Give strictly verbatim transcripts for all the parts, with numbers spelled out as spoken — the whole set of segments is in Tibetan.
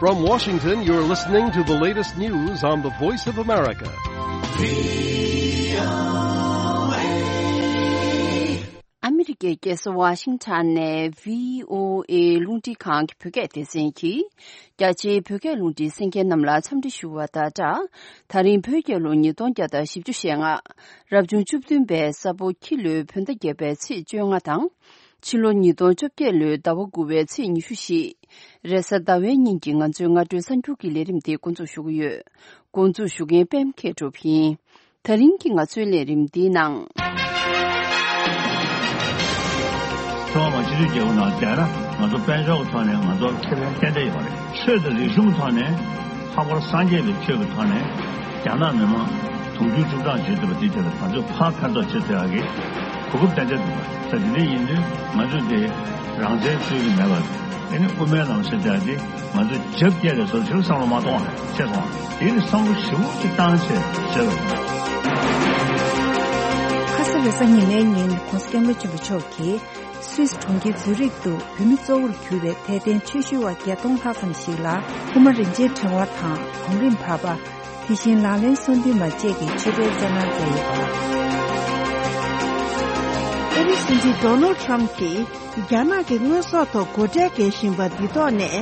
From Washington, you're listening to the latest news on the Voice of America. ཨ་མི་རི་ཀའི་རྒྱལ་ས་ཝ་ཤིང་ཊོན་ནས་བྷི་ཨོ་ཨེ་རླུང་འཕྲིན་ཁང་གི་བོད་སྐད་སྡེ་ཚན་གྱིས། རྒྱ་ཆེའི་བོད་སྐད་རླུང་འཕྲིན་གསན་མཁན་རྣམས་ལ་འཚམས་འདྲི་ཞུ་བ་དང་སྦྲགས། ད་རིང་བོད་རྒྱལ་ལོ་ཉིས་སྟོང་བརྒྱ་དང་བཞི་བཅུ་ཞེ་ལྔ། རབ་བྱུང་བཅུ་བདུན་པའི་ས་ཕོ་ཁྱི་ལོའི་བོད་ཟླ་བརྒྱད་པའི་ཚེས་བཅོ་ལྔ་དང་། ཕྱི་ལོ་ཉིས་སྟོང་བཅོ་བརྒྱད་ལོའི་ཟླ་བ་དགུ་པའི་ཚེས་ཉི་ཤུ་བཞི། རེས་གཟའ་ཟླ་བའི་ཉིན་གྱི་ང་ཚོའི་སྔ་དྲོའི་གསར་འགྱུར་གྱི་ལས་རིམ་དེ་འགོ་འཛུགས་ཞུ་གི་ཡོད། འགོ་འཛུགས་ཞུ་མཁན་པད་མ་མཁས་གྲུབ་ཡིན། ད་རིང་གི་ང་ཚོའི་ལས་རིམ་འདིའི་ནང་། ཀྲུང་ཧྭ་མི་དམངས་སྤྱི་མཐུན་རྒྱལ་ཁབ་ནང་བསྡད་ན་ང་ཚོ་དཔལ་འབྱོར་གྱི་ཐོག་ནས་ང་ཚོར་ཁེ་ཕན་ཏན་ཏན་ཡོད་རེད། ཆོས་དང་རིག་གཞུང་གི་ཐོག་ནས་ལྷག་པར་སངས་རྒྱས་པའི་ཆོས་ཀྱི་ཐོག་ནས་རྒྱ་ནག་མི་དམངས་དུང་ཕྱུར་བཅུ་གྲངས་བྱེད་ཐུབ་པ་དེའི་ཐད་ལ་ང་ཚོས་ཕར་ཕན་ཐོགས་བྱེད་ཐུབ་ཡག་གི་གོ་སྐབས་ཏན་ཏན་འདུག་པ། ད་དེ་འདྲ་ཡིན་དུས་ང་ཚོས་དེ་རང་བཙན་རྩོད་ཀྱི་མེད་པར་ཨ་ནི་དབུ་མའི་ལམ་ཟེར་ཡག་དེ་ང་ཚོས་རྒྱབ་སྐྱེལ་རེད་ཟེར་ཕྱིར་བསམ་བློ་མ་གཏོང་བ་རེད། ཤེས་སོང་བ། དེ་ནི་བསམ་བློ་ཞེ་པོ་ཅིག་བཏང་བྱས་བྱས་པ་རེད། ཁ་ས་རེས་གཟའ་ཉི་མའི་ཉིན་༸གོང་ས་༸སྐྱབས་མགོན་ཆེན་པོ་མཆོག་གིས་སུད་སི་གྲོང་ཁྱེར་ཛུ་རིག་ཏུ་བོད་མི་གཙོ་བོར་གྱུར་པའི་དད་ལྡན་ཆོས་ཞུ་བ་བརྒྱད་སྟོང་ལྷག་ཙམ་ཞིག་ལ་ཧུ་མ་རིན་ཆེན་ཕྲེང་བ་དང་གོང་རིམ་བར་པ། དེ་བཞིན་ལག་ལེན་གསུམ་ལྡན་པ་བཅས་ཀྱི་མཆོད་པའི་སྩལ་གནང་མཛད་ཡོད་པ། ཨ་རིའི་སྲིད་འཛིན་ཌོ་ནལ་ཌི་ཊརམ་ཕི་གྱིས་རྒྱ་ནག་གི་དངོས་ཟོག་ཐོག་སྒོ་ཁྲལ་འགེལ་བཞིན་པ་འདི་ཐོག་ནས་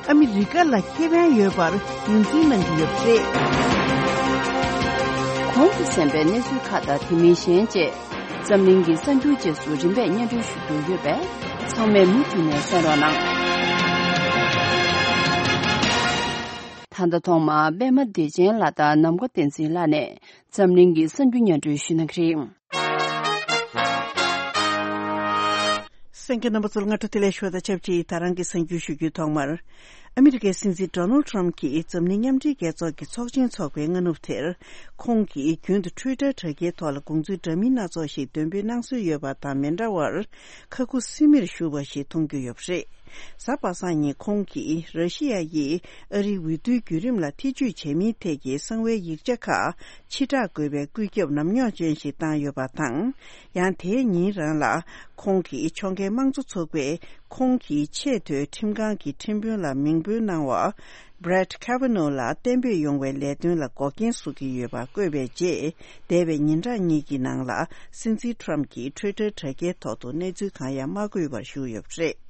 ཨ་མི་རི་ཀ་ལ་ཁེ་ཕན་ཡོད་པར་ངོས་འཛིན་གནང་གི་ཡོད་པ་རེད། གོང་དུ་གསན་པའི་གནས་ཚུལ་ཁག་དང་དེ་མིན་གཞན་བཅས་འཛམ་གླིང་གི་གསར་འགྱུར་རྗེས་སུ་རིམ་པས་སྙན་སྒྲོན་ཞུ་རྒྱུ་ཡོད་པས་ཚང་མས་མུ་མཐུད་ནས་གསན་རོགས་གནང་། ད་ལྟ་ཐོག་མར་པད་མ་བདེ་ཆེན་ལགས་དང་ནམ་མཁའ་བསྟན་འཛིན་ལགས་ནས་འཛམ་གླིང་གི་གསར་འགྱུར་སྙན་སྒྲོན་ཞུ་གནང་གི་རེད། གསན་མཁན་རྣམ་པ་ཚོར་སྔ་དྲོ་བདེ་ལེགས་ཞུ་བ་དང་ཆབས་ཅིག་ད་རང་གི་གསར་འགྱུར་ཞུ་རྒྱུའི་ཐོག་མར། ཨ་མི་རི་ཀའི་སྲིད་འཛིན་ཌོ་ནལ་ཌི་ཊརམ་ཕི་གྱིས་འཛམ་གླིང་མཉམ་འབྲེལ་རྒྱལ་ཚོགས་ཀྱི་ཚོགས་ཆེན་འཚོགས་པའི་སྔ་ནུབ་དེར། ཁོང་གིས་རྒྱུན་དུ་ཊུའི་ཊར་དྲ་རྒྱའི་ཐོག་ལ་དགོངས་ཚུལ་འདྲ་མིན་སྣ་ཚོགས་ཤིག་འདོན་སྤེལ་གནང་སྲོལ་ཡོད་པ་དང་མི་འདྲ་བར། ཁ་ཁུ་སིམ་མེར་བཞུགས་པ་ཞིག་མཐོང་རྒྱུ་ཡོད་པ་རེད། གཟའ་པ་སངས་ཉིན་ཁོང་གིས་ར་ཤི་ཡ་ཡིས་ཨ་རིའི་འོས་བསྡུའི་བརྒྱུད་རིམ་ལ་ཐེ་ཇུས་བྱས་མིན་ཐད་ཀྱི་གསང་བའི་ཡིག་ཆ་ཁག་ཕྱིར་བསྒྲགས་དགོས་པའི་བཀོད་ཁྱབ་ནམ་རྙོག་ཅན་ཞིག་བཏང་ཡོད་པ་དང་། ཡང་དེའི་ཉིན་རང་ལ་ཁོང་གིས་ཕྱོགས་འགལ་དམངས་གཙོ་ཚོགས་པས་ཁོང་གི་ཆེས་མཐོའི་ཁྲིམས་ཁང་གི་ཁྲིམས་དཔོན་ལ་མིང་འབོལ་གནང་བ། Brett Kavanaugh ལ་གཏན་འབེབས་ཡོང་བའི་ལས་དོན་ལ་འགོག་རྐྱེན་བཟོ་གི་ཡོད་པ་བཀོད་པའི་རྗེས། འདས་པའི་ཉིན་གྲངས་གཉིས་ཀྱི་ནང་ལ་སྲིད་འཛིན་ཊརམ་གྱིས་ཊུའི་ཊར་དྲ་རྒྱའི་ཐོག་ཏུ་གནས་ཚུལ་གང་ཡང་མ་བཀོད་པར་བཞུགས་ཡོད་པ་རེད།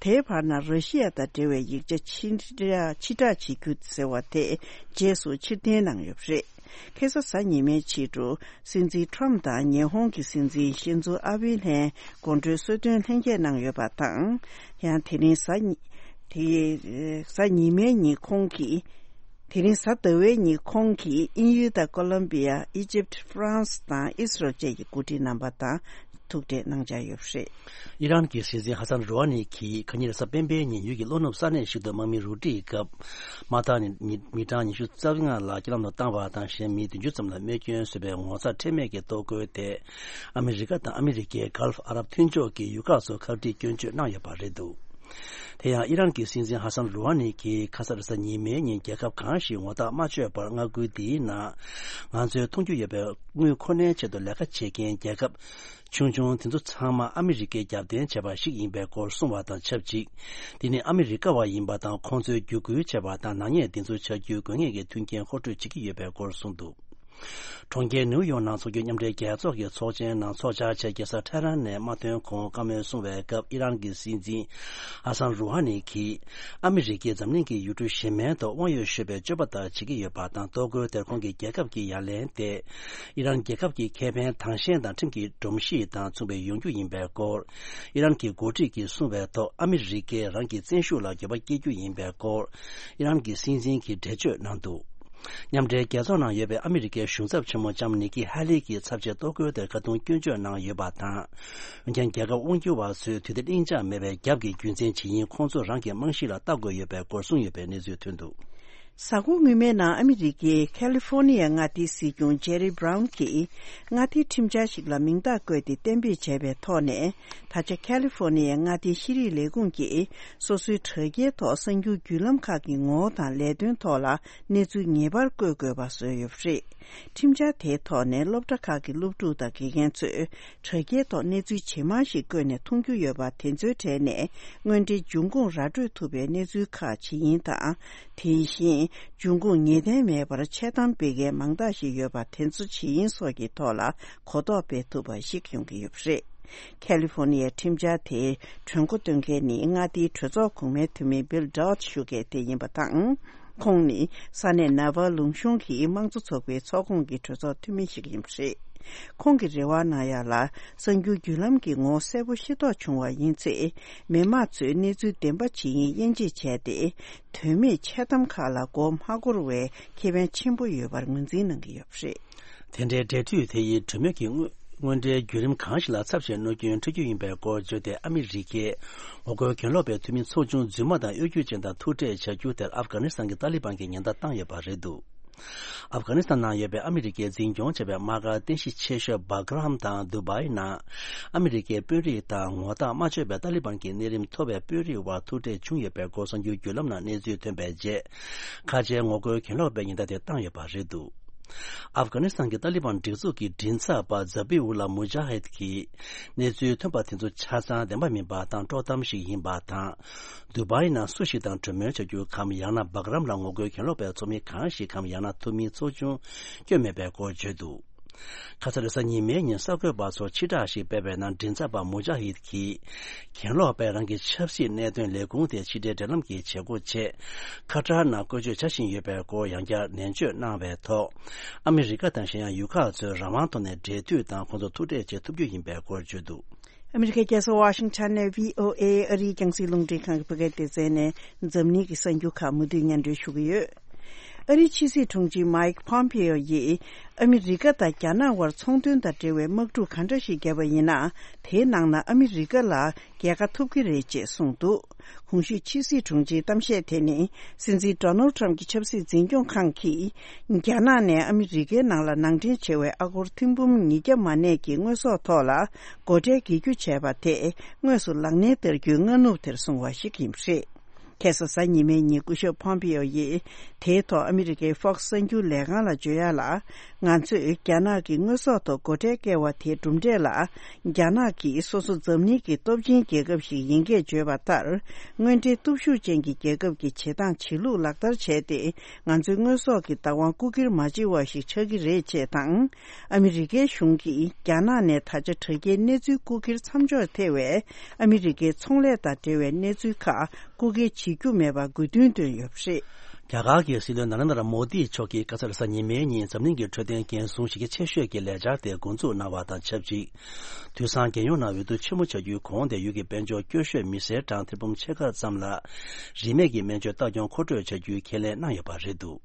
དེའི་བར་ན་ར་ཤི་ཡ་དང་འབྲེལ་བའི་ཡིག་ཆ་ཕྱིར་བསྒྲགས་ཕྱིར་བསྒྲགས་བྱེད་རྒྱུ་ཟེར་བ་དེ་རྗེས་སུ་ཕྱིར་འཐེན་གནང་ཡོད་པ་རེད། ཁ་སང་གཟའ་ཉི་མའི་ཕྱི་དྲོ་སྲིད་འཛིན་ཊརམ་དང་ཉི་ཧོང་གི་སྲིད་འཛིན་ཤིན་ཛོ་ཨ་བྷེ་ལྷན་དགོང་དྲོའི་གསོལ་སྟོན་ལྷན་རྒྱས་གནང་ཡོད་པ་དང་། ཡང་དེ་རིང་གཟའ་ཉི་དེ་གཟའ་ཉི་མའི་ཉིན་ཁོང་གིས། དེ་རིང་གཟའ་ཟླ་བའི་ཉིན་ཁོང་གིས་དབྱིན་ཡུལ་དང་ཀོ་ལམ་བི་ཡ། ཨི་ཇིབ། ཧྥ་རན་སི་དང་ཨི་སི་རལ་བཅས་ཀྱི་འགོ་ཁྲིད་རྣམ་པ་དང་ཐུག་འཕྲད་གནང་འཆར་ཡོད་པ་རེད། ཨི་རན་གྱི་སྲིད་འཛིན་ཧ་སན་རུ་ཧ་ནི་གྱིས་གང་ཉིད་གཟའ་སྤེན་པའི་ཉིན་ཡུལ་གྱི་ལྷོ་ནུབ་ས་གནས་ཤིག་ཏུ་དམག་མི་རུ་སྒྲིག་སྐབས། དམག་འཐབ་ནི་མི་གྲངས་ཉི་ཤུ་རྩ་ལྔ་ལ་རྐྱེན་ལམ་དུ་བཏང་བ་དང་གཞན་མི་བདུན་ཅུ་ཙམ་ལ་རྨས་སྐྱོན་བཟོས་པའི་ངོ་ཚ་ཁྲེལ་མེད་ཀྱི་གཏོར་རྒོལ་དེ། ཨ་མི་རི་ཀ་དང་ཨ་མི་རི་ཀས་གྷལ་ཧྥ་ཨ་རབ་མཐུན་ཕྱོགས་ཀྱི་ཡུལ་ཁག་ཚོར་ཁ་བྲལ་སྐྱོན་བརྗོད་གནང་ཡོད་པ་རེད་འདུག་དེ་ཡང་ཨི་རན་གྱི་སྲིད་འཛིན་ཧ་སན་རུ་ཧ་ནི་གྱིས་ཁ་ས་རེས་གཟའ་ཉི་མའི་ཉིན་རྒྱལ་ཁབ་གང་ཞིག་ངོ་ཐག་མ་ཆོད་པར་མངའ་ཁུལ་འདིའི་ནང་ང་ཚོའི་མཐོང་རྒྱུ་ཡོད་པའི་དངུལ་ཁོ་ནའི་ཆེད་དུ་ལས་ཀ་བྱེད་མཁན་རྒྱལ་ཁབ་ཆུང་ཆུང་དེ་ཚོ་ཚང་མ་ཨ་མི་རི་ཀས་རྒྱབ་རྟེན་བྱས་པ་ཞིག་ཡིན་པའི་སྐོར་གསུངས་པ་དང་ཆབས་ཅིག་དེ་ནི་ཨ་མི་རི་ཀ་བ་ཡིན་པ་དང་ཁོང་ཚོས་བརྒྱུད་སྐུལ་བྱས་པ་དང་ནག་ཉེས་དེ་ཚོ་བྱ་རྒྱུའི་དགོས་ངེས་ཀྱི་མཐུན་རྐྱེན་མཁོ་སྤྲོད་བྱེད་ཀྱི་ཡོད་པའི་སྐོར་གསུངས་འདུག་གྲོང་ཁྱེར་ནིའུ་ཡོག་ནང་འཚོགས་རྒྱུའི་མཉམ་འབྲེལ་རྒྱལ་ཚོགས་ཀྱི་ཚོགས་ཆེན་ནང་ཚོགས་བཅར་ཆེད་རྒྱལ་ས་ཐེ་རན་ནས་མ་ཐོན་གོང་བཀའ་མོལ་གསུང་བའི་སྐབས་ཨི་རན་གྱི་སྲིད་འཛིན་ཧ་སན་རུ་ཧ་ནི་གྱིས་ཨ་མི་རི་ཀས་འཛམ་གླིང་གི་ཡུལ་གྲུ་གཞན་མའི་ཐོག་དབང་ཡོད་ཤོས་པའི་སྤྱོད་པ་ལྟར་བྱེད་ཀྱི་ཡོད་པ་དང་གཏོར་རྒོལ་དེར་ཁོང་གི་རྒྱལ་ཁབ་ཀྱི་ཡ་ལན་དེ་ཨི་རན་རྒྱལ་ཁབ་ཀྱི་ཁེ་ཕན་དྭངས་ཤེལ་དང་ཁྲིམས་ཀྱི་སྒྲོམ་གཞི་དང་མཚུངས་པའི་ཡོང་རྒྱུ་ཡིན་པའི་སྐོར་ཨི་རན་གྱི་འགོ་ཁྲིད་ཀྱིས་གསུངས་པའི་ཐོག་ཨ་མི་རི་ཀས་རང་གི་བཙན་ཤུགས་ལ་འགྱོད་པ་སྐྱེ་རྒྱུ་ཡིན་པའི་སྐོར་ཨི་རན་གྱི་སྲིད་འཛིན་གྱིས་འགྲེལ་བརྗོད་གནང་འདུག་མཉམ་འབྲེལ་རྒྱལ་ཚོགས་ནང་ཡོད་པའི་ཨ་མི་རི་ཀའི་གཞུང་ཚབ་ཆེན་མོ་ལྕམ་ནི་ཀི་ཧ་ལི་གིས་ཚབ་བྱས་གཏོར་རྒོལ་དེར་ཁ་རྡུང་སྐྱོན་བརྗོད་གནང་ཡོད་པ་དང་། འོན་ཀྱང་རྒྱལ་ཁབ་དབང་སྒྱུར་བ་ཚོས་དུས་བདེ་གླེང་བྱ་མེད་པའི་རྒྱབ་ཀྱི་རྒྱུ་མཚན་ཇི་ཡིན་ཁོང་ཚོ་རང་གི་རྨང་གཞི་ལ་ལྟ་དགོས་ཡོད་པའི་སྐོར་གསུངས་ཡོད་པའི་གནས་ཚུལ་ཐོན་འདུག་གཟའ་འཁོར་སྔོན་མའི་ནང་ཨ་མི་རི་ཀའི་ཁ་ལི་ཧྥོ་ནི་ཡའི་མངའ་སྡེའི་སྲིད་སྐྱོང་ཇེ་རི་བྷ་རའུན་གྱིས་མངའ་སྡེའི་ཁྲིམས་འཆར་ཞིག་ལ་མིང་རྟགས་བཀོད་དེ་གཏན་འབེབས་བྱས་པའི་ཐོག་ནས། ད་ཆ་ཁ་ལི་ཧྥོ་ནི་ཡའི་མངའ་སྡེའི་ཤེས་རིག་ལས་ཁུངས་ཀྱིས་སོ་སོའི་དྲ་རྒྱའི་ཐོག་གསར་འགྱུར་བརྒྱུད་ལམ་ཁག་གི་ངོ་བོ་དང་ལས་དོན་ཐོག་ལ་གནས་ཚུལ་ངེས་པར་བཀོད་དགོས་པ་བཟོས་ཡོད་པ་རེད། ཁྲིམས་འཆར་དེའི་ཐོག་ནས་སློབ་གྲྭ་ཁག་གི་སློབ་ཕྲུག་དང་དགེ་རྒན་ཚོས་དྲ་རྒྱའི་ཐོག་གནས་ཚུལ་ཇེ་མང་ཞིག་བཀོད་ནས་མཐོང་རྒྱུ་ཡོད་པ་དེ་ཚོའི་གྲས་ནས་དངོས་འབྲེལ་འབྱུང་ཁུངས་ར་སྤྲོད་ཐུབ་པའི་གནས་ཚུལ་ཁག་ཇི་ཡིན་དང་། དེ་བཞིན་འབྱུང་ཁུངས་ངེས་གཏན་མེད་པར་འཆལ་གཏམ་སྤེལ་མཁན་མང་དག་ཞིག་ཡོད་པ་དེ་ཚོ་ཇི་ཡིན་སོགས་ཀྱི་ཐོག་ལ་གོ་རྟོགས་སྤེལ་ཐུབ་པ་ཞིག་ཡོང་གི་ཡོད་པ་རེད། ཁ་ལི་ཧྥོ་ནི་ཡའི་ཁྲིམས་འཆར་དེའི་གྲོས་འགོ་འདོན་མཁན་ནི་མངའ་སྡེའི་གྲོས་ཚོགས་གོང་མའི་འཐུས་མི་བྷིལ་ཌོད་ཞུ་མཁན་དེ་ཡིན་པ་དང་། ཁོང་ནི་ས་གནས་ནཱ་ཝཱ་ལུང་གཞུང་གི་དམངས་གཙོ་ཚོགས་པའི་ཚོགས་ཁོངས་ཀྱི་གྲོས་ཚོགས་འཐུས་མི་ཞིག་ཡིན་པ་རེད། ཁོང་གིས་རེ་བ་གནང་ཡག་ལ། གསར་འགྱུར་བརྒྱུད་ལམ་གྱི་ངོ་བོ་གསལ་པོ་ཤེས་རྟོགས་བྱུང་བ་ཡིན་ཚེ། མི་མང་ཚོས་གནས་ཚུལ་བདེན་པ་ཇི་ཡིན་དབྱེ་འབྱེད་བྱས་ཏེ། དོན་མེད་འཆལ་གཏམ་ཁག་ལ་མགོ་མ་འཁོར་བའི་ཁེ་ཕན་ཆེན་པོ་ཡོད་པར་ངོས་འཛིན་གནང་གི་ཡོད་པ་རེད། དེ་འདྲའི་འབྲེལ་མཐུད་དེ་ཡིས་གྲོས་མོལ་གྱི་དངོས་དངོས་འབྲེལ་བརྒྱུད་རིམ་གང་ཞིག་ལ་ཚབས་ཆེའི་གནོད་སྐྱོན་འཕྲད་རྒྱུ་ཡིན་པའི་སྐོར་བརྗོད་དེ། ཨ་མི་རི་ཀས་ངོ་རྒོལ་གྱེན་ལོག་པའི་འཐུས་མི་ཚོགས་ཆུང་རྫུན་མ་དང་གཡོ་སྒྱུ་ཅན་དང་ཐུག་འཕྲད་བྱ་རྒྱུ་དེར་ཨབ་གྷ་ནི་སི་ཐན་གྱི་ཏཱ་ལི་བན་གྱིས་ཉེན་བརྡ་བཏང་ཡོད་པ་རེད་འདུག་ཨབ་གྷ་ནི་སི་ཐན་ནང་ཡོད་པའི་ཨ་མི་རི་ཀས་འཛིན་སྐྱོང་བྱས་པའི་དམག་སྒར་རྟེན་གཞི་ཆེ་ཤོས་སྦག་རམ་དང་དུ་བའི་ནང་ཨ་མི་རི་ཀའི་དཔོན་རིགས་དང་ངོ་ཐག་མ་ཆོད་པའི་ཏཱ་ལི་བན་གྱི་གནས་རིམ་མཐོ་བའི་དཔོན་རིགས་དབར་ཐུག་འཕྲད་བྱུང་ཡོད་པའི་སྐོར་གསར་འགྱུར་བརྒྱུད་ལམ་ནང་གནས་ཚུལ་ཐོན་པའི་རྗེས། ཁ་ཆེའི་ངོ་རྒོལ་གྱེན་ལོག་པའི་ཉེན་བརྡ་དེ་བཏང་ཡོད་པ་རེད་འདུག་ཨབ་གྷ་ནི་སི་ཐན་གྱི་ཏཱ་ལི་བན་སྒྲིག་འཛུགས་ཀྱི་མགྲིན་ཚབ་པ་ཛ་བི་ཨུ་ལ་མུ་ཇཱ་ཧིད་ཀྱིས་གནས་ཚུལ་ཐོན་པ་དེ་ཚོ་ཆ་ཚང་བདེན་པ་མིན་པ་དང་དཀྲོག་གཏམ་ཞིག་ཡིན་པ་དང་། དུ་བའི་ནང་སུ་ཞིག་དང་གྲོས་མོལ་བྱ་རྒྱུ་གམ། ཡང་ན་སྦག་རམ་ལ་ངོ་རྒོལ་གྱེན་ལོག་པའི་ཚོགས་མི་གང་ཞིག་གམ། ཡང་ན་འཐུས་མི་ཚོགས་ཆུང་བསྐྱོན་མེད་པའི་སྐོར་བརྗོད་འདུག་ཁ་ས་རེས་གཟའ་ཉི་མའི་ཉིན་གསར་འགོད་པ་ཚོར་ཕྱིར་བསྒྲགས་ཤིག་སྤེལ་བའི་ནང་མགྲིན་ཚབ་པ་མུ་ཇཱ་ཧིད་ཀྱིས། གྱེན་ལོག་པས་རང་གི་ཆབ་སྲིད་གནད་དོན་ལས་ཁུངས་དེ་ཕྱི་འབྲེལ་འབྲེལ་ལམ་གྱི་བྱེད་སྒོ་ཆེད། ཁ་ཏར་ནང་བཀོལ་སྤྱོད་བྱ་བཞིན་ཡོད་པའི་སྐོར་ཡང་བསྐྱར་ནན་བརྗོད་གནང་བའི་ཐོག་ཨ་མི་རི་ཀ་དང་གཞན་ཡང་ཡུལ་ཁག་ཚོས་རང་དབང་ཐོག་ནས་འབྲེལ་མཐུད་དང་ཁོང་ཚོ་ཐུག་འཕྲད་བྱེད་ཐུབ་རྒྱུ་ཡིན་པའི་སྐོར་བརྗོད་འདུག་ཨ་མི་རི་ཀའི་རྒྱལ་ས་ཝ་ཤིང་ཊོན་ནས་བྷི་ཨོ་ཨེ་ཨ་རིའི་རྒྱང་སྲིང་རླུང་འཕྲིན་ཁང་གི་བོད་སྐད་སྡེ་ཚན་ནས་འཛམ་གླིང་གི་གསར་འགྱུར་ཁག་མུ་མཐུད་སྙན་སྒྲོན་ཞུ་གི་ཡོད། ཨ་རིའི་ཕྱི་སྲིད་དྲུང་ཆེ་མཱིག་ཕོམ་པེ་ཨོ་ཡིས་ཨ་མི་རི་ཀ་དང་རྒྱ་ནག་དབར་ཚོང་དོན་དང་འབྲེལ་བའི་དམག་འཁྲུག་ག་འདྲ་ཞིག་བརྒྱབ་པ་ཡིན་ན། དེའི་ནང་ན་ཨ་མི་རི་ཀ་ལ་རྒྱལ་ཁ་ཐོབ་ཀྱི་རེད་ཅེས་གསུངས་འདུག་གོང་ཞུས་ཕྱི་སྲིད་དྲུང་ཆེའི་གཏམ་བཤད་དེ་ནི། སྲིད་འཛིན་ཌོ་ནལ་ཊམ་གྱི་ཆབ་སྲིད་འཛིན་སྐྱོང་ཁང་གིས། རྒྱ་ནག་ནས་ཨ་མི་རི་ཀའི་ནང་ལ་ནང་འདྲེན་བྱས་པའི་ཨ་སྒོར་ཐེར་འབུམ་ཉིས་བརྒྱ་མ་གནས་ཀྱི་དངོས་ཟོག་ཐོག་ལ། སྒོ་ཁྲལ་འགེལ་རྒྱུ་བྱས་པ་དེ། དངོས་སུ་ལག་ལེན་བསྟར་རྒྱུའི་སྔ་ནུབ་དེར་སོང་བ་ཞིག་ཡིན་པ་རེད། ཁ་སང་གཟའ་ཉི་མའི་ཉིན་སྐུ་ཞབས་ཕོམ་པེ་ཨོ་ཡིས། དེའི་ཐོག་ཨ་མི་རི་ཀའི་Fox གསར་འགྱུར་ལས་ཁང་ལ་བརྗོད་ཡག་ལ། ང་ཚོས་རྒྱ་ནག་གི་དངོས་ཟོག་ཐོག་སྒོ་ཁྲལ་བཀལ་བ་དེའི་གྲུབ་འབྲས་ལ། རྒྱ་ནག་གིས་སོ་སོ་འཛམ་གླིང་གི་སྟོབས་ཆེན་རྒྱལ་ཁབ་ཞིག་ཡིན་སྐད་བརྗོད་པ་ལྟར། དངོས་འབྲེལ་སྟོབས་ཤུགས་ཅན་གྱི་རྒྱལ་ཁབ་ཀྱི་བྱེད་སྟངས་བྱེད་ལུགས་ལག་བསྟར་བྱས་ཏེ། ང་ཚོའི་དངོས་ཟོག་གི་བདག་དབང་རྐུ་འཁྱེར་མ་བྱེད་པ་ཞིག་ཆགས་ཀྱི་རེད་ཅེས་དང་། ཨ་མི་རི་ཀའི་གཞུང་གིས་རྒྱ་ནག་ནས་ད་ཆ་དྲ་རྒྱའི་གནས་ཚུལ་རྐུ་འཁྱེར་མཚམས་འཇོག་ཐེ་བའི་ཨ་མི་རི་ཀའི་ཚོང་ལས་དང་འབྲེལ་བའི་གནས་ཚུལ་ཁག་རྐུ་འཁྱེར་བྱེད་རྒྱུ་མེད་པར་དགོས་འདུན་བཏོན་ཡོད་པ་རེད། རྒྱ་གར་གྱི་སྲིད་བློན་ནཱ་རེན་དྲ་མོ་དི་མཆོག་གིས་ཁ་སང་རེས་གཟའ་ཉི་མའི་ཉིན་འཛམ་གླིང་གི་འཕྲོད་བསྟེན་འགན་སྲུང་གཞི་རྒྱ་ཆེ་ཤོས་ཀྱི་ལས་འཆར་དེ་འགོ་འཛུགས་གནང་བ་དང་ཆབས་ཅིག་དུས་སང་རྒྱལ་ཡོངས་ནང་འོས་བསྡུ་ཆེན་མོ་བྱ་རྒྱུའི་གོང་དེ་ཡུལ་གྱི་དཔལ་འབྱོར་སྐྱོ་ཤོས་མི་སེར་གྲངས་ཐེར་འབུམ་ཕྱེད་ཀ་ཙམ་ལ་རིན་མེད་ཀྱི་སྨན་བཅོས་ལྟ་སྐྱོང་མཁོ་སྤྲོད་བྱ་རྒྱུའི་ཁས་ལེན་གནང་ཡོད་པ་རེད་འདུག་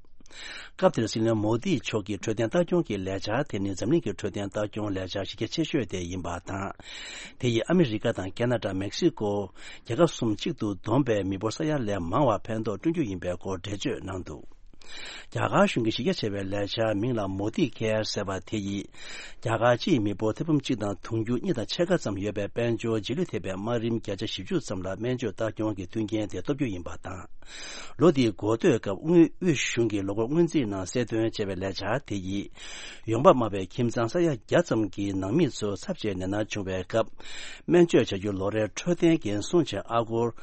སྐབས་དེར་སྲིད་བློན་མོ་དི་མཆོག་གིས་འཕྲོད་བསྟེན་ལྟ་སྐྱོང་གི་ལས་འཆར་དེ་ནི་འཛམ་གླིང་གི་འཕྲོད་བསྟེན་ལྟ་སྐྱོང་ལས་འཆར་གཞི་རྒྱ་ཆེ་ཤོས་དེ་ཡིན་པ་དང་། དེ་ཡིས་ཨ་མི་རི་ཀ་དང་ཁེ་ན་ཌ། མེག་སི་ཀོ། རྒྱལ་ཁབ་གསུམ་གཅིག་ཏུ་བསྡོམས་པའི་མི་འབོར་ས་ཡ་ལས་མང་བར་ཕན་ཐོགས་བསྐྲུན་རྒྱུ་ཡིན་པའི་སྐོར་འགྲེལ་བརྗོད་གནང་འདུག་རྒྱ་གར་གཞུང་གི་གཞི་རྒྱ་ཆེ་བའི་ལས་འཆར་མིང་ལ་མོ་དི་ཁེར་ཟེར་བ་དེ་ཡིས། རྒྱ་གར་སྤྱིའི་མི་འབོར་ཐེར་འབུམ་གཅིག་དང་དུང་ཕྱུར་གཉིས་དང་ཕྱེད་ཀ་ཙམ་ཡོད་པའི་དཔལ་འབྱོར་རྗེས་ལུས་ཐེབས་པའི་དམའ་རིམ་བརྒྱ་ཆ་བཞི་བཅུ་ཙམ་ལ་སྨན་བཅོས་ལྟ་སྐྱོང་གི་མཐུན་རྐྱེན་དེ་སྟོབས་རྒྱུ་ཡིན་པ་དང་། ལོ་འདིའི་འགོ་སྟོད་སྐབས་དབུས་དབུས་གཞུང་གིས་ལོ་འཁོར་སྔོན་རྩིས་ནང་གསལ་སྟོན་བྱས་པའི་ལས་འཆར་དེ་ཡིས། ཡོང་འབབ་དམའ་བའི་ཁྱིམ་ཚང་ས་ཡ་བརྒྱ་ཙམ་གྱི་ནང་མི་ཚོ་ཚབས་ཆེའི་ནད་མནར་བྱུང་བའི་སྐབས། སྨན་བཅོས་བྱ་རྒྱུ་ལོ་རེར་འཕྲོད་བསྟེན་འགན་སྲུང་ཆེད་ཨ་སྒོར་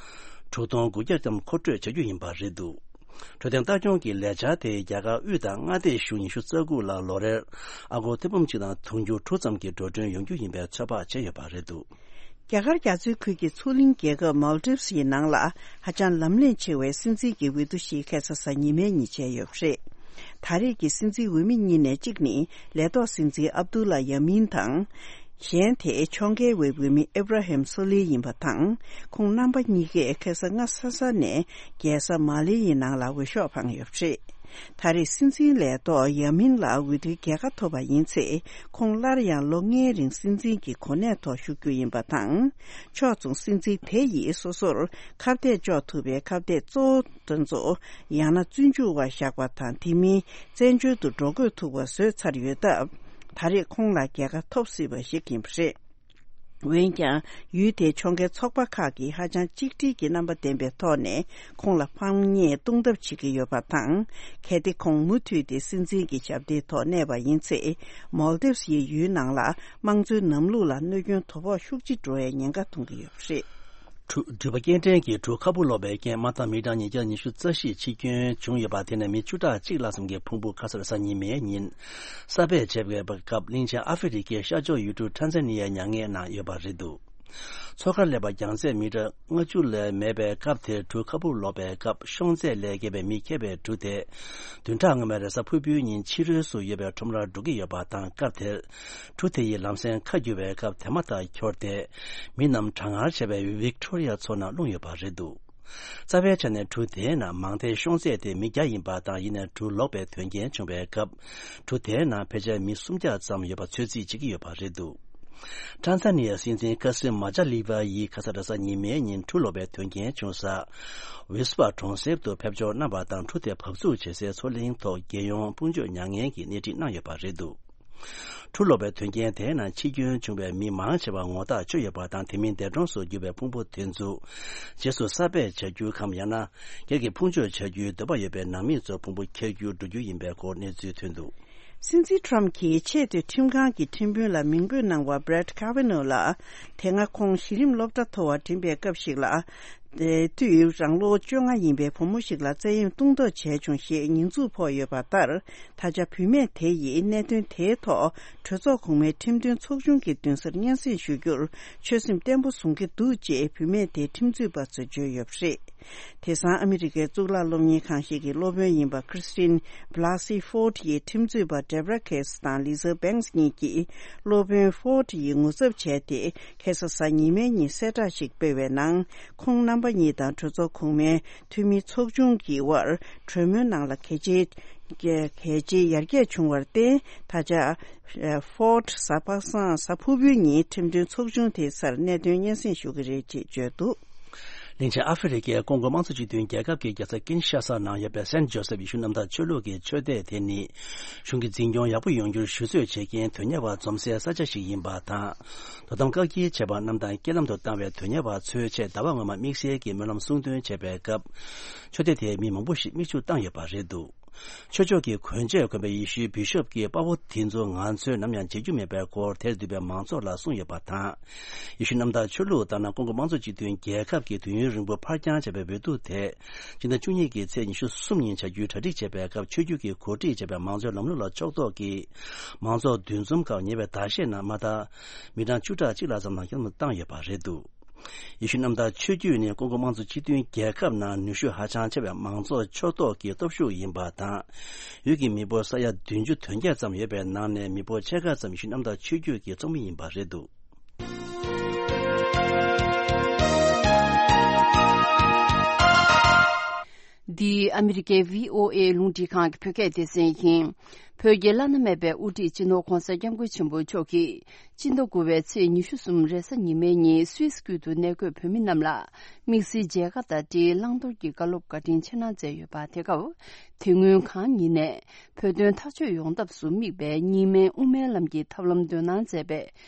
དྲུག་སྟོང་དགུ་བརྒྱ་ཙམ་མཁོ་སྤྲོད་བྱ་རྒྱུ་ཡིན་པ་རེད་འདུག་འཕྲོད་བསྟེན་ལྟ་སྐྱོང་གི་ལས་འཆར་དེ་རྒྱ་གར་དབུས་དང་མངའ་སྡེ་གཞུང་ཉི་ཤུ་རྩ་དགུ་ལ་ལོ་རེར་ཨ་སྒོར་ཐེར་འབུམ་གཅིག་དང་དུང་ཕྱུར་དྲུག་ཙམ་གྱི་འགྲོ་གྲོན་ཡོང་རྒྱུ་ཡིན་པའི་ཚོད་དཔག་བྱས་ཡོད་པ་རེད་འདུག་རྒྱ་གར་རྒྱ་མཚོའི་ཁུལ་གྱི་མཚོ་གླིང་རྒྱལ་ཁབ་མཱལ་ཏིབ་སི་ཡི་ནང་ལ་ཧ་ཅང་ལམ་ལྷོང་ཆེ་བའི་སྲིད་འཛིན་གྱི་འོས་བསྡུ་ཞིག་ཁ་སང་གཟའ་ཉི་མའི་ཉིན་བྱས་ཡོད་པ་རེད། ད་རེས་ཀྱི་སྲིད་འཛིན་འོས་མི་གཉིས་ནས་གཅིག་ནི་ལས་ཐོག་སྲིད་འཛིན་ཨབ་དུ་ལ་ཡ་མིན་དང་། གཞན་དེ་ཕྱོགས་འགལ་བའི་འོས་མི་ཨེབ་ར་ཧེམ་སོ་ལི་ཡིན་པ་དང་། ཁོང་རྣམ་པ་གཉིས་ཀས་ཁ་སང་སྔ་ས་ས་ནས་རྒྱལ་ས་མ་ལེ་ཡི་ནང་ལ་འོས་ཤོག་འཕངས་ཡོད་པ་རེད། ད་རེས་སྲིད་འཛིན་ལས་ཐོག་ཡ་མིན་ལ་འོས་བསྡུའི་རྒྱལ་ཁ་ཐོབ་པ་ཡིན་ཚེ། ཁོང་སླར་ཡང་ལོ་ལྔའི་རིང་སྲིད་འཛིན་གྱི་གོ་གནས་ཐོག་བཞུགས་རྒྱུ་ཡིན་པ་དང་། ཕྱོགས་མཚུངས་སྲིད་འཛིན་དེ་ཡིས་སོ་སོར་ཁ་གཏད་གཅོག་ཐུབ་པའི་ཁ་གཏད་གཙོ་བོ་དེ་ཚོ་ཡང་ན་བཙོན་འཇུག་པར་བཞག་པ་དང་། དེ་མིན་བཙན་བྱོལ་དུ་འགྲོ་དགོས་ཐུག་པ་བཟོས་ཚར་ཡོད་སྟབས། ད་རེས་ཁོང་ལ་རྒྱལ་ཁ་ཐོབ་སྲིད་པ་ཞིག་ཡིན་པ་རེད། འོན་ཀྱང་ཡུལ་དེའི་ཕྱོགས་འགལ་ཚོགས་པ་ཁག་གིས་ཧ་ཅང་གཅིག་སྒྲིལ་གྱི་རྣམ་པ་ལྡན་པའི་ཐོག་ནས་ཁོང་ལ་ཕམ་ཉེས་གཏོང་ཐབས་བྱེད་ཀྱི་ཡོད་པ་དང་། གལ་ཏེ་ཁོང་མུ་མཐུད་དེ་སྲིད་འཛིན་གྱི་ཞབས་སྟེགས་ཐོག་གནས་པ་ཡིན་ཚེ། མོལ་དིབས་ཡི་ཡུལ་ནང་ལ་དམངས་གཙོའི་ལམ་ལུགས་ལ་གནོད་སྐྱོན་དོ་ཕོག་ཤུགས་ཆེ་འགྲོ་བའི་ཉེན་ཁ་མཐོང་གི་ཡོད་པ་རེད། གྲུ་འགྲུལ་པ་སྐྱེལ་འདྲེན་གྱི་གྲུ་ཁ་སྦུག་ལོག་པའི་རྐྱེན་དམག་དང་མི་གྲངས་ཉིས་བརྒྱ་ཉི་ཤུ་རྩ་བཞི་འཆི་སྐྱོན་བྱུང་ཡོད་པ་དེ་ནས་མི་བཅུ་ཕྲག་གཅིག་ལྷག་ཙམ་གྱི་ཕུང་པོ་ཁ་སང་རེས་གཟའ་ཉི་མའི་ཉིན་གསར་སྦས་བྱས་པའི་སྐབས། གླིང་ཆེན་ཨ་ཧྥེ་རི་ཁའི་ཤར་ཕྱོགས་ཡུལ་གྲུ་ཊན་ཛ་ནི་ཡའི་མྱ་ངན་ནང་ཡོད་པ་རེད་འདུག་མཚོ་ཁར་སླེབས་པ་རྒྱང་ཚད་མི་ཊར་ལྔ་བཅུ་ལས་མེད་པའི་སྐབས་དེར་གྲུ་ཁ་སྦུག་ལོག་པའི་སྐབས། ཤོང་ཚད་ལས་བརྒལ་བའི་མི་འཁྱེར་བའི་གྲུ་དེ་བདུན་ཕྲག་སྔོན་མའི་རེས་གཟའ་ཕུར་བུའི་ཉིན་ཕྱི་རོལ་སུ་ཡོད་པའི་ཁྲོམ་རར་འགྲོ་གི་ཡོད་པ་དང་། སྐབས་དེར་གྲུ་དེ་ཡི་ལམ་སེང་ཁ་བསྒྱུར་བའི་སྐབས་དེ་མ་ཐག་འཁྱོར་ཏེ། མི་རྣམས་གྲང་ངར་ཆེ་བའི་ཝིག་ཊོ་རི་ཡ་མཚོ་ནང་ལྷུང་ཡོད་པ་རེད་འདུག་རྩ་བའི་ཆ་ནས་གྲུ་དེའི་ནང་མང་མཐའི་ཤོང་ཚད་དེ་མི་བརྒྱ་ཡིན་པ་དང་། ཡིན་ནའི་གྲུ་ལོག་པའི་དོན་རྐྱེན་བྱུང་བའི་སྐབས། གྲུ་དེའི་ནང་ཕལ་ཆེར་མི་སུམ་བརྒྱ་ཙམ་ཡོད་པ་ཚོད་རྩིས་བྱེད་ཀྱི་ཡོད་པ་རེད་འདུག་ཊན་ཛ་ནི་ཡའི་སྲིད་འཛིན་ཀ་སིམ་མ་ཇཱ་ལི་བ་ཡིས་ཁ་སང་རེས་གཟའ་ཉི་མའི་ཉིན་གྲུ་ལོག་པའི་དོན་རྐྱེན་བྱུང་ས་ཝིས་པ་གྲོང་གསེབ་ཏུ་ཕེབས་འབྱོར་གནང་བ་དང་། གྲུ་དེ་བབས་ཚུགས་བྱེད་སའི་མཚོ་གླིང་ཐོག་རྒྱལ་ཡོངས་དཔུང་འཇུག་མྱ་ངན་གྱིས་སྣེ་ཁྲིད་གནང་ཡོད་པ་རེད་འདུག་གྲུ་ལོག་པའི་དོན་རྐྱེན་དེའི་ནང་འཆི་སྐྱོན་བྱུང་བའི་མི་མང་ཆེ་བ་ངོ་ཐག་ཆོད་ཡོད་པ་དང་། དེ་མིན་འདས་གྲོངས་སུ་གྱུར་བའི་ཕུང་པོ་དེ་ཚོ་རྗེས་སུ་གསར་སྦས་བྱ་རྒྱུ་གམ། ཡང་ན་སྒེར་གྱི་ཕུང་མཆོད་བྱ་རྒྱུའི་འདོད་པ་ཡོད་པའི་ནང་མི་ཚོ་ཕུང་པོ་འཁྱེར་རྒྱུར་འགྲོ་རྒྱུ་ཡིན་པའི་སྐོར་གནས་ཚུལ་ཐོན་འདུག་སྲིད་འཛིན་ཊྲམ་གྱིས་ཆེས་མཐོའི་ཁྲིམས་ཁང་གི་ཁྲིམས་དཔོན་ལ་མིང་འབོད་གནང་བ་Brett Kavanaugh་ལ། དེ་སྔ་ཁོང་གཞི་རིམ་སློབ་གྲྭ་མཐོ་བར་འགྲིམས་པའི་སྐབས་ཤིག་ལ། དེ་དུས་རང་ལོ་བཅོ་ལྔ་ཡིན་པའི་བུ་མོ་ཞིག་ལ་བཙན་གཡེམ་གཏོང་འདོད་བྱས་བྱུང་ཞེས་ཉེས་འཛུགས་ཕོག་ཡོད་པ་ལྟར། ད་ཆ་བུད་མེད་དེ་ཡིས་གནད་དོན་དེའི་ཐོག་གྲོས་ཚོགས་གོང་མའི་ཁྲིམས་དོན་ཚོགས་ཆུང་གི་མདུན་སར་སྙན་སེང་ཞུ་རྒྱུར་ཆོད་སེམས་བརྟན་པོ་བཟུང་གི་འདུག་ཅེས་བུད་མེད་དེའི་ཁྲིམས་རྩོད་པ་ཚོས་བརྗོད་ཡོད་པ་རེད། དེང་སང་ཨ་མི་རི་ཀའི་གཙུག་ལག་སློབ་གཉེར་ཁང་ཞིག་གི་སློབ་དཔོན་ཡིན་པ་Christine Blasey Ford་ཡིས་ཁྲིམས་རྩོད་པ་Deborah Katz་དང་Lisa Banks་གཉིས་ཀྱིས་སློབ་དཔོན་Ford་ཡི་ངོ་ཚབ་བྱས་ཏེ། ཁ་སང་གཟའ་ཉི་མའི་ཉིན་གསལ་བསྒྲགས་ཤིག་སྤེལ་བའི་ནང་། ཁོང་རྣམ་པ་གཉིས་དང་གྲོས་ཚོགས་གོང་མའི་འཐུས་མི་ཚོགས་ཆུང་གི་དབར་གྲོས་མོལ་ནང་ལ་གལ་ཆེ་གལ་ཆེའི་ཡར་རྒྱས་བྱུང་བར་བརྟེན། ད་ཆ་Ford་གཟའ་པ་སངས་གཟའ་ཕུར་བུའི་ཉིན་ཁྲིམས་དོན་ཚོགས་ཆུང་དེའི་སར་གནད་དོན་སྙན་སེང་ཞུ་གི་རེད་ཅེས་བརྗོད་འདུག་གླིང་ཆེན་ཨ་ཧྥེ་རི་ཁའི་ཀོང་ཀོ་དམངས་གཙོ་སྤྱི་མཐུན་རྒྱལ་ཁབ་ཀྱི་རྒྱལ་ས་ཀིན་ཤ་ས་ནང་ཡོད་པའི་སན་ཇོ་སེབ་ཡེ་ཤུ་གནམ་བདག་ཆོས་ལུགས་ཀྱི་ཆོས་སྡེ་དེ་ནི། གཞུང་གི་འཛིན་སྐྱོང་ཡག་པོ་ཡོང་རྒྱུར་ཞུ་གཙོས་བྱེད་མཁན་དོན་གཉེར་བ་འཛོམས་སའི་ས་ཆ་ཞིག་ཡིན་པ་དང་། དོ་དམ་བཀག་སྐྱིལ་བྱས་པ་རྣམས་དང་རྐྱེན་ལམ་དུ་བཏང་བའི་དོན་གཉེར་བ་ཚོའི་ཆེད་ཟླ་བ་སྔོན་མ་དམིགས་བསལ་གྱི་སྨོན་ལམ་གསུང་འདོན་བྱས་པའི་སྐབས། ཆོས་སྡེ་དེའི་མི་མང་པོ་ཞིག་མིག་ཆུ་བཏང་ཡོད་པ་རེད་འདུག་ཆོས་ཕྱོགས་ཀྱི་གོན་ཆས་གོན་པའི་ཡེ་ཤུའི་བི་ཤོབ་ཀྱིས་དཔའ་བོ་དེ་ཚོ་ང་ཚོས་ནམ་ཡང་བརྗེད་རྒྱུ་མེད་པའི་སྐོར་དེར་འདུས་པའི་མང་ཚོགས་ལ་གསུངས་ཡོད་པ་དང་། ཡེ་ཤུ་གནམ་བདག་ཆོས་ལུགས་ལྟར་ན། ཀོང་ཀོ་དམངས་གཙོ་སྤྱི་མཐུན་རྒྱལ་ཁབ་ཀྱི་དུས་ཡུན་རིང་པོ་ཕར་འགྱངས་བྱས་པའི་འོས་བསྡུ་དེ་སྤྱི་ཟླ་བཅུ་གཉིས་ཀྱི་ཚེས་ཉི་ཤུ་གསུམ་ཉིན་བྱ་རྒྱུའི་གྲ་སྒྲིག་བྱས་པའི་སྐབས། ཆོས་བརྒྱུད་ཀྱིས་གོ་སྒྲིག་བྱས་པའི་མང་གཙོའི་ལམ་ལུགས་ལ་ཕྱོགས་གཏོགས་ཀྱིས། མང་ཚོགས་འདུ་འཛོམས་སྐབས་ཉེ་བའི་ཟླ་ཤས་ནང་མ་མཐའ་མི་གྲངས་བཅུ་ཕྲག་གཅིག་ལྷག་ཙམ་ནང་རྐྱེན་ལམ་དུ་བཏང་ཡོད་པ་རེད་འདུག་ཡེ་ཤུ་གནམ་བདག་ཆོས་བརྒྱུད་ནི་ཀོང་ཀོ་དམངས་གཙོ་སྤྱི་མཐུན་རྒྱལ་ཁབ་ནང་ནུས་ཤུགས་ཧ་ཅང་ཆེ་བའི་མང་གཙོ་ཕྱོགས་གཏོགས་ཀྱི་སྟོབས་ཤུགས་ཡིན་པ་དང་། ཡུལ་གྱི་མི་འབོར་ས་ཡ་བདུན་ཅུ་དོན་བརྒྱད་ཙམ་ཡོད་པའི་ནང་ནས། མི་འབོར་ཕྱེད་ཀ་ཙམ་ཡེ་ཤུ་གནམ་བདག་ཆོས་བརྒྱུད་ཀྱི་ཚོགས་མི་ཡིན་པ་རེད་འདུག་འདི་ཨ་མི་རི་ཀའི་བྷི་ཨོ་ཨེ་རླུང་འཕྲིན་ཁང་གི་བོད་སྐད་སྡེ་ཚན་ཡིན། བོད་ཀྱི་བླ་ན་མེད་པའི་དབུ་ཁྲིད་སྤྱི་ནོར་༧གོང་ས་༧སྐྱབས་མགོན་ཆེན་པོ་མཆོག་གིས། སྤྱི་ཟླ་དགུ་པའི་ཚེས་ཉི་ཤུ་གསུམ་རེས་གཟའ་ཉི་མའི་ཉིན་སུད་སི་ཁུལ་དུ་གནས་འཁོད་བོད་མི་རྣམས་ལ། དམིགས་བསལ་མཇལ་ཁ་དང་འབྲེལ་བླང་དོར་གྱི་བཀའ་སློབ་བཀའ་དྲིན་ཆེ་གནང་མཛད་ཡོད་པ། དེ་སྐབས་དེ་སྔོན་གང་ཉིད་ནས་བོད་དོན་ཐག་གཅོད་ཡོང་ཐབས་སུ་དམིགས་པའི་གཉིས་སྨན་དབུ་མའི་ལམ་གྱི་ཐབས་ལམ་འདོན་གནང་མཛད་པའི་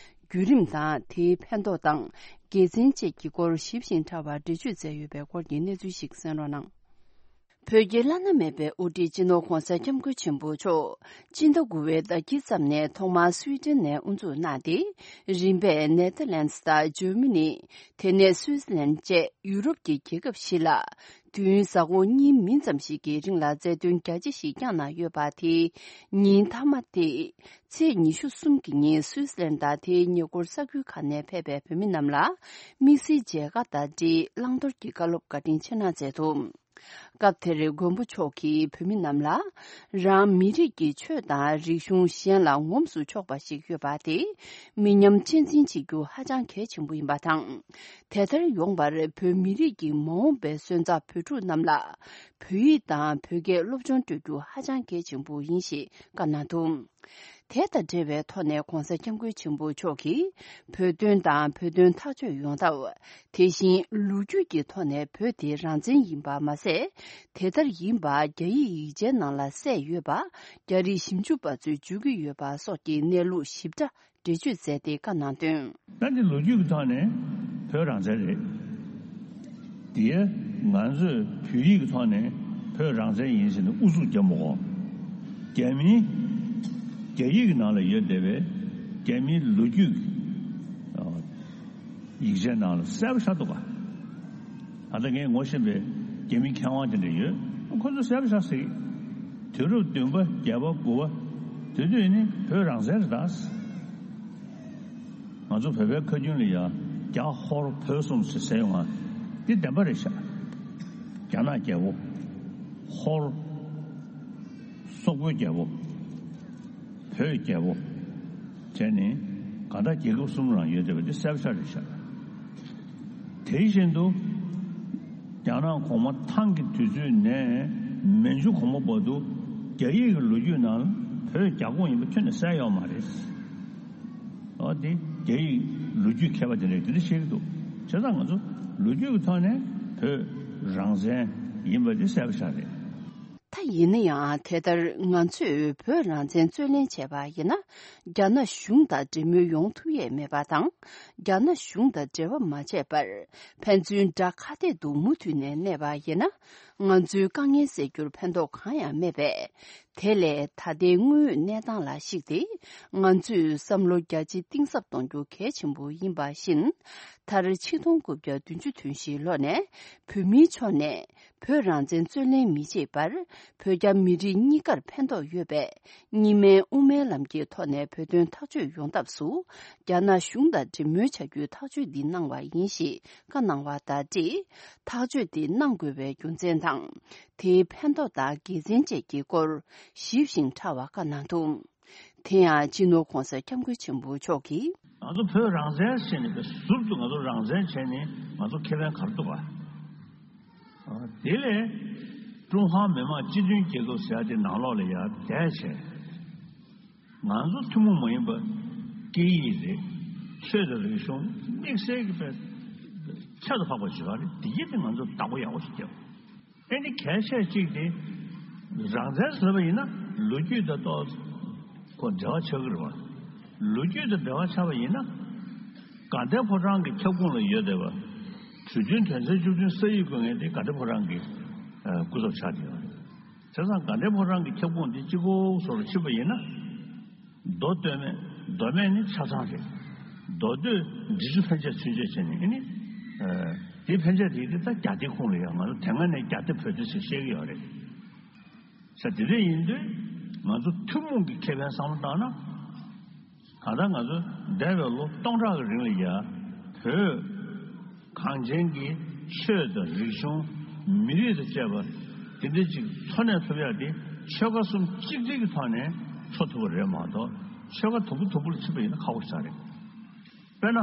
བརྒྱུད་རིམ་དང་། དེའི་ཕན་ཐོགས་དང་དགེ་མཚན་བཅས་ཀྱི་སྐོར་ཞིབ་ཅིང་ཕྲ་བར་འགྲེལ་བརྗོད་མཛད་ཡོད་པའི་སྐོར་གྱི་གནས་ཚུལ་ཞིག་གསན་རོགས་གནང་། བོད་ཀྱི་བླ་ན་མེད་པའི་དབུ་ཁྲིད་སྤྱི་ནོར་༧གོང་ས་༧སྐྱབས་མགོན་ཆེན་པོ་མཆོག་སྤྱི་ཟླ་དགུ་པའི་ཟླ་དཀྱིལ་ཙམ་ནས་ཐོག་མར་སུའི་ཏན་ནས་དབུ་འཛུགས་གནང་སྟེ། རིམ་པས་ནེ་ཐར་ལན་སི་དང་འཇར་མ་ནི། དེ་ནས་སུའི་ཙི་ལན་བཅས་ཡུ་རོབ་ཀྱི་རྒྱལ་ཁབ་བཞི་ལ། དུས་ཡུན་གཟའ་འཁོར་གཉིས་མིན་ཙམ་ཞིག་གི་རིང་ལ་རྩ་དོན་རྒྱ་ཆེ་ཞིག་བསྐྱངས་གནང་ཡོད་པ། དེའི་ཉིན་མཐའ་མ་སྟེ། ཚེས་ཉི་ཤུ་གསུམ་གྱི་ཉིན་སུའི་ཙི་ལན་དང་དེའི་ཉེ་འཁོར་ས་ཁུལ་ཁག་ནས་ཕེབས་པའི་བོད་མི་རྣམས་ལ། དམིགས་བསལ་མཇལ་ཁ་དང་འབྲེལ་བླང་དོར་གྱི་བཀའ་སློབ་བཀའ་དྲིན་ཆེ་གནང་མཛད་འདུག་སྐབས་དེར་མགོན་པོ་མཆོག་གིས་བོད་མི་རྣམས་ལ། རང་མི་རིགས་ཀྱི་ཆོས་དང་རིག་གཞུང་གཞན་ལ་ངོམས་སུ་ཆོག་པ་ཞིག་ཡོད་པ་དེ། མི་ཉམས་གཅེས་འཛིན་བྱེད་རྒྱུ་ཧ་ཅང་གལ་ཆེན་པོ་ཡིན་པ་དང་། དེ་ལྟར་ཡོང་བར་བོད་མི་རིགས་ཀྱི་མ་འོངས་པའི་སོན་རྩ་བོད་ཕྲུག་རྣམས་ལ། བོད་ཡིག་དང་བོད་སྐད་སློབ་སྦྱོང་སྤྲོད་རྒྱུ་ཧ་ཅང་གལ་ཆེན་པོ་ཡིན་ཞེས་བཀའ་གནང་འདུག་དེ་དང་འབྲེལ་བའི་ཐོག་ནས་༧གོང་ས་༧སྐྱབས་མགོན་ཆེན་པོ་མཆོག་གིས་བོད་དོན་དང་བོད་དོན་ཐག་གཅོད་ཡོང་ཐབས། དེ་བཞིན་ལོ་རྒྱུས་ཀྱི་ཐོག་ནས་བོད་དེ་རང་བཙན་ཡིན་པ་མ་ཟད། དེ་ལྟར་ཡིན་པ་རྒྱ་ཡིག་ཡིག་ཆའི་ནང་ལ་གསལ་ཡོད་པ། རྒྱ་རིགས་ཞིབ་འཇུག་པ་ཚོས་བརྗོད་ཀྱི་ཡོད་པ་སོགས་ཀྱི་གནས་ལུགས་ཞིབ་ཕྲ་འགྲེལ་བརྗོད་མཛད་དེ་བཀའ་གནང་དོན། ད་འདི་ལོ་རྒྱུས་ཀྱི་ཐོག་ནས་བོད་རང་བཙན་རེད། དེ་ང་ཚོས་བོད་ཡིག་གི་ཐོག་ནས་བོད་རང་བཙན་ཡིན་ཟེར་ནས་ཨུ་ཚུགས་རྒྱབ་མི་དགོས། རྒྱ་མིའི་རྒྱ་ཡིག་གི་ནང་ལ་ཡོད་བསྡད་པའི་རྒྱ་མིའི་ལོ་རྒྱུས་ཀྱི་ཡིག་ཆའི་ནང་ལ་གསལ་པོ་ཤར་འདུག་ག་ད་ལྟ་ངས་ངོ་ཤེས་པའི་རྒྱ་མི་མཁས་དབང་དེ་འདྲ་ཡོད། ཁོ་ཚོ་གསལ་པོ་ཤར་ཟིག་དུས་རབས་བདུན་པ་བརྒྱད་པ་དགུ་པ་དེ་དུས་ནི་བོད་རང་བཙན་རེད་ད། ང་ཚོ་བོད་པའི་ཁ་རྒྱུན་ལ་ཡ་རྒྱ་ཧོར་བོད་གསུམ་ཟེར་ཟེར་ཡོང་ང་འདི་བདེན་པ་རེད་ཤག་རྒྱ་ནག་རྒྱལ་པོ། ཧོར། སོག་པོའི་རྒྱལ་པོ། བོད་རྒྱལ་པོ། བྱས་ནས་གང་ལྟར་རྒྱལ་ཁབ་གསུམ་རང་ཡོད་བསྡད་པ་འདི་གསལ་པོ་ཤར་རེད་ཤག་དེ་བཞིན་དུ་རྒྱ་ནག་གོང་མ་ཐང་གི་དུས་ཚོད་ནས་མན་ཇུ་གོང་མ་བར་དུ་རྒྱ་ཡིག་གི་ལོ་རྒྱུས་ནང་བོད་རྒྱ་ཁོངས་ཡིན་པ་ཁྱོན་ནས་གསལ་ཡོད་མ་རེད། འོ་དེ་རྒྱ་ཡིག་ལོ་རྒྱུས་མཁས་པ་དེ་འདྲས་དེ་འདྲ་བཤད་ཀྱི་འདུག་བྱས་ཙང་ང་ཚོ་ལོ་རྒྱུས་ཀྱི་ཐོག་ནས་བོད་རང་བཙན་ཡིན་པ་དེ་གསལ་པོ་ཤར་རེད། ད་ཡིན་ན་ཡང་དེ་ལྟར་ང་ཚོས་བོད་རང་བཙན་རྩོད་ལེན་བྱས་པ་ཡིན་ན། རྒྱ་ནག་གཞུང་དང་འབྲེལ་མོལ་ཡོང་ཐུབ་ཡས་མེད་པ་དང་། རྒྱ་ནག་གཞུང་དང་འབྲེལ་བ་མ་བྱས་པར་ཕན་ཚུན་དགྲ་ཁ་གཏད་དུ་མུ་མཐུད་ནས་གནས་པ་ཡིན་ན། ང་ཚོའི་དཀའ་ངལ་སེལ་རྒྱུར་ཕན་ཐོགས་གང་ཡང་མེད་པས། དེ་ལས་ད་ལྟའི་དངོས་ཡོད་གནས་སྟངས་ལ་གཞིགས་ཏེ། ང་ཚོས་བསམ་བློ་རྒྱ་ཆེ་གཏིང་ཟབ་གཏོང་རྒྱུ་གལ་ཆེན་པོ་ཡིན་པ་བཞིན། མཐར་ཆིག་སྟོང་དགུ་བརྒྱ་བདུན་ཅུ་དོན་བཞིའི་ལོ་ནས་བོད་མིའི་ཕྱོགས་ནས་བོད་རང་བཙན་རྩོད་ལེན་མི་བྱེད་པར། བོད་རྒྱ་མི་རིགས་གཉིས་ཀར་ཕན་ཐོགས་ཡོད་པའི་གཉིས་སྨན་དབུ་མའི་ལམ་གྱི་ཐོག་ནས་བོད་དོན་ཐག་གཅོད་ཡོང་ཐབས་སུ། རྒྱ་ནག་གཞུང་དང་འབྲེལ་མོལ་བྱ་རྒྱུའི་ཐག་གཅོད་འདི་གནང་བ་ཡིན་ཞེས་བཀའ་གནང་བ་དང་འབྲེལ། ཐག་གཅོད་འདི་གནང་དགོས་པའི་རྒྱུ་མཚན་དང་། དེའི་ཕན་ཐོགས་དང་དགེ་མཚན་བཅས་ཀྱི་སྐོར་ཞིབ་ཅིང་ཕྲ་བ་བཀའ་གནང་འདུག་དེ་ཡང་སྤྱི་ནོར་༧གོང་ས་༧སྐྱབས་མགོན་ཆེན་པོ་མཆོག་གིས། ང་ཚོ་བོད་རང་བཙན་ཟེར་ནས་པའི་ཟུར་དུ་ང་ཚོ་རང་བཙན་བྱས་ནས་ང་ཚོ་ཁེ་ཕན་ག་རེ་འདུག་ག་དེ་ལས་ཀྲུང་ཧྭ་མི་དམངས་སྤྱི་མཐུན་རྒྱལ་ཁབ་ཟེར་ཡ་དེ་ནང་ལོགས་ལ་ཡར་བསྡད་བྱས། ང་ཚོ་ཐུན་མོང་མ་ཡིན་པ་སྐད་ཡིག་རེད། ཆོས་དང་རིག་གཞུང་དམིགས་བསལ་གྱི་དཔེ་ཁྱད་དུ་འཕགས་པ་ཞིག་རེད། དེ་ཡིན་དེ་ང་ཚོ་བདག་པོ་ཡག་པོ་ཞིག་བརྒྱབ། ཨེ་ནི་གལ་ཆེ་གཅིག་དེ་རང་བཙན་ཟེར་བ་ཡིན་ན་ལོ་རྒྱུས་དང་ཏོག་ཙམ་འབྲེལ་བ་ཆགས་ཀྱི་རེད་བ། ལོ་རྒྱུས་དང་འབྲེལ་བ་ཆགས་པ་ཡིན་ན་དགའ་ལྡན་ཕོ་བྲང་གི་ཁྱབ་ཁོངས་ལ་ཡོད་བསྡད་པ། གྲོས་མཐུན་དོན་ཚན་བཅུ་བདུན་ས་ཡིག་དགོས་ངེས་དེ་དགའ་ལྡན་ཕོ་བྲང་གི་སྐུ་ཚབ་ཆགས་བསྡད་ཡོད་རེད། བྱས་ཙང་དགའ་ལྡན་ཕོ་བྲང་གི་ཁྱབ་ཁོངས་འདི་གཅིག་པོ་བཟོ་རུ་ཕྱིན་པ་ཡིན་ན། མདོ་སྟོད་སྨད། མདོ་སྨད་ནི་ཆ་ཚང་རེད། མདོ་སྟོད་འབྲི་ཆུ་ཕན་ཆད་ཚུན་ཆད་བྱས་ནས་ཨེ་ནི། དེ་ཕན་ཆད་དེ་དེ་ད་རྒྱ་སྡེ་ཁོངས་ལ་ཡང་ང་ཚོ་དེ་སྔ་ནས་རྒྱ་སྡེ་བོད་སྡེ་ཟེར་བཤད་ཀྱི་ཡོད་རེད། ས་དེ་འདྲ་ཡིན་དུས་ང་ཚོ་ཐུན་མོང་གི་ཁེ་ཕན་བསམ་བློ་བཏང་ན། ད་ལྟ་ང་ཚོ་འདས་པའི་ལོ་སྟོང་ཕྲག་གི་རིང་ལ་ཡ་བོད་གངས་ཅན་གྱི་ཆོས་དང་རིག་གཞུང་མི་རིགས་དང་བཅས་པ་དེ་འདྲ་ཅིག་འཚོ་གནས་ཐུབ་ཡ་དེ་ཆོལ་ཁ་གསུམ་གཅིག་སྒྲིལ་གྱི་ཐོག་ནས་འཚོ་ཐུབ་པ་རེད་མ་གཏོགས་ཆོལ་ཁ་དུམ་བུ་དུམ་བུ་ལ་ཕྱིན་པ་ཡིན་ན་ཁག་པོ་ཞིག་རེད། དཔེར་ན།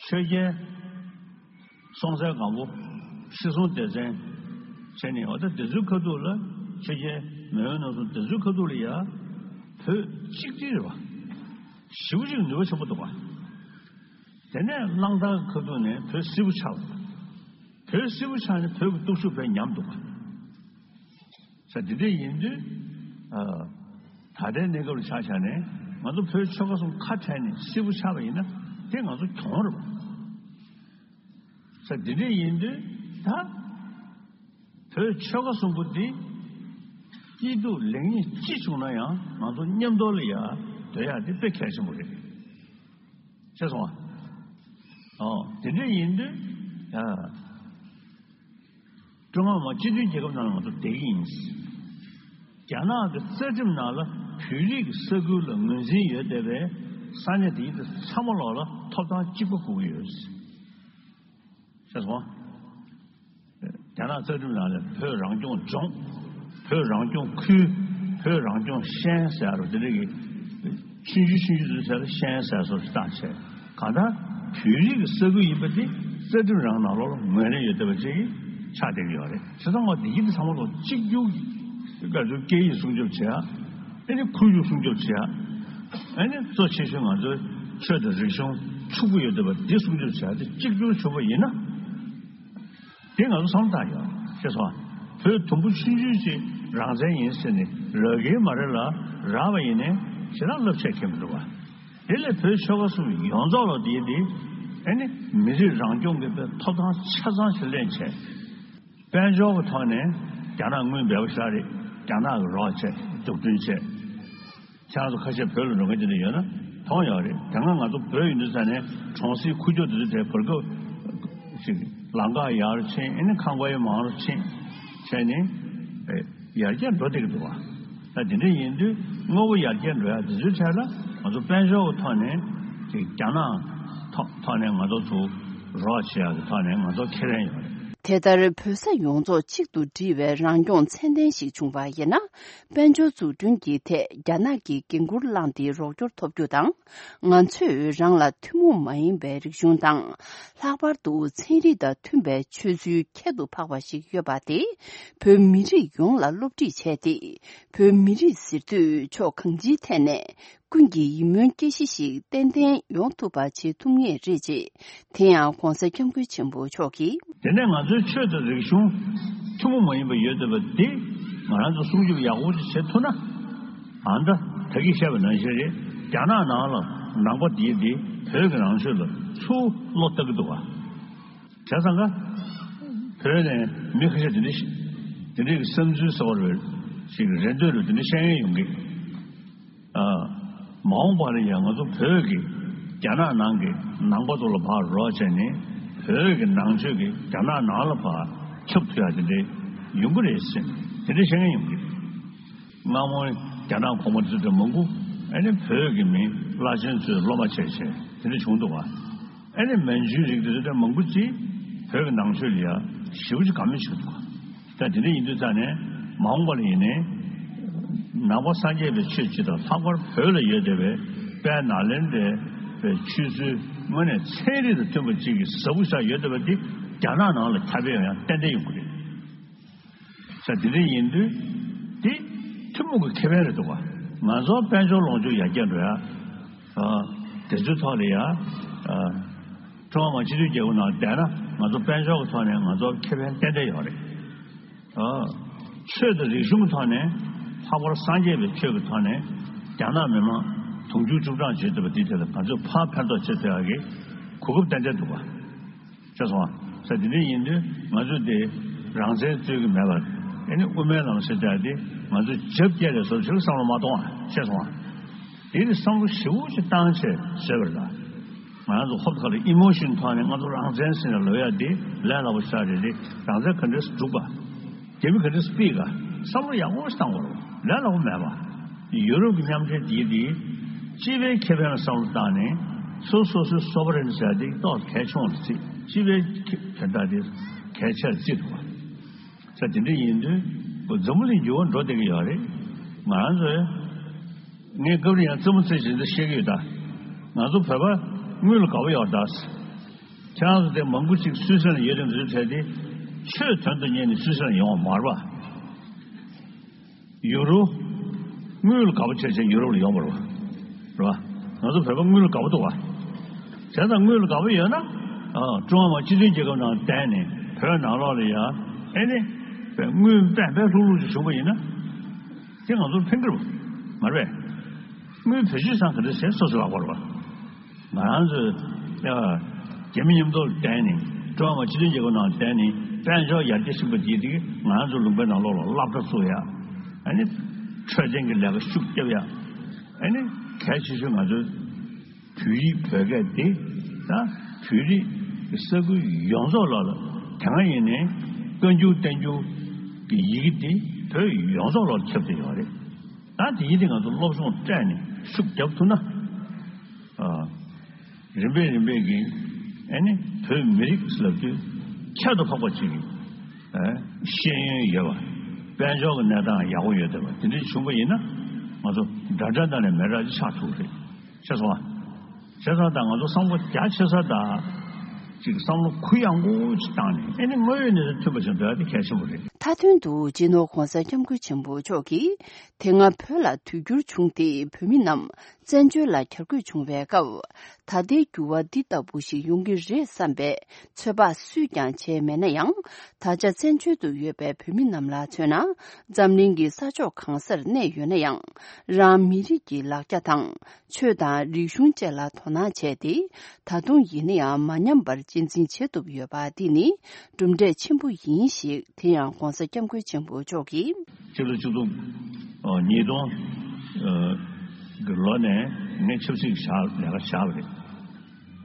ཆོས་རྒྱལ། སྲོང་བཙན་སྒམ་པོ། ཁྲི་སྲོང་ལྡེ་བཙན། བྱས་ནས་འོ་ད་དེ་ཚོའི་ཁ་ཐུག་ལ་ཆོས་རྒྱལ་མེས་དབོན་རྣམ་གསུམ་དེ་ཚོའི་ཁ་ཐུག་ལ་ཡ། བོད་གཅིག་སྒྲིལ་རེད་བ། ཞེ་པོ་ཅིག་ནུས་པ་ཆེན་པོ་འདུག་བ། དེ་ནས་གླང་དར་གྱི་ཁ་ཐུག་ནས་བོད་སིལ་བུ་ཆགས་པ། བོད་སིལ་བུ་ཆགས་ནས་བོད་ཀྱི་སྟོབས་ཤུགས་དཔེ་ཉམས་འདུག་བ། ས་འདི་འདྲ་ཡིན་དུས། ད་ལྟའི་གནས་སྐབས་ལ་ཆ་བཞག་ནས་ང་ཚོ་བོད་ཆོལ་ཁ་གསུམ་ཁ་བྲལ་ནས་སིལ་བུ་ཆགས་པ་ཡིན་ན་དེ་ང་ཚོ་གྱོང་རེད་པ། ས་འདི་འདྲ་ཡིན་དུས་ད། བོད་ཆོལ་ཁ་གསུམ་པོ་འདི་སྐྱིད་སྡུག་ལེགས་ཉེས་ཅི་བྱུང་ན་ཡང་ང་ཚོ་མཉམ་དུ་ལ་ཡ་སྡོད་ཡ་དེ་དཔེ་གལ་ཆེན་པོ་རེད། ཤེས་སོང་ཨ། ཨོ་དེ་འདྲ་ཡིན་དུས་ཡ། ཀྲུང་ཧྭ་མི་དམངས་སྤྱི་མཐུན་རྒྱལ་ཁབ་ནང་ལ་ང་ཚོ་བསྡད་ཀྱི་ཡིན། རྒྱ་ནག་གི་རྩ་ཁྲིམས་ནང་ལ་བོད་རིགས་ཀྱི་ས་ཁུལ་ལ་ངོས་འཛིན་ཡོད་བསྡད་པའི་ས་གནས་དེ་ཚོ་ཚང་མ་ལོག་ལ་ཐོབ་ཐང་གཅིག་པ་དགོས་ཀྱི་ཡོད། ཤེས་སོང་། རྒྱ་ནག་རྩ་ཁྲིམས་ནང་ལ་བོད་རང་སྐྱོང་ལྗོངས། བོད་རང་སྐྱོང་ཁུལ། བོད་རང་སྐྱོང་ཤན་ཟེར་བ་དེ་འདྲ་གི། ཆུང་ཆུང་ཆུང་ཆུང་ཚོའི་ཟེར་ལ་ཤན་ཟེར་སོགས་ཤིག་བཏགས་བྱས། གང་ལྟར་བོད་རིགས་ཀྱི་ས་ཁུལ་ཡིན་པ་དེ་རྩ་ཁྲིམས་རང་ནང་ལོགས་ལ་ངོས་ལེན་ཡོད་བསྡད་པ་ཅིག་ཆགས་བསྡད་ཀྱི་ཡོད་རེད། བྱས་ཙང་འོ་འདི་གི་འདི་ཚང་མ་ལོ་གཅིག་གྱུར་གྱི་སྐད་ཡིག་སྲུང་སྐྱོབ་བྱེད་ཡ། ཨ་ནི་ཁོར་ཡུག་སྲུང་སྐྱོབ་བྱེད་ཡ། ཨ་ནི་གཙོ་ཆེ་ཤོས་ང་ཚོའི་ཆོས་དང་རིག་གཞུང་ཕྱུག་པོ་ཡོད་བསྡད་པ་འདི་སྲུང་སྐྱོབ་བྱེད་ཡ་དེ་གཅིག་གྱུར་བྱུང་བ་ཡིན་ན། དེ་ང་ཚོ་བསམ་བློ་བཏང་ཡོད་ཤེས་སོང་། བོད་དུམ་བུ་ཆུང་ཆུང་ཅིག་རང་བཙན་ཡིན་ཟེར་ནས་རག་གི་མ་རེད་ལ། རག་པ་ཡིན་ནའི་ཞེ་དྲག་རླབས་ཆེ་ཁེལ་མི་འདུག་བ། དེ་ལས་བོད་ཆོལ་ཁ་གསུམ་ཡོངས་རྫོགས་ལ་དེ་དེ་ཨ་ནི་མི་རིགས་རང་སྐྱོང་གི་ཐོབ་ཐང་ཆ་ཚང་ཞིག་ལེན་བྱས། དཔལ་འབྱོར་གྱི་ཐོག་ནས་རྒྱ་ནག་དངུལ་འབེལ་པོ་ཤར་རེད། རྒྱ་ནག་གི་རོགས་བྱས། འཛུགས་སྐྲུན་བྱས། ཁྱེད་རང་ཚོ་ཁ་ཤས་བོད་ལ་འགྲོ་མཁན་དེ་འདྲ་ཡོད་ན་མཐོང་ཡོད་རེད། དེ་སྔ་ང་ཚོ་བོད་ཡིན་དུས་ས་ནས་གྲོང་གསེབ་ཁུག་ཀྱོག་དེ་ཚོ་དེ་བར་སྐབས་ཤིག་ལམ་ཁ་ཡར་ཕྱིན། ཨ་ནི་ཁང་པ་ཡང་མང་རུ་ཕྱིན་བྱས་ནས་ཨེ་ཡར་རྒྱས་འགྲོ་བསྡད་ཀྱི་འདུག་བ། ད་དེ་འདྲ་ཡིན་དུས་དངོས་པོ་ཡར་རྒྱས་འགྲོ་ཡ་དེ་ཚོའི་གྲས་ལ་ང་ཚོ་དཔལ་འབྱོར་གྱི་ཐོག་ནས་ཅིག་རྒྱ་ནག་ཐོག་ཐོག་ནས་ང་ཚོ་ཚོ་རོགས་བྱེད་ཡ་གི་ཐོག་ནས་ང་ཚོ་ཁེ་ཕན་ཡོད་རེད། དེ་ལྟར་བོད་ས་ཡོངས་རྫོགས་གཅིག་ཏུ་སྒྲིལ་བའི་རང་སྐྱོང་ཚད་ལྡན་ཞིག་བྱུང་བ་ཡིན་ན། དཔལ་འབྱོར་འཛུགས་སྐྲུན་གྱི་ཐད་རྒྱ་ནག་གིས་འགན་འཁུར་བླངས་ཏེ་རོགས་སྐྱོར་ཐོབ་རྒྱུ་དང་། ང་ཚོས་རང་ལ་ཐུན་མོང་མ་ཡིན་པའི་རིག་གཞུང་དང་། ལྷག་པར་དུ་ཚན་རིག་དང་མཐུན་པའི་ཆོས་ཚུལ་ཁྱད་དུ་འཕགས་པ་ཞིག་ཡོད་པ་དེ། བོད་མི་རིགས་ཡོངས་ལ་སློབ་ཁྲིད་བྱས་ཏེ། བོད་མི་རིགས་ཟེར་དུས་ཕྱོགས་གང་ཅིའི་ཐད་ནས་ཀུན་གྱིས་ཡིད་སྨོན་སྐྱེ་གཞི་ཞིག་ཏན་ཏན་ཡོང་ཐུབ་པ་བྱེད་ཐུབ་ངེས་རེད་ཅེས། དེ་ཡང་༧གོང་ས་༧སྐྱབས་མགོན་ཆེན་པོ་མཆོག་གིས། དེ་ནས་ང་ཚོའི་ཆོས་དང་རིག་གཞུང་ཐུན་མོང་མ་ཡིན་པ་ཡོད་བསྡད་པ་འདི་ང་རང་ཚོ་སྲུང་སྐྱོབ་ཡག་པོ་ཞིག་བྱེད་ཐུབ་ན། ཨ་ད་ད་གིན་བཤད་པ་ནང་བཞིན་རེད། རྒྱ་ནག་ནང་ལ་ནང་པ་འདིའི་འདི་བོད་ཀྱི་ནང་ཆོས་ལ་ཚུར་བློ་བཏང་གི་འདུག་བ། བྱས་ཙང་ཀ་བོད་ནས་མི་ཁ་ཤས་དེ་འདྲ་ཞིག་དེ་འདྲའི་གི་བསམ་ཚུལ་གསར་པ་རེད་ཞིག་རེ་འདོད་རེད། དེ་འདྲ་བཤད་མཁན་ཡོང་གི། ཨ། མ་འོངས་པ་ལ་ཡང་ང་ཚོ་བོད་ཀྱི་རྒྱ་ནག་ནང་གི་ནང་པ་ཚོ་ལ་ཕར་རོགས་བྱས་ནས་བོད་ཀྱི་ནང་ཆོས་ཀྱི་རྒྱ་ནག་ནང་ལ་ཕར་ཁྱབ་ཐུབ་ཡ་དེ་འདྲའི་ཡོང་གི་རེད་ཟེར་དེ་འདྲའི་བཤད་མཁན་ཡོང་གི། སྔ་མོ་རྒྱ་ནག་གོང་མ་དེ་ཚོ་དེ་མང་པོ་ཨ་ནི་བོད་ཀྱི་མི་བླ་ཆེན་ཚོས་སློབ་མ་བྱས་བྱས་དེ་འདྲ་བྱུང་འདུག་བ། ཨ་ནི་མན་ཇུའི་རིགས་དེ་ཚོ་དེ་མང་པོ་ཅིག་བོད་ཀྱི་ནང་ཆོས་ལ་ཡ་ཞེ་པོ་ཅིག་དགའ་མོས་བྱུང་འདུག་བ། ད་དེ་འདྲ་ཡིན་དུས་ཙང་ནས་མ་འོངས་པ་ལ་ཡིན་ནའི་ནང་པ་སངས་རྒྱས་པའི་ཆོས་སྤྱི་དང་ལྷག་པར་བོད་ལ་ཡོད་བསྡད་པའི་དཔལ་ནཱ་ལེནྡྲའི་ཆོས་ཚུལ་དངོས་གནས་ཚན་རིག་དང་མཐུན་པ་ཅིག་གི་ཟབ་པོ་ཞིག་ཡོད་བསྡད་པ་འདི་རྒྱ་ནག་ནང་ལ་ཁྱབ་སྤེལ་ཡོང་ཡ་ཏན་ཏན་ཡོང་གི་རེད། ས་དེ་འདྲ་ཡིན་དུས་དེ་ཐུན་མོང་གི་ཁེ་ཕན་རེད་འདུག་བ། ང་ཚོ་དཔལ་འབྱོར་ལོངས་སྤྱོད་ཡར་རྒྱས་འགྲོ་ཡ། ཨ། དེ་ཚོའི་ཐོག་ལ་ཡ། ཨ། ཀྲུང་ཧྭ་མི་དམངས་སྤྱི་མཐུན་རྒྱལ་ཁབ་ནང་བསྡད་ན་ང་ཚོ་དཔལ་འབྱོར་གྱི་ཐོག་ནས་ང་ཚོ་ཁེ་ཕན་ཏན་ཏན་ཡོད་རེད། ཨ། ཆོས་དང་རིག་གཞུང་གི་ཐོག་ནས་ལྷག་པར་སངས་རྒྱས་པའི་ཆོས་ཀྱི་ཐོག་ནས་རྒྱ་ནག་མི་དམངས་དུང་ཕྱུར་བཅུ་གྲངས་བྱེད་ཐུབ་པ་དེའི་ཐད་ལ་ང་ཚོས་ཕར་ཕན་ཐོགས་བྱེད་ཐུབ་ཡག་གི་གོ་སྐབས་ཏན་ཏན་འདུག་བ། ཤེས་སོང་ང་། ས་དེ་འདྲ་ཡིན་དུས་ང་ཚོས་དེ་རང་བཙན་རྩོད་ཀྱི་མེད་པར་ཨ་ནི་དབུ་མའི་ལམ་ཟེར་བྱ་དེ་ང་ཚོས་རྒྱབ་བསྐྱལ་ལས་བཟོ་ཞིག་བསམ་བློ་མ་གཏོང་བ། ཤེས་སོང་ང་། དེ་ནི་བསམ་བློ་ཞེ་པོ་ཅིག་བཏང་བྱས་བཟོས་པ་རེད་ད། ང་རང་ཚོ་ཧོབ་ཁ་ལ་ཨི་མོ་ཤོན་ཐོག་ནས་ང་ཚོ་རང་བཙན་ཟེར་ནས་ལབ་ཡ་དེ་ལས་སླ་པོ་ཞིག་རེད་དེ། རང་བཙན་ག་འདྲས་སྒྲུབ་པ། རྒྱ་མི་ག་འདྲས་སྤེལ་ག་བསམ་བློ་ཡག་པོ་ཞིག་བཏང་དགོས་རེད། ལས་སླ་པོ་མེད་པ། ཡུ་རོབ་ཀྱི་མཉམ་འབྲེལ་འདིའི་འདི་སྤྱི་པའི་ཁེ་ཕན་ལ་བསམ་བློ་བཏང་ནས་སོ་སོ་སོའི་སོ་བ་རེན་ཟེར་དེ་ཏོག་གལ་ཆུང་ལ་བརྩི། སྤྱི་པའི་ཁེ་དོན་དག་དེ་གལ་ཆེར་བརྩི་ཐུབ་པ། ས་དེ་འདྲ་ཡིན་དུས་འཛམ་བུ་གླིང་འགྱུར་བ་འགྲོ་བསྡད་ཀྱི་ཡོད་རེད། ང་རང་ཚོས་ངས་སྐབས་རེ་ཡང་རྩེད་མོ་རྩེ་བཞིན་དུ་བཤད་ཀྱི་ཡོད་ད། ང་ཚོ་བོད་པ་དངུལ་ལ་དགའ་པོ་ཡོད་ད། ཁྱེད་རང་ཚོ་དེ་མང་པོ་ཅིག་སུད་སི་ལ་ཡོད་དེ་འདུག་བྱས་ཏེ་ཆོས་དོན་དུ་གཉེར་ནས་སུད་སི་ལ་ཡོང་བ་མ་རེད་པ། ཡུ་རོ། དངུལ་ལ་དགའ་པོ་བྱས་བྱས་ཡུ་རོབ་ལ་ཡོང་བ་རེད་པ། རེད་པ། ང་ཚོ་བོད་པ་དངུལ་ལ་དགའ་པོ་འདུག་པ། བྱས་ཙང་དངུལ་ལ་དགའ་པོ་ཡོད་ན། ཨ། ཀྲུང་ཧྭ་མི་དམངས་སྤྱི་མཐུན་རྒྱལ་ཁབ་ནང་བསྡད་ནས་བོད་ནང་ལོགས་ལ་ཡ། ཨེ་ནི། དངུལ་པད་པད་ལྷུག་ལྷུག་ཅིག་བྱུང་པ་ཡིན་ན། དེ་ང་ཚོར་ཕན་གྱི་རེད་པ། མ་རེད་པས། དངུལ་བེད་སྤྱོད་བཏང་ག་འདྲ་བྱས་སོ་སོ་ལག་པ་རེད་པ། ང་རང་ཚོས་ཡ། རྒྱ་མི་མཉམ་དུ་བསྡད་ནས་ཀྲུང་ཧྭ་མི་དམངས་སྤྱི་མཐུན་རྒྱལ་ཁབ་ནང་བསྡད་ནས་དཔལ་འབྱོར་ཡར་རྒྱས་ཕྱིན་པ་དེ་དེ་ང་རང་ཚོ་ལུང་པའི་ནང་ལོགས་ལ་སློབ་གྲྭ་བཙུགས་ཡ། ཨ་ནི། འཕྲོད་བསྟེན་གྱི་ལས་ཀ་ཤུགས་རྒྱབ་ཡ། ཨ་ནི། གལ་ཆེ་ཤོས་ང་ཚོའི་བོད་ཡིག་བོད་སྐད་དེ་ད་བོད་རིགས་ཀྱི་ས་ཁུལ་ཡོངས་རྫོགས་ལ་ལ་དེ་སྔ་ཡིན་ནའི་བཀའ་འགྱུར་བསྟན་འགྱུར་གྱི་ཡི་གེ་དེ་བོད་ཡོངས་རྫོགས་ལ་ཁྱབ་བསྡད་ཡོད་རེད། ད་དེ་ཡིན་དེ་ང་ཚོ་སློབ་སྦྱོང་སྤྲད་ནས་ཤུགས་རྒྱབ་ཐུབ་ན། ཨ། རིམ་པས་རིམ་པས་ཀྱིས་ཨ་ནི་བོད་མི་རིགས་ལབ་དུས་ཁྱད་དུ་འཕགས་པ་ཅིག་གི་ཨ། ཤེས་ཡོན་ཡོད་པ། དཔལ་འབྱོར་གྱི་གནས་སྟངས་ཡག་པོ་ཡོད་བསྡད་པ་དེ་འདྲ་བྱུང་པ་ཡིན་ན་ང་ཚོ་འདྲ་འདྲ་ནང་ནས་མི་འདྲ་ཅིག་ཆགས་ཐུབ་རེད། ཤེས་སོང་ང་། བྱས་ཙང་ད་ང་ཚོ་བསམ་བློ་རྒྱ་ཆེ་ས་དང་ ཅིག་བསམ་བློ་གུ་ཡངས་པོ་ཞིག་བཏང་ནས། ཨེ་ནི་དངོས་ཡོད་གནས་ཚུལ་མཐུན་པ་ཞིག་འདོན་ཡ་དེ་གལ་ཆེན་པོ་རེད། མཐའ་དོན་དུ་སྤྱི་ནོར་༧གོང་ས་༧སྐྱབས་མགོན་ཆེན་པོ་མཆོག་གིས། དེ་སྔ་བོད་ལ་དུས་འགྱུར་བྱུང་སྟེ་བོད་མི་རྣམས་བཙན་བྱོལ་ལ་གྱར་འགོད་བྱུང་བའི་སྐབས། ད་ལྟའི་འགྱུར་བ་འདི་ལྟ་བུ་ཞིག་ཡོང་གི་རེད་བསམ་པའི་ཚོད་དཔག་སུས་ཀྱང་བྱས་མེད་ན་ཡང་། ད་ཆ་བཙན་བྱོལ་དུ་ཡོད་པའི་བོད་མི་རྣམས་ལ་མཚོན་ན། འཛམ་གླིང་གི་ས་ཕྱོགས་གང་སར་གནས་ཡོད་ན་ཡང་། རང་མི་རིགས་ཀྱི་ལག་ཆ་དང་། ཆོས་དང་རིག་གཞུང་བཅས་ལ་དོ་སྣང་བྱས་ཏེ། ད་དུང་ཡིན་ན་ཡང་མ་ཉམས་པར་གཅེས་འཛིན་བྱེད་ཐུབ་ཡོད་པ་འདི་ནི་གྲུབ་འབྲས་ཆེན་པོ་ཡིན་ཞེས། དེ་ཡང་༧གོང་ས་༧སྐྱབས་མགོན་ཆེན་པོ་མཆོག་གིས། ཕྱི་ལོ་ཆིག་སྟོང་ཉིས་སྟོང་གི་ལོ་ནས་ངས་ཆབ་སྲིད་ཀྱི་ལས་ཀ་བཞག་པ་རེད།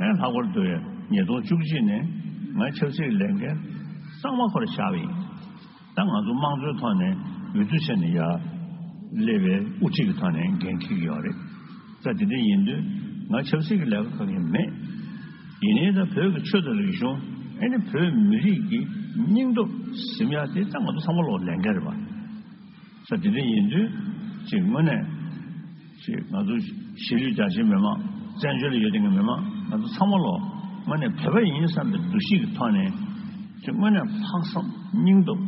ཨེ་ལྷག་པར་དུ་ཉིས་སྟོང་བཅུ་གཅིག་ནས་ངས་ཆབ་སྲིད་ཀྱི་ལས་འགན་གཙང་མ་ཁོ་རང་བཞག་པ་ཡིན། ད་ང་ཚོ་དམངས་གཙོའི་ཐོག་ནས་འོས་བསྡུ་བྱས་ནས་ཡར་སླེབས་པའི་དབུ་ཁྲིད་ཀྱི་ཐོག་ནས་འགན་འཁྱེར་གྱི་ཡོད་རེད། ད་དེ་འདྲ་ཡིན་དུས་ང་ཆབ་སྲིད་ཀྱི་ལས་ཀ་གང་ཡང་མེད། ཡིན་ནའི་ད་བོད་ཀྱི་ཆོས་དང་རིག་གཞུང་། ཨེ་ནི་བོད་མི་རིགས་ཀྱི་སྙིང་སྟོབས་ཟིན་ཡ་དེ་ད་ང་ཚོ་ཚང་མ་ལོག་ལས་འགན་རེད་པ། ས་དེ་འདྲ་ཡིན་དུས་ཅིག་དངོས་གནས་ཅིག་ང་ཚོ་གཞིས་ལུས་རྒྱ་ཆེའི་མི་མང་། བཙན་བྱོལ་ལ་ཡོད་བསྡད་མཁན་མི་མང་། ང་ཚོ་ཚང་མ་ལོག་དངོས་གནས་བོད་པ་ཡིན་བསམ་པའི་འདུ་ཤེས་ཀྱི་ཐོག་ནས་ཅིག་དངོས་གནས་ལྷག་བསམ་སྙིང་སྟོབས་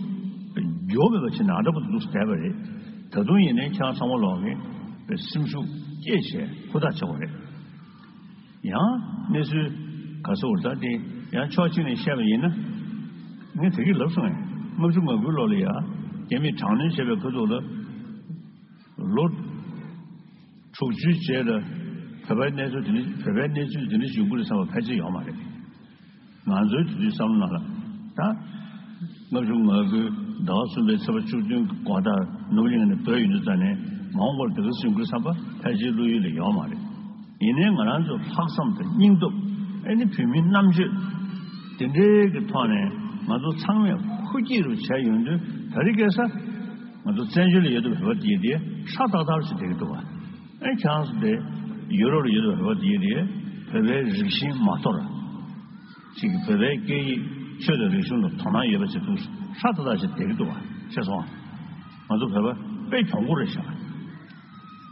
འགྱོ་མེད་པ་ཅིག་ནང་འདྲ་པོ་འདུག་བསྡད་པ་རེད། ད་དུང་ཡིན་ནའི་ཁྱེད་རང་ཚང་མ་ལོག་གིས་སེམས་ཤུགས་བསྐྱེད་བྱས་ཧུར་ཐག་བྱེད་དགོས་རེད། ཡང་གནས་ཚུལ་ག་ཚོད་འོར་ད་དེ་ཡང་ཕྱོགས་གཅིག་ནས་བཤད་པ་ཡིན་ན། ངས་དེ་གི་ལབ་སོང་ངས། ལྔ་བཅུ་ང་དགུའི་ལོ་ལ་ཡ་རྒྱ་མིས་དྲག་གནོན་བྱས་པའི་ཁ་ཐུག་ལ་ལོ་དྲུག་ཅུའི་རྗེས་ལ་བོད་པའི་གནས་ཚུལ་དེ་འདྲ། བོད་པའི་གནས་ཚུལ་དེ་འདྲ་བྱུང་གི་རེད་བསམ་པ་ཕལ་ཆེར་ཡོད་མ་རེད། ང་ཚོའི་དུས་ཚོད་བསམ་བློ་ནང་ལ་ད་ལྔ་བཅུ་ང་དགུའི་ཟླ་བ་གསུམ་པའི་ཚེས་པ་བཅུ་བདུན་གྱི་འགོ་ཟླར་ནོར་གླིང་ནས་བྲོས་ཡོང་དུས་ཙ་ནས་མ་འོངས་པར་དེ་ག་སེ་ཡོང་གི་རེད་བསམ་པ་ཕལ་ཆེར་བློ་ཡུལ་ལ་ཡོད་མ་རེད། ཡིན་ནའི་ང་རང་ཚོ་ལྷག་བསམ་དང་སྙིང་སྟོབས། ཨེ་ནི་བོད་མིའི་རྣམ་དཔྱོད་དེ་འདྲའི་གི་ཐོག་ནས་ང་ཚོ་ཚང་མས་ཧུར་སྐྱེད་རུ་བྱས་ཡོང་དུས། ད་རེས་ཁ་སང་ང་ཚོ་བཙན་བྱོལ་ལ་ཡོད་དུས་བོད་པ་དེ་དེ་ཧྲ་ཏག་ཏག་ཞིག་བསྡད་ཀྱི་འདུག་བ། ཨེ་ཁྱེད་རང་ཚོ་དེ་ཡུ་རོབ་ལ་ཡོད་དུས་བོད་པ་དེ་དེ་བོད་པའི་རིགས་ཞེན་མ་དོར། ཅིག་བོད་པའི་སྐད་ཡིག་ཆོས་དང་རིག་གཞུང་ལ་དོ་སྣང་ཡོད་པ་ཞིག་འདུག་ཧྲ་ཏག་ཏག་ཞིག་བསྡད་ཀྱི་འདུག་བ། ཤེས་སོང་ང་། ང་ཚོ་བོད་པ་དཔེ་གྱོང་པོ་རེད་ཤག་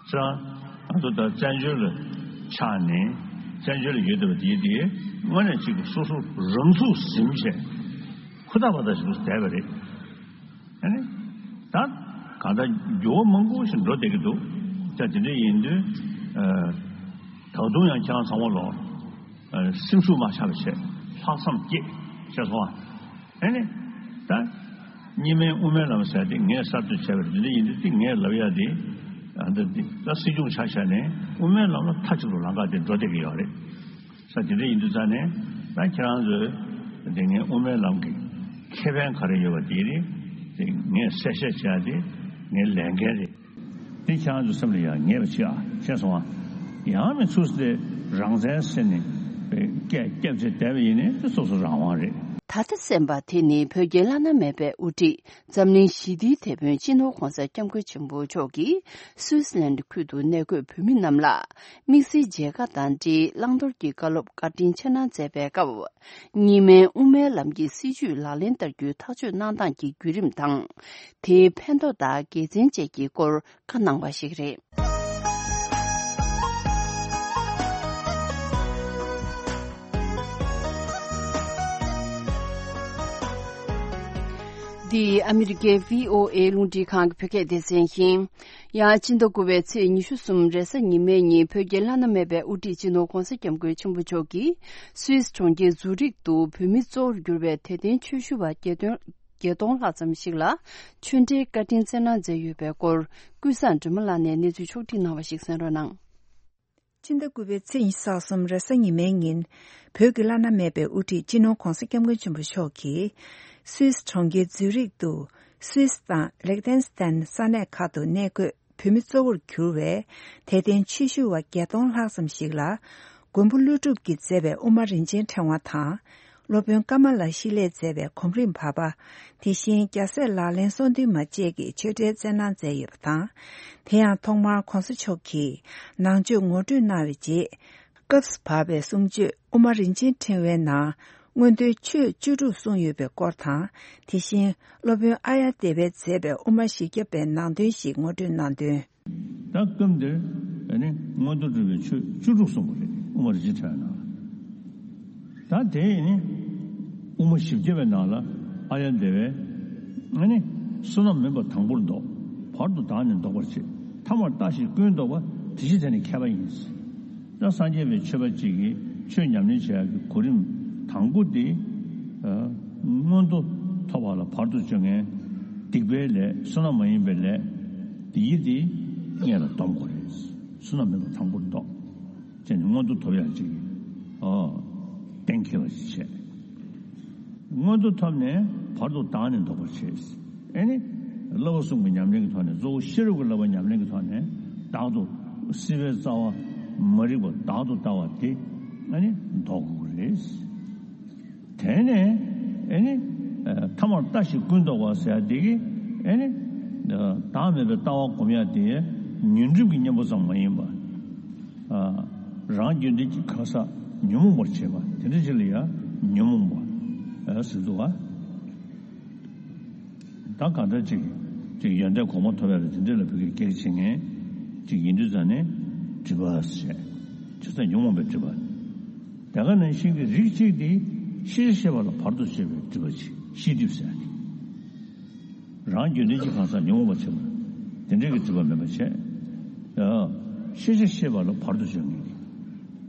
ཁྱེད་རང་ང་ཚོ་ད་བཙན་བྱོལ་ལ་ཆགས་ནས་བཙན་བྱོལ་ལ་ཡོད་བསྡད་པ་དེ་དེ་དངོས་གནས་ཅིག་སོ་སོ་རང་ཚུགས་ཟིན་བྱས་ཧུར་ཐག་པ་ཐག་ཞིག་བསྡད་པ་རེད། ཨ་ནི་ད་གང་ལྟར་འགྱུར་བ་མང་པོ་ཞིག་འགྲོ་བསྡད་ཀྱི་འདུག་ད་དེ་འདྲ་ཡིན་དུས་ཨ་ད་དུང་ཡང་ཁྱེད་རང་ཚང་མ་ལོག་ཨ་སེམས་ཤུགས་མ་ཆག་པ་བྱས། ལྷག་བསམ་བསྐྱེད། ཤེས་སོང་ཨ། ཨ་ནི་ད་གཉིས་སྨན་དབུ་མའི་ལམ་ཟེར་དེ་ངས་གསར་གཏོད་བྱས་པ་རེད། དེ་འདྲ་ཡིན་དུས་དེ་ངས་ལབ་ཡ་དེ་ཨ་ད་དེ་ད་སྲིད་སྐྱོང་ཆ་བཞག་ནས་དབུ་མའི་ལམ་ལ་མཐའ་གཅིག་ཏུ་ལམ་ཁ་དེ་འགྲོ་བསྡད་ཀྱི་ཡོད་རེད། ས་དེ་འདྲ་ཡིན་དུས་ཙ་ནས་ད་ཁྱེད་རང་ཚོས་དེ་ངའི་དབུ་མའི་ལམ་གྱི་ཁེ་ཕན་ག་རེ་ཡོད་པ་དེ་རེད། དེ་ངས་གསལ་བཤད་བྱས་ཏེ་ངའི་ལས་འགན་རེད། དེ་ཁྱེད་རང་ཚོའི་སེམས་ལ་ཡང་ངེས་པ་བྱེད་ཨ། ཤེས་སོང་ཨ། ཡང་མི་ཚུགས་ཏེ་རང་བཙན་ཟེར་ནས་སྐད་རྒྱབ་བྱས་བསྡད་པ་ཡིན་ནའི་དེ་སོ་སོ་རང་དབང་རེད། ད་ལྟ་གསན་པ་དེ་ནི་བོད་ཀྱི་བླ་ན་མེད་པའི་དབུ་ཁྲིད། འཛམ་གླིང་ཞི་བདེའི་དེད་དཔོན་སྤྱི་ནོར་༧གོང་ས་༧སྐྱབས་མགོན་ཆེན་པོ་མཆོག་གིས་སུད་སི་ལན་ཁུལ་དུ་གནས་འཁོད་བོད་མི་རྣམས་ལ་དམིགས་བསལ་མཇལ་ཁ་དང་འབྲེལ་བླང་དོར་གྱི་བཀའ་སློབ་བཀའ་དྲིན་ཆེ་གནང་མཛད་པའི་སྐབས། གཉིས་སྨན་དབུ་མའི་ལམ་གྱི་སྲིད་བྱུས་ལག་ལེན་བསྟར་རྒྱུའི་ཐག་གཅོད་གནང་སྟངས་ཀྱི་བརྒྱུད་རིམ་དང་། དེའི་ཕན་ཐོགས་དང་དགེ་མཚན་བཅས་ཀྱི་སྐོར་བཀའ་གནང་བ་ཞིག་རེད། འདི་ཨ་མི་རི་ཀའི་བྷི་ཨོ་ཨེ་རླུང་འཕྲིན་ཁང་གི་བོད་སྐད་སྡེ་ཚན་ཡིན། ཡང་སྤྱི་ཟླ་དགུ་པའི་ཚེས་ཉི་ཤུ་གསུམ་རེས་གཟའ་ཉི་མའི་ཉིན་བོད་ཀྱི་བླ་ན་མེད་པའི་དབུ་ཁྲིད་སྤྱི་ནོར་༧གོང་ས་༧སྐྱབས་མགོན་ཆེན་པོ་མཆོག་གིས་སུད་སི་གྲོང་ཁྱེར་ཛུ་རིག་ཏུ་བོད་མི་གཙོ་བོར་གྱུར་པའི་དད་ལྡན་ཆོས་ཞུ་བ་བརྒྱད་སྟོང་བརྒྱད་སྟོང་ལྷག་ཙམ་ཞིག་ལ་ཆོས་འབྲེལ་བཀའ་དྲིན་སྩལ་གནང་མཛད་ཡོད་པའི་སྐོར་ཀུན་བཟང་སྒྲོལ་མ་ལགས་ནས་གནས་ཚུལ་ཕྱོགས་བསྒྲིགས་གནང་བ་ཞིག་གསན་རོགས་གནང་། སྤྱི་ཟླ་དགུ་པའི་ཚེས་ཉི་ཤུ་རྩ་གསུམ་རེས་གཟའ་ཉི་མའི་ཉིན། བོད་ཀྱི་བླ་ན་མེད་པའི་དབུ་ཁྲིད་སྤྱི་ནོར་༧གོང་ས་༧སྐྱབས་མགོན་ཆེན་པོ་མཆོག་གིས། སུད་སི་གྲོང་ཁྱེར་ཛུ་རིག་ཏུ། སུད་སི་དང་ལེག་ཏེན་སི་ཏན་ས་གནས་ཁག་ཏུ་གནས་འཁོད་བོད་མི་གཙོ་བོར་གྱུར་བའི་དད་ལྡན་ཆོས་ཞུ་བ་བརྒྱད་སྟོང་ལྷག་ཙམ་ཞིག་ལ། མགོན་པོ་ཀླུ་སྒྲུབ་ཀྱིས་མཛད་པའི་དབུ་མ་རིན་ཆེན་ཕྲེང་བ་དང་། སློབ་དཔོན་ཀ་མ་ལ་ཤཱི་ལས་མཛད་པའི་གོམ་རིམ་བར་པ། དེ་བཞིན་རྒྱལ་སྲས་ལག་ལེན་གསུམ་འདུས་མ་བཅས་ཀྱི་ཆོས་འབྲེལ་སྩལ་གནང་མཛད་ཡོད་པ་དང་། དེ་ཡང་ཐོག་མར་༧གོང་ས་མཆོག་གིས་ནང་ཆོས་ངོ་སྤྲོད་གནང་བའི་རྗེས། སྐབས་སུ་བབས་པའི་གསུང་ཆོས་དབུ་མ་རིན་ཆེན་ཕྲེང་བའི་ནང་མངོན་མཐོའི་ཆོས་བཅུ་དྲུག་གསུངས་ཡོད་པའི་སྐོར་དང་། དེ་བཞིན་སློབ་དཔོན་ཨཱརྱ་དེ་བས་མཛད་པའི་དབུ་མ་བཞི་བརྒྱ་པའི་ནང་དོན་ཞིག་ངོ་སྤྲོད་གནང་དོན། ད་སྐབས་འདིར་ཨ་ནི་མངོན་མཐོ་སྒྲུབ་པའི་ཆོས་བཅུ་དྲུག་གསུངས་པ་རེད། དབུ་མ་རིན་ཆེན་ཕྲེང་བའི་ནང་ལ། ད་དེ་ནི་དབུ་མ་བཞི་བརྒྱ་པའི་ནང་ལ་ཨཱརྱ་དེ་བས་ཨ་ནི་བསོད་ནམས་མིན་པ་དང་པོར་བཟློག་བར་དུ་བདག་ནི་བཟློག་པར་བྱེད། ཐ་མར་ལྟ་ཞིག་ཀུན་བཟློག་པ། དེ་ཕྱིར་དེ་ནི་མཁས་པ་ཡིན། ད་སངས་རྒྱས་པའི་ཆོས་པ་གཅིག་གིས་ཆོས་ཉམས་ལེན་བྱེད་ཡག་གི་གོ་རིམ་དང་པོ་དེ། མངོན་མཐོ་ཐོབ་པ་ལ་བར་དུ་གཅོད་མཁན་སྡིག་པའི་ལས། བསོད་ནམས་མ་ཡིན་པའི་ལས་དེ་ཡི་དེ་སྔོན་ལ་སྡོམ་དགོས་རེད། བསོད་ནམས་མེད་པ་དང་པོར་བཟློག་ཅེས་ནི་མངོན་མཐོ་ཐོབ་ཡག་ཅིག་ཨོ་གཏན་འཁེལ་བ་ཞིག་བྱས། མངོན་མཐོ་ཐོབ་ནས་བར་དུ་བདག་ནི་བཟློག་པར་བྱེད། ཨེ་ནི་བསླབ་པ་གསུམ་གྱི་ཉམས་ལེན་གྱི་ཐོག་ནས། གཙོ་བོ་ཤེས་རབ་ཀྱི་བསླབ་པ་ཉམས་ལེན་གྱི་ཐོག་ནས་བདག་ཏུ་སྲིད་པའི་རྩ་བ་མ་རིག་པ་བདག་ཏུ་ལྟ་བ་དེ་ཨེ་ནི་བཟློག་དགོས་རེད། དེ་ནས་ཨེ་ནི་ཐ་མར་ལྟ་ཞིག་ཀུན་བཟློག་པ་ཟེར་ཡག་དེ་གི་ཨེ་ནི་བདག་མེད་པའི་ལྟ་བ་སྒོམ་ཡག་དེ་ཉོན་སྒྲིབ་ཀྱི་གཉེན་པོ་ཙམ་མ་ཡིན་པ། རང་རྒྱུད་འདི་གི་གང་ཟག་ཉོན་མོངས་པར་བྱེད་པ་དེ་འདྲ་ཅིག་ལ་ཡང་ཉོན་མོངས་པ་ཟེར་འདུག་བ། ད་གང་ལྟར་ཅིག་ཅིག་ཡོན་ཏན་གོང་མ་ཐོབ་ཡག་ལ་དེ་འདྲ་ལ་བོད་ཀྱི་གེགས་བྱེད་མཁན་ཅིག་ཡིན་དུས་ཙང་ནས་སྒྲིབ་པ་ཟེར། བྱས་ཙང་ཉོན་མོངས་པའི་སྒྲིབ་པ། དེ་ག་ནང་བཞིན་གྱི་རིགས་གཅིག་དེ་ཤེས་བྱ་ཤེས་པ་ལ་བར་དུ་གཅོད་པའི་སྒྲིབ་པ་ཅིག་ཤེས་སྒྲིབ་ཟེར་ཏེ། རང་རྒྱུད་འདི་གི་གང་ཟག་ཉོན་མོངས་པར་བྱེད་པ་དེ་འདྲའི་གི་སྒྲིབ་པ་མེད་པ་བྱས། ཤེས་བྱ་ཤེས་པ་ལ་བར་དུ་གཅོད་མཁན་གྱི་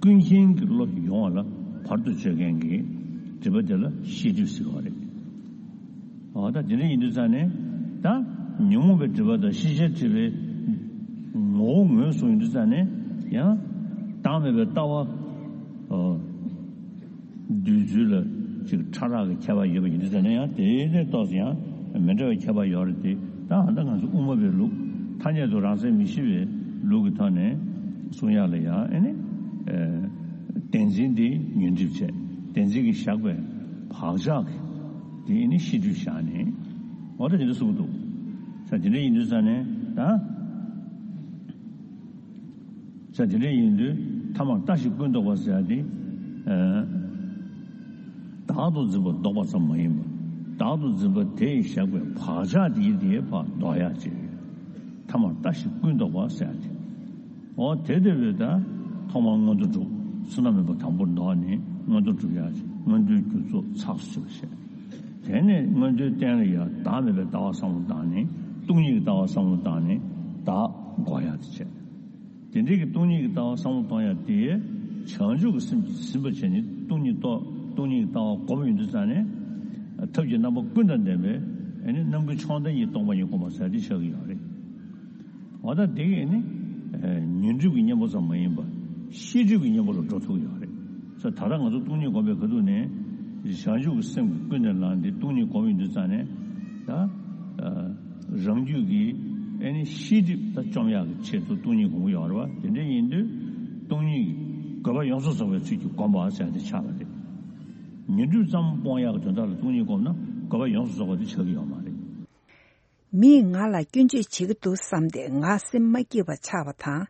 ཀུན་མཁྱེན་གྱི་བློ་ཡོང་བ་ལ་བར་དུ་གཅོད་མཁན་གྱི་སྒྲིབ་པ་དེ་ལ་ཤེས་སྒྲིབ་ཟེར་བ་རེད། འོ་ད་དེ་འདྲ་ཡིན་དུས་ཙང་ནས་ད་ཉོན་མོངས་པའི་སྒྲིབ་པ་དང་ཤེས་བྱའི་སྒྲིབ་པའི་ངོ་བོ་ངོས་བཟུང་ཡིན་དུས་ཙང་ནས་ཡང་བདག་མེད་པའི་ལྟ་བ་འདོད་ཚུལ་ལ་ཅིག་ཕྲ་རགས་ཀྱི་ཁྱད་པར་ཡོད་པ་ཡིན་དུས་ཙང་ནས་ཡང་དེའི་ཐོག་ཏུ་ཡང་མི་འདྲ་བའི་ཁྱད་པར་ཡོད་རེད་དེ། ད་ཨ་ད་ང་ཚོ་དབུ་མ་པའི་ལུགས་ཐ་སྙད་དུ་རང་མཚན་མི་ཤེས་པའི་ལུགས་ཀྱི་ཐོག་ནས་གསུང་ཡག་ལ་ཡང་ཨེ་ནི་བདེན་འཛིན་དེ་ཉོན་སྒྲིབ་བྱས། བདེན་འཛིན་གྱིས་བཞག་པའི་བག་ཆགས་ཀྱི་དེ་ཨེ་ནི་ཤེས་སྒྲིབ་བཞག་ནས་འོ་ད་དེ་འདྲ་གསུངས་འདུག་ས། དེ་འདྲ་ཡིན་དུས་ཙང་ནས་ད། ས་དེ་འདྲ་ཡིན་དུས་ཐ་མར་ལྟ་ཞིག་ཀུན་བཟློག་པ་ཟེར་ཡག་དེ། བདག་ཏུ་འཛིན་པ་བཟློག་པ་ཙམ་མ་ཡིན་པར་བདག་ཏུ་འཛིན་པ་དེས་བཞག་པའི་བག་ཆགས་དེའི་དེའི་བར་བཟློག་ཡག་ཅིག་ཐ་མར་ལྟ་ཞིག་ཀུན་བཟློག་པ་ཟེར་ཡག་དེ། འོ་དེ་དེ་བས་ད་ཐོག་མར་མངོན་མཐོ་སྒྲུབ། བསོད་ནམས་མེད་པ་དང་པོར་བཟློག་ནས་མངོན་མཐོ་སྒྲུབ་ཡག་ཅིག་མངོན་མཐོའི་རྒྱུ་ཚོགས་ཚགས་སུ་ཆུད་པར་བྱས། དེ་ནས་མངོན་མཐོའི་རྟེན་ལ་ཡང་བདག་མེད་པའི་ལྟ་བ་བསམ་བློ་བཏང་ནས་སྟོང་ཉིད་ཀྱི་ལྟ་བ་བསམ་བློ་བཏང་ནས་བདག་འགོག་ཡག་དེ་བྱས། དེ་འདྲའི་གི་སྟོང་ཉིད་ཀྱི་ལྟ་བ་བསམ་བློ་གཏོང་ཡག་དེ་བྱང་ཆུབ་ཀྱི་སེམས་ཀྱིས་ཟིན་པར་བྱས་ནས་སྟོང་ཉིད་རྟོགས། སྟོང་ཉིད་ཀྱི་ལྟ་བ་སྒོམ་ཡོང་དུས་ཙང་ནས་ཐབས་ཀྱི་རྣམ་པ་ཀུན་དང་ལྡན་པའི་ཨ་ནི་རྣམ་ཀུན་མཆོག་ལྡན་གྱི་སྟོང་པ་ཉིད་སྒོམ་པ་ཟེར་དེ་ཆགས་ཀྱི་ཡོད་རེད། འོ་ད་དེ་གི་ནི་ཉོན་སྒྲིབ་ཀྱི་གཉེན་པོ་ཙམ་མ་ཡིན་པར་ཤེས་སྒྲིབ་ཀྱི་གཉེན་པོ་ལ་འགྲོ་ཐུབ་ཀྱི་ཡོད་རེད། ས་ད་ལྟ་ང་ཚོ་སྟོང་ཉིད་སྒོམ་པའི་ཁ་ཐུག་ནས་བྱང་ཆུབ་ཀྱི་སེམས་ཀྱིས་ཀུན་ནས་བསླངས་ཏེ་སྟོང་ཉིད་སྒོམ་ཡོང་དུས་ཙང་ནས་ད། རང་རྒྱུད་ཀྱི་ཨེ་ནི་ཤེས་སྒྲིབ་ད་བཅོམ་ཡག་གི་ཆེད་དུ་སྟོང་ཉིད་སྒོམ་གྱི་ཡོད་རེད་བ། དེ་འདྲ་ཡིན་དུས་སྟོང་ཉིད་ཀྱི་དགོས་པ་ཡོངས་སུ་རྫོགས་པའི་ཚུལ་གྱིས་སྒོམ་པ་ཟེར་ཡག་དེ་ཆགས་པ་རེད། ཉོན་སྒྲིབ་ཙམ་སྤོང་ཡག་གི་དོན་དག་ལ་སྟོང་ཉིད་སྒོམ་ན་དགོས་པ་ཡོངས་སུ་རྫོགས་པ་དེ་ཆགས་ཀྱི་ཡོད་མ་རེད། མིས་ང་ལ་སྐྱོན་བརྗོད་བྱེད་ཀྱི་འདུག་བསམ་སྟེ་ང་སེམས་མ་སྐྱིད་པ་ཆགས་པ་དང་།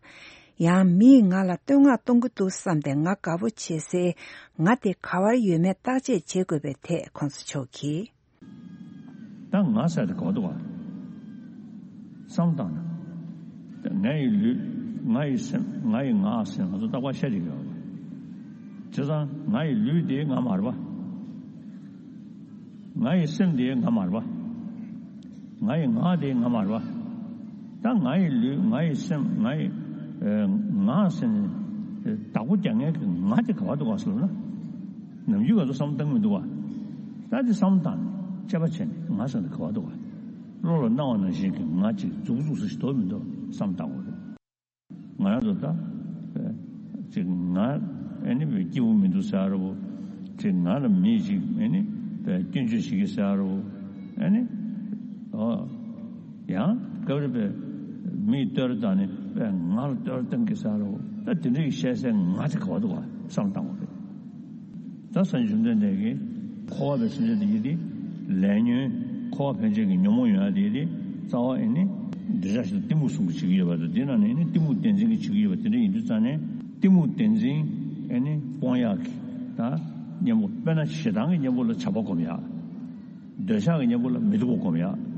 ཡང་མིས་ང་ལ་བསྟོད་བསྔགས་གཏོང་གི་འདུག་བསམ་སྟེ་ང་དགའ་པོ་བྱེད་སའི་ང་དེ་ག་བར་ཡོད་མེད་བརྟག་དཔྱད་བྱེད་དགོས་པའི་ཐད་གོང་ས་མཆོག་གིས། ད་ང་ཟེར་དེ་ག་བར་འདུག་ག་བསམ་བཏང་ན། ད་ངའི་ལུས། ངའི་སེམས། ངའི་ངག་ཟེར་ང་ཚོ་རྟག་པར་བཤད་བསྡད་ཀྱི་ཡོད་རེད། བྱས་ཙང་ངའི་ལུས་དེ་ང་མ་རེད་པ། ངའི་སེམས་དེ་ང་མ་རེད་པ། ངའི་ངག་དེ་ང་མ་རེད་པ། ད་ངའི་ལུས། ངའི་སེམས། ངའི་ཨེ་ངག་ཟེར་ནས་བདག་པོ་རྒྱག་མཁན་གྱི་ང་དེ་ག་བར་འདུག་ག་ཟེར་ན། ནམ་རྒྱུན་ང་ཚོ་བསམ་བཏང་གི་མི་འདུག་ག་ད་དེ་བསམ་བཏང་ནས་དཔྱད་པ་བྱས་ནས་ང་ཟེར་ན་ག་བར་འདུག་ག་བློ་ལ་སྣང་བ་ནང་བཞིན་གྱི་ང་ཅིག་འཛུགས་འཛུགས་སུ་ཞིག་འདུག་མི་འདུག་བསམ་བཏང་དགོས་རེད། ང་རང་ཚོ་ད་ཅིག་ང་ཨེ་ནི་སྐྱིད་པོ་མི་འདུག་ཟེར་རོ། ཅིག་ང་ལ་མི་ཞིག་ཨེ་ནི་སྐྱོན་བརྗོད་བྱེད་ཀྱི་ཟེར་རོ། ཨེ་ནི་ཨོ་ཡང་སྐབས་རེ་པའི་མིས་བསྟོད་ར་བཏང་ནས་པའི་ང་ལ་བསྟོད་ར་བཏང་གི་ཟེར་རོ། ད་དེ་འདྲ་ཡི་བཤད་སའི་ང་དེ་ག་བར་འདུག་ག་བསམ་བཏང་དགོས་རེད། ད་སངས་རྒྱས་བཅོམ་ལྡན་འདས་ཀྱིས་འཁོར་བ་པའི་སེམས་ཅན་དེ་ཡི་དེ་ལས་ཉོན། འཁོར་བ་ཕན་ཆད་ཀྱི་ཉོན་མོངས་ཡོང་ཡ་དེ་ཡི་དེ་རྩ་བ་ཨེ་ནི་འདི་འདྲ་ཞིག་ལ་གཏི་མུག་གསུམ་གྱིས་བྱེད་ཀྱི་ཡོད་པ་དང་། དེ་ནང་ནས་ཨེ་ནི་གཏི་མུག་བདེན་འཛིན་གྱིས་བྱེད་ཀྱི་ཡོད་པ་དེ་འདྲ་ཡིན་དུས་ཙང་ནས་གཏི་མུག་བདེན་འཛིན་ཨེ་ནི་སྤོང་ཡག་གི་ད་གཉེན་པོ། དཔེར་ན་ཞེ་སྡང་གི་གཉེན་པོ་ལ་བྱམས་པ་སྒོམ་ཡག་འདོད་ཆགས་ཀྱི་གཉེན་པོ་ལ་མི་སྡུག་པ་སྒོམ་ཡག་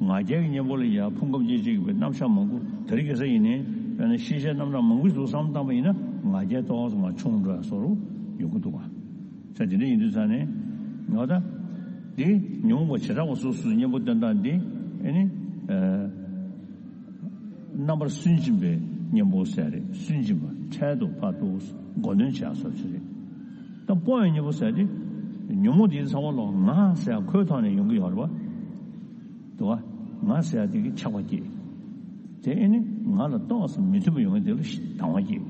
ང་རྒྱལ་གྱི་གཉེན་པོ་ལ་ཡ་ཕུང་ཁམས་སྐྱེ་མཆེད་ཀྱི་རྣམ་གཞག་མང་པོ། དེ་རིང་ཁ་སང་ཡིན་ནའི་དཔེར་ན་ཤེས་བྱའི་རྣམ་གྲངས་མང་པོ་ཞིག་བསམ་བཏང་པ་ཡིན་ན་ང་རྒྱལ་ཏོག་ཙམ་མར་ཆུང་འགྲོ་ཡ་བཟོ་འདྲ་ཡོང་གི་འདུག་ག་ས་དེ་འདྲ་ཡིན་དུས་ཙང་ནས་ང་ད་འདི་ཉོན་མོངས་པ་བྱེ་བྲག་པ་སོ་སོའི་གཉེན་པོ་སྟོན་སྟངས་འདི་ཨེ་ནི་ཨ་རྣམ་པར་སུན་འབྱིན་པའི་གཉེན་པོ་ཟེར་རེད། སུན་འབྱིན་པ་འཕྲལ་དུ་ཕར་ཏོག་མགོ་འདོན་བྱས་སོགས་ཅིག་རེད། ད་སྤོང་བའི་གཉེན་པོ་ཟེར་དེ་ཉོན་མོངས་དེའི་ཚང་མ་ལོག་ང་ཟེར་ཁོའི་ཐོག་ནས་ཡོང་གི་ཡོད་རེད་པ། འདུག་བ། ང་ཟེར་ཡ་དེ་གི་ཆགས་པ་སྐྱེས། དེ་ཨེ་ནི་ང་ལ་ཏོག་ཙམ་མི་མཐུན་པ་ཡོང་གི་དེ་ལ་སྡང་བ་སྐྱེས།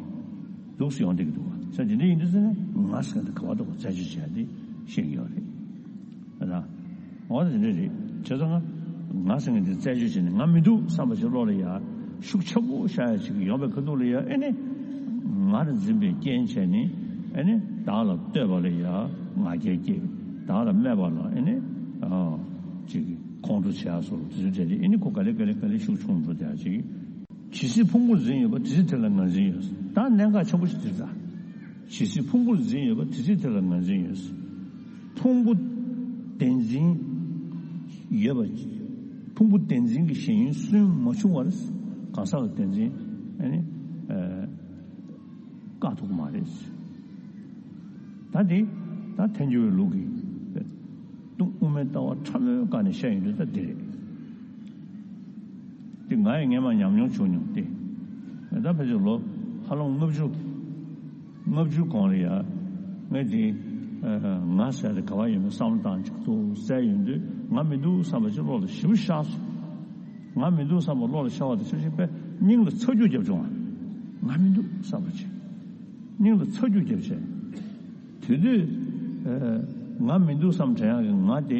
འདུག་སེ་ཡོང་བསྡད་ཀྱི་འདུག་བ། ས་དེ་འདྲ་ཡིན་དུས་ཙང་ནས་ང་ཟེར་དེ་ག་བ་འདུག་བ། རྩད་གཅོད་བྱས་ཏེ་ཤེས་ཀྱི་ཡོད་རེད། ཨ་ད། འོ་ད་དེ་འདྲ་རེད། བྱས་ཙང་ང་ང་ཟེར་མཁན་དེ་རྩད་གཅོད་བྱས་ནས་ང་མི་འདུག་བསམ་པ་ཞིག་བློ་ལ་ཡ་ཤུགས་ཆེན་པོ་བཞག་ཡ་ཅིག་ཡོང་བའི་ཁ་ཐུག་ལ་ཡ་ཨེ་ནི་ང་ལ་འཛིན་པའི་རྐྱེན་བྱས་ནས་ཨེ་ནི་བདག་ལ་བསྟོད་པ་ལ་ཡ་ང་རྒྱལ་སྐྱེས། བདག་ལ་སྨད་པ་ལ་ཨེ་ནི་ཨ་ཅིག་ཁོང་ཁྲོ་བྱས་སོགས་དེ་ཚོ་བྱས་ཏེ་ཨེ་ནི་ཁོ་ག་ལེ་ག་ལེ་ག་ལེ་ཤུགས་ཆུང་འགྲོ་བསྡད་ཡ་ཅིག་ཇི་སྲིད་ཕུང་པོར་འཛིན་ཡོད་པ་དེ་སྲིད་དེ་ལ་ངར་འཛིན་ཡོད། ད་གནད་འགག་ཆེན་པོ་ཞིག་དེ་རེད། ད་ཇི་སྲིད་ཕུང་པོར་འཛིན་ཡོད་པ་དེ་སྲིད་དེ་ལ་ངར་འཛིན་ཡོད། ཕུང་པོ་བདེན་འཛིན་ཡོད་པ། ཕུང་པོ་བདེན་འཛིན་གྱི་ཞེན་ཡུལ་སུན་མ་ཆུང་བར་གང་ཟག་གི་བདེན་འཛིན་ཨ་ནི་ཨ་བཀག་ཐུབ་ཀྱི་མ་རེད། ད་འདི་ད་ཐལ་འགྱུར་བའི་ལུགས་ཀྱི་སྟོང་དབུ་མའི་ལྟ་བ་ཕྲ་མོའི་སྒང་ནས་བཤད་ཡོང་དུས་ད་འདི་རེད། དེ་ང་ཡི་སྔས་མ་ཉམས་མྱོང་བྱུང་མྱོང་སྟེ། ད་ཕལ་ཆེར་ལོ་ཧ་ལམ་ལྔ་བཅུ། ལྔ་བཅུ་གོང་ལ་ཡ། ངས་དེ་ང་ཟེར་དེ་ག་བ་ཡོད་མེད་བསམ་བློ་བཏང་ཅིག་ཏུ་བཙལ་ཡོང་དུས་ང་མི་འདུག་བསམ་པ་ཅིག་བློ་ལ་ཞེ་པོ་ཤར་སོང་། ང་མི་འདུག་བསམ་པ་བློ་ལ་ཤར་བ་དང་ཆབས་ཅིག་པས་སྙིང་ལ་ཚ་རྒྱུག་བརྒྱབ་བྱུང་བ། ང་མི་འདུག་བསམ་པ་ཅིག་སྙིང་ལ་ཚ་རྒྱུག་བརྒྱབ་བྱས། དེ་དུས་ཨ་ང་མི་འདུག་བསམ་དྲན་ཡག་གི་ང་དེ་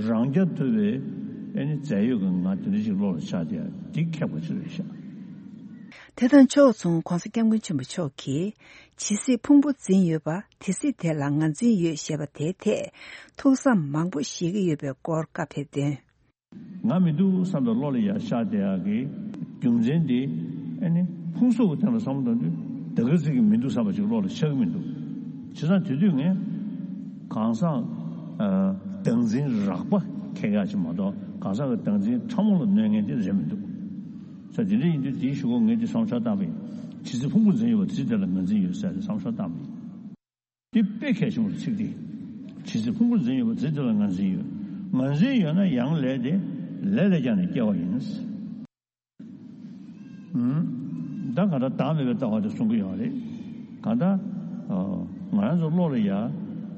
རང་རྐྱ་ཐུབ་པའི་ཨེ་ནི་རྫས་ཡོད་ཀྱི་ང་དེ་འདྲ་ཞིག་བློ་ལ་ཤར་བསྡད་ཡ་འདི་ཁེགས་པ་ཅིག་རེད་ཤག་དེ་དང་ཕྱོགས་མཚུངས་གོང་ས་སྐྱབས་མགོན་ཆེན་པོ་མཆོག་གིས་ཇི་སྲིད་ཕུང་པོ་འཛིན་ཡོད་པ་དེ་སྲིད་དེ་ལ་ངར་འཛིན་ཡོད་ཞེས་པ་དེའི་ཐད་ཐུགས་བསམ་མང་པོ་བཞེས་ཀྱི་ཡོད་པའི་སྐོར་བཀའ་ཕེབས་དོན། ང་མི་འདུག་བསམ་པའི་བློ་ལ་ཡར་ཤར་བསྡད་ཡག་གི་རྒྱུ་མཚན་དེ་ཨ་ནི་ཕུང་གཟུགས་ཀྱི་སྟེང་ལ་བསམ་བློ་བཏང་དུས་ད་ག་ཚོད་ཀྱི་མི་འདུག་བསམ་པ་ཞིག་བློ་ལ་ཤར་གི་མི་འདུག་བྱས་ཙང་དེ་དུས་ངས་གང་ཟག་ཨ་བདག་འཛིན་རགས་པ་ཁེགས་ཡག་ཅིག་མ་གཏོགས་གང་ཟག་གི་བདག་འཛིན་ཕྲ་མོ་ལ་གནོད་མཁན་དེ་རེད་མི་འདུག་ས་དེ་འདྲ་ཡིན་དུས་དེའི་གཞུག་གུ་ངས་དེ་བསམ་འཆར་བཏང་བ་ཡིན། ཇི་སྲིད་ཕུང་པོ་འཛིན་ཡོད་པ་དེ་སྲིད་དེ་ལ་ངར་འཛིན་ཡོད་ཟེར་ཏེ་བསམ་འཆར་བཏང་བ་ཡིན། དེ་དཔེ་གལ་ཆེན་པོ་རེད། ཚིག་འདི། ཇི་སྲིད་ཕུང་པོར་འཛིན་ཡོད་པ་དེ་སྲིད་དེ་ལ་ངར་འཛིན་ཡོད། ངར་འཛིན་ཡོད་ན་ཡང་ལས་དེ་ལས་ལས་ཀྱང་ནས་སྐྱེ་བ་ཡིན། ཨུམ། ད་ག་ད་བདག་མེད་པའི་ལྟ་བ་དེ་གསུང་གི་ཡོད་རེད། ག་ད། ཨོ། ང་རང་ཚོ་བློ་ལ་ཡ།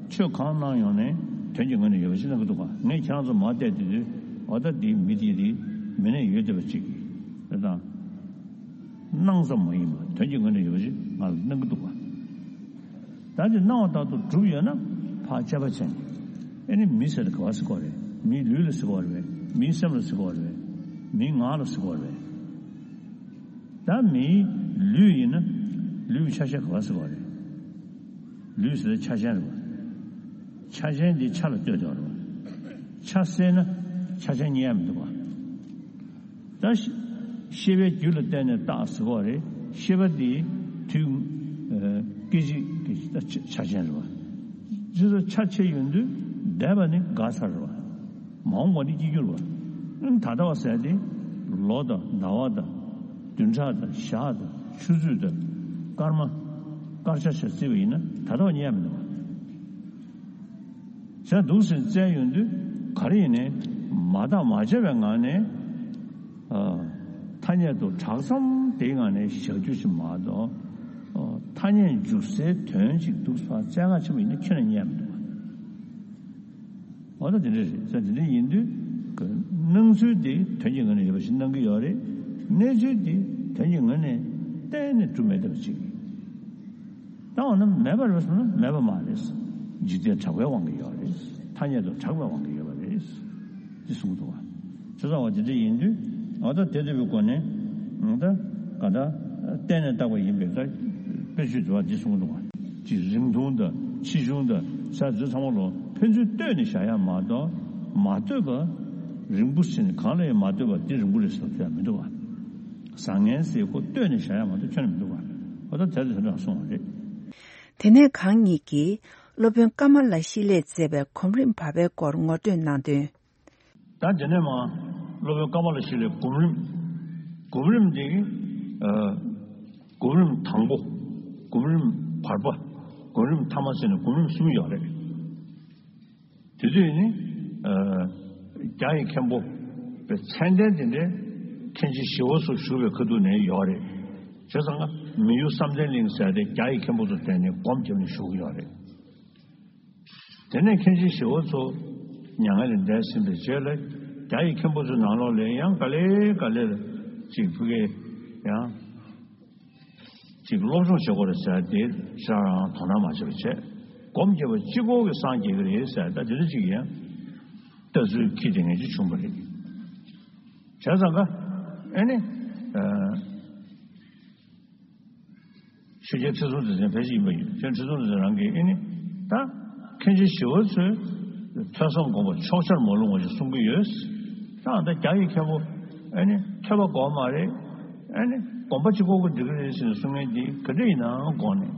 ཆོས་གང་གནང་ཡོང་ནས་དོན་གྱི་ངོས་ནས་ཡོད་པ་ཞིག་གནང་གི་འདུག་ག་ངས་ཁྱེད་རང་ཚོ་མར་བལྟས་དུས་དུས་འོ་ད་འདིའི་མི་དེ་རེད། མི་ནས་ཡོད་བསྡད་པ་ཅིག་རེད་དང་། སྣང་ཙམ་མ་ཡིན་པ་དོན་གྱི་ངོས་ནས་ཡོད་པ་ཞིག་ང་ལ་གནང་གི་འདུག་ག་ད་དེ་སྣང་བ་ལྟར་དུ་གྲུབ་ཡོད་ན་ཕར་དཔྱད་པ་བྱས་ནས་ཨེ་ནི་མི་ཟེར་དེ་ག་བ་ཟེར་གོ་རེད། མིའི་ལུས་ལ་ཟེར་གོ་རེད། མིའི་སེམས་ལ་ཟེར་གོ་རེད། མིའི་ངག་ལ་ཟེར་གོ་རེད། ད་མིའི་ལུས་ཡིན་ན་ལུས་ཀྱི་ཆ་ཤས་ག་བ་ཟེར་གོ་རེད། ལུས་ཟེར་ཆ་ཅན་རེད་པ། ཆ་ཅན་འདི་ཆ་ལ་ལྟོས་དེ་བ་རེད་པ། ཆ་བསལ་ན་ཆ་ཅན་རྙེད་ཡ་མི་འདུག་ག་ད་ཤེས་པའི་རྒྱུ་ལ་བརྟེན་ནས་བཏགས་ཟེར་བ་རེད། ཤེས་པ་འདི་དུས་སྐད་ཅིག་གི་ཆ་ཅན་རེད་པ། ཇི་ལྟར་ཆ་ཕྱེ་ཡོང་དུས་འདས་པ་ནི་འགག་ཚར་རེད་པ། མ་འོངས་པ་ནི་སྐྱེ་འགྱུར་བ། ད་ལྟ་བ་ཟེར་ཏེ་ལོ་དང་ཟླ་བ་དང་བདུན་ཕྲག་དང་ཞག་དང་ཆུ་ཚོད་དང་སྐར་མ་སྐར་ཆ་ཞིག་བརྩིས་པ་ཡིན་ན་ད་ལྟ་བ་རྙེད་མི་འདུག་པ། ཟེར་འདུག་ཟེར་བཙལ་ཡོང་དུས་ག་རེ་ཡིན་ནའི་མ་བརྟགས་མ་དཔྱད་པའི་ངང་ནས་ཨ་ཐ་སྙད་དུ་གྲགས་ཙམ་དེའི་ངང་ནས་བཞག་རྒྱུ་ཞིག་མ་གཏོགས་ཨ་ཐ་སྙད་འཇུག་སའི་དོན་ཞིག་འདུག་ཟེར་བཙལ་ཁ་ཆེན་པོ་ཡིན་ན་ཁྱོན་ནས་རྙེད་མི་འདུག་པ། འོ་ན་དེ་འདྲ་རེད་ཟེར། དེ་འདྲ་ཡིན་དུས་སྣང་ཚུལ་དེ་དོན་གྱི་ངོས་ནས་ཡོད་པ་ཞིག་སྣང་གི་ཡོད་རེད། གནས་ཚུལ་དེ་དོན་གྱི་ངོས་ནས་གཏན་ནས་གྲུབ་མེད་བསྡད་པ་ཅིག་ད་འོ་ན་མེད་པ་རེད་གསུངས་ན་མེད་པ་མ་རེད། འཇིག་རྟེན་གྲགས་པའི་དབང་གིས་ཡོད་རེད། ཐ་སྙད་དུ་གྲགས་པའི་དབང་གིས་ཡོད་པ་རེད། འདི་གསུངས་འདུག་པ། ཆོས་ཚང་བ་འདི་འདྲ་ཡིན་དུས་ཨ་ད་དེ་ལྟ་བུའི་སྒོ་ནས་ད་ག་ད་གཏན་ནས་བཏགས་པ་ཡིན་པས་ད་དཔེ་བརྗོད་འདུག་པ། འདི་གསུངས་འདུག་པ། ཅིག་རིང་ཐུང་དང་ཆེ་ཆུང་དང་ས་འདི་ཚང་མ་ལོ་ཕན་ཚུན་ལྟོས་ནས་བཞག་ཡ་མ་གཏོགས་མ་ལྟོས་པ་རིང་པོ་ཟེར་ནས་གང་ལ་ཡང་མ་ལྟོས་པ་འདི་རིང་པོ་རེད་ཟེར་ཐུབ་ཡ་མི་འདུག་པ། བཟང་ངན་ཟེར་ཁོ་ལྟོས་ནས་བཞག་ཡ་མ་གཏོགས་ཁྱོན་ནས་མི་འདུག་པ། འོ་ད་དེ་ལ་དེ་འདྲ་གསུངས་པ་རེད། དེ་ནས་གང་ཉིད་ཀྱིས་སློབ་དཔོན་ཀ་མ་ལ་ཤཱི་ལས་མཛད་པའི་གོམ་རིམ་བར་པའི་སྐོར་ངོ་སྤྲོད་གནང་དོན། ད་དེ་ནས་མ་སློབ་དཔོན་ཀ་མ་ལ་ཤཱི་ལའི་གོམ་རིམ། གོམ་རིམ་དེ་ཨ་གོམ་རིམ་དང་པོ། གོམ་རིམ་བར་པ། སྒོམ་རིམ་ཐ་མ་ཟེར་ནས་སྒོམ་རིམ་གསུམ་ཡོད་རེད། དེ་དུས་ནི། ཨ། རྒྱ་ཡི་མཁན་པོ་པའི་མཚན་ལྡན་དེ་འདྲའི་མཁན་ཆེན་ཞི་བ་འཚོ་བཞུགས་པའི་ཁ་ཐུག་ནས་ཡོད་རེད། བྱས་ཙང་ཀ་མི་ཡུལ་བསམ་གཏན་གླིང་ཟེར་ཏེ་རྒྱ་ཡི་མཁན་པོ་ཚོ་དེ་ནས་སྒོམ་བརྒྱབ་ནས་བཞུགས་ཡོད་རེད། དེ་ནས་མཁན་ཆེན་ཞི་བ་འཚོ་མྱ་ངན་ལས་འདས་ཟིན་པའི་རྗེས་ལ་རྒྱ་ཡི་མཁན་པོ་ཚོའི་ནང་ལོགས་ལ་ཡང་ག་ལེ་ག་ལེ་ལ་ཅིག་ཕ་གིའི་ཡང་ཅིག་སློབ་སྦྱོང་བྱེད་དགོས་རེད་ཟེར་དེ་ཤ་རང་དོ་སྣང་མ་བྱས་པ་བྱས། སྒོམ་རྒྱབ་པ་གཅིག་པོ་གི་སངས་རྒྱས་ཀྱི་རེད་ཟེར་ད་དེ་འདྲ་ཅིག་ཡང་ལྟ་ཚུལ་ཁྱི་དེ་ངན་ཅིག་བྱུང་བ་རེད། བྱས་ཙང་ཀ་ཨེ་ནི། ཨ། ཆོས་རྒྱལ་ཁྲི་སྲོང་ལྡེ་བཙན་ཕལ་ཆེར་ཡིན་པ་ཡིན། ཁྲི་སྲོང་ལྡེ་བཙན་རང་གིས་ཨེ་ནི། ད་མཁན་ཆེན་ཞི་བ་འཚོས་ཐོས་བསམ་སྒོམ་པ་ཕྱོགས་ཆར་མ་ལྷུང་བ་ཞིག་གསུང་གི་ཡོད། ད་ད་རྒྱ་ཡི་མཁན་པོ་ཨེ་ནི་ཐོས་པ་དགོས་མ་རེད། ཨེ་ནི་སྒོམ་པ་གཅིག་པོ་གིས་འགྲིག་གི་རེད་ཟེར་ནས་གསུང་མཁན་འདི་ག་འདྲ་ཡིན་ནའང་དགོངས་ནས།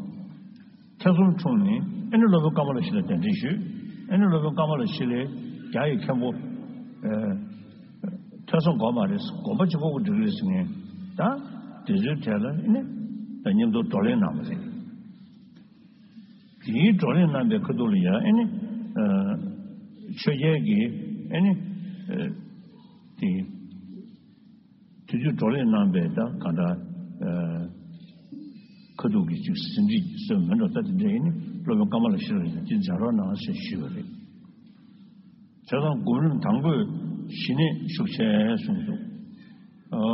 ཐེ་ཚོམ་འཁྲུངས་ནས་ཨེ་ནི་སློབ་དཔོན་ཀ་མ་ལ་ཤཱི་ལ་གདན་འདྲེན་ཞུས། ཨེ་ནི་སློབ་དཔོན་ཀ་མ་ལ་ཤཱི་ལས་རྒྱ་ཡི་མཁན་པོ། ཨེ། ཐོས་བསམ་དགོས་མ་རེད། སྒོམ་པ་གཅིག་པོ་གིས་འགྲིག་གི་རེད་ཟེར་ནས་ད་དེ་ཚོའི་གྲས་ལ་ཨེ་ནི་ད་མཉམ་དུ་བགྲོ་གླེང་གནང་བ་རེད། དེའི་བགྲོ་གླེང་གནང་པའི་ཁ་ཐུག་ལ་ཡང་ཨེ་ནི། ཨ། ཆོས་རྒྱལ་གྱིས་ཨེ་ནི། ཨ། དེ། དེ་དུས་བགྲོ་གླེང་གནང་པའི་ད་གང་འདྲ། ཨ། ཁ་ཐུག་གི་ཅིག་ཟིན་བྲིས་སོགས་མིན་འགྲོ་ད་དེ་འདྲ་ཡིན་ནི་སློབ་དཔོན་ཀ་མ་ལ་ཤཱི་ལ་ཡིན་ན་དེ་མཛད་རོགས་གནང་ཞེས་ཞུས་པ་རེད། བྱས་ཙང་སྒོམ་རིམ་དང་པོས་ཞི་གནས་ཤུགས་ཆེ་གསུངས་འདུག། ཨ།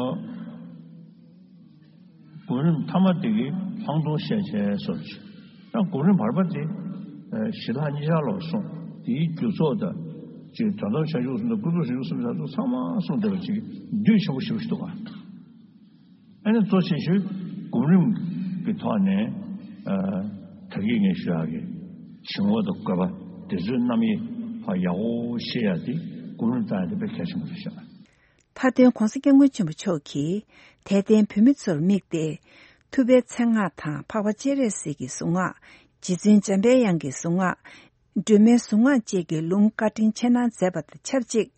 སྒོམ་རིམ་ཐ་མ་དེ་གིས་ལྷག་མཐོང་ཤས་ཆེ་སོགས་ཀྱི། ཡང་སྒོམ་རིམ་བར་པ་དེ་ཞི་དྷརྨ་ཉིད་ཆར་ལོ་གསུངས། དེའི་རྒྱུ་ཚོགས་དང་ཅིག་དོན་དམ་བྱང་ཆུབ་གསུམ་དང་ཀུན་རྫོབ་བྱང་ཆུབ་གསུམ་ཆར་དུ་ཚང་མ་གསུངས་བསྡད་པ་ཅིག་བསྡུས་ཆེན་པོ་ཞེ་པོ་ཞིག་འདུག་ག། ཨ་ནི་གཙོ་ཆེ་ཤོས་སྒོམ་རིམ་གྱི་ཐོག་ནས། ཨ། ད་གིན་ངས་ཞུ་ཡག་གི་བྱིང་བ་དང་རྒོད་པ་དེ་ཚོའི་རྣམ་དབྱེ་ཧ་ཡག་པོ་ཤེས་ཡག་དེ་སྒོམ་རིམ་བཏང་ཡག་དེ་དཔེ་གལ་ཆེན་པོ་རེད་ཤག། མཐའ་དོན་༧གོང་ས་༧སྐྱབས་མགོན་ཆེན་པོ་མཆོག་གིས་དད་ལྡན་བོད་མི་ཚོར་དམིགས་ཏེ། ཐུབ་པའི་མཚན་སྔགས་དང་འཕགས་པ་སྤྱན་རས་གཟིགས་ཀྱི་གཟུངས་སྔགས། རྗེ་བཙུན་འཇམ་པའི་དབྱངས་ཀྱི་གཟུངས་སྔགས། སྒྲོལ་མའི་གཟུངས་སྔགས་བཅས་ཀྱི་ལུང་བཀའ་དྲིན་ཆེ་གནང་མཛད་པ་དང་ཆབས་ཅིག།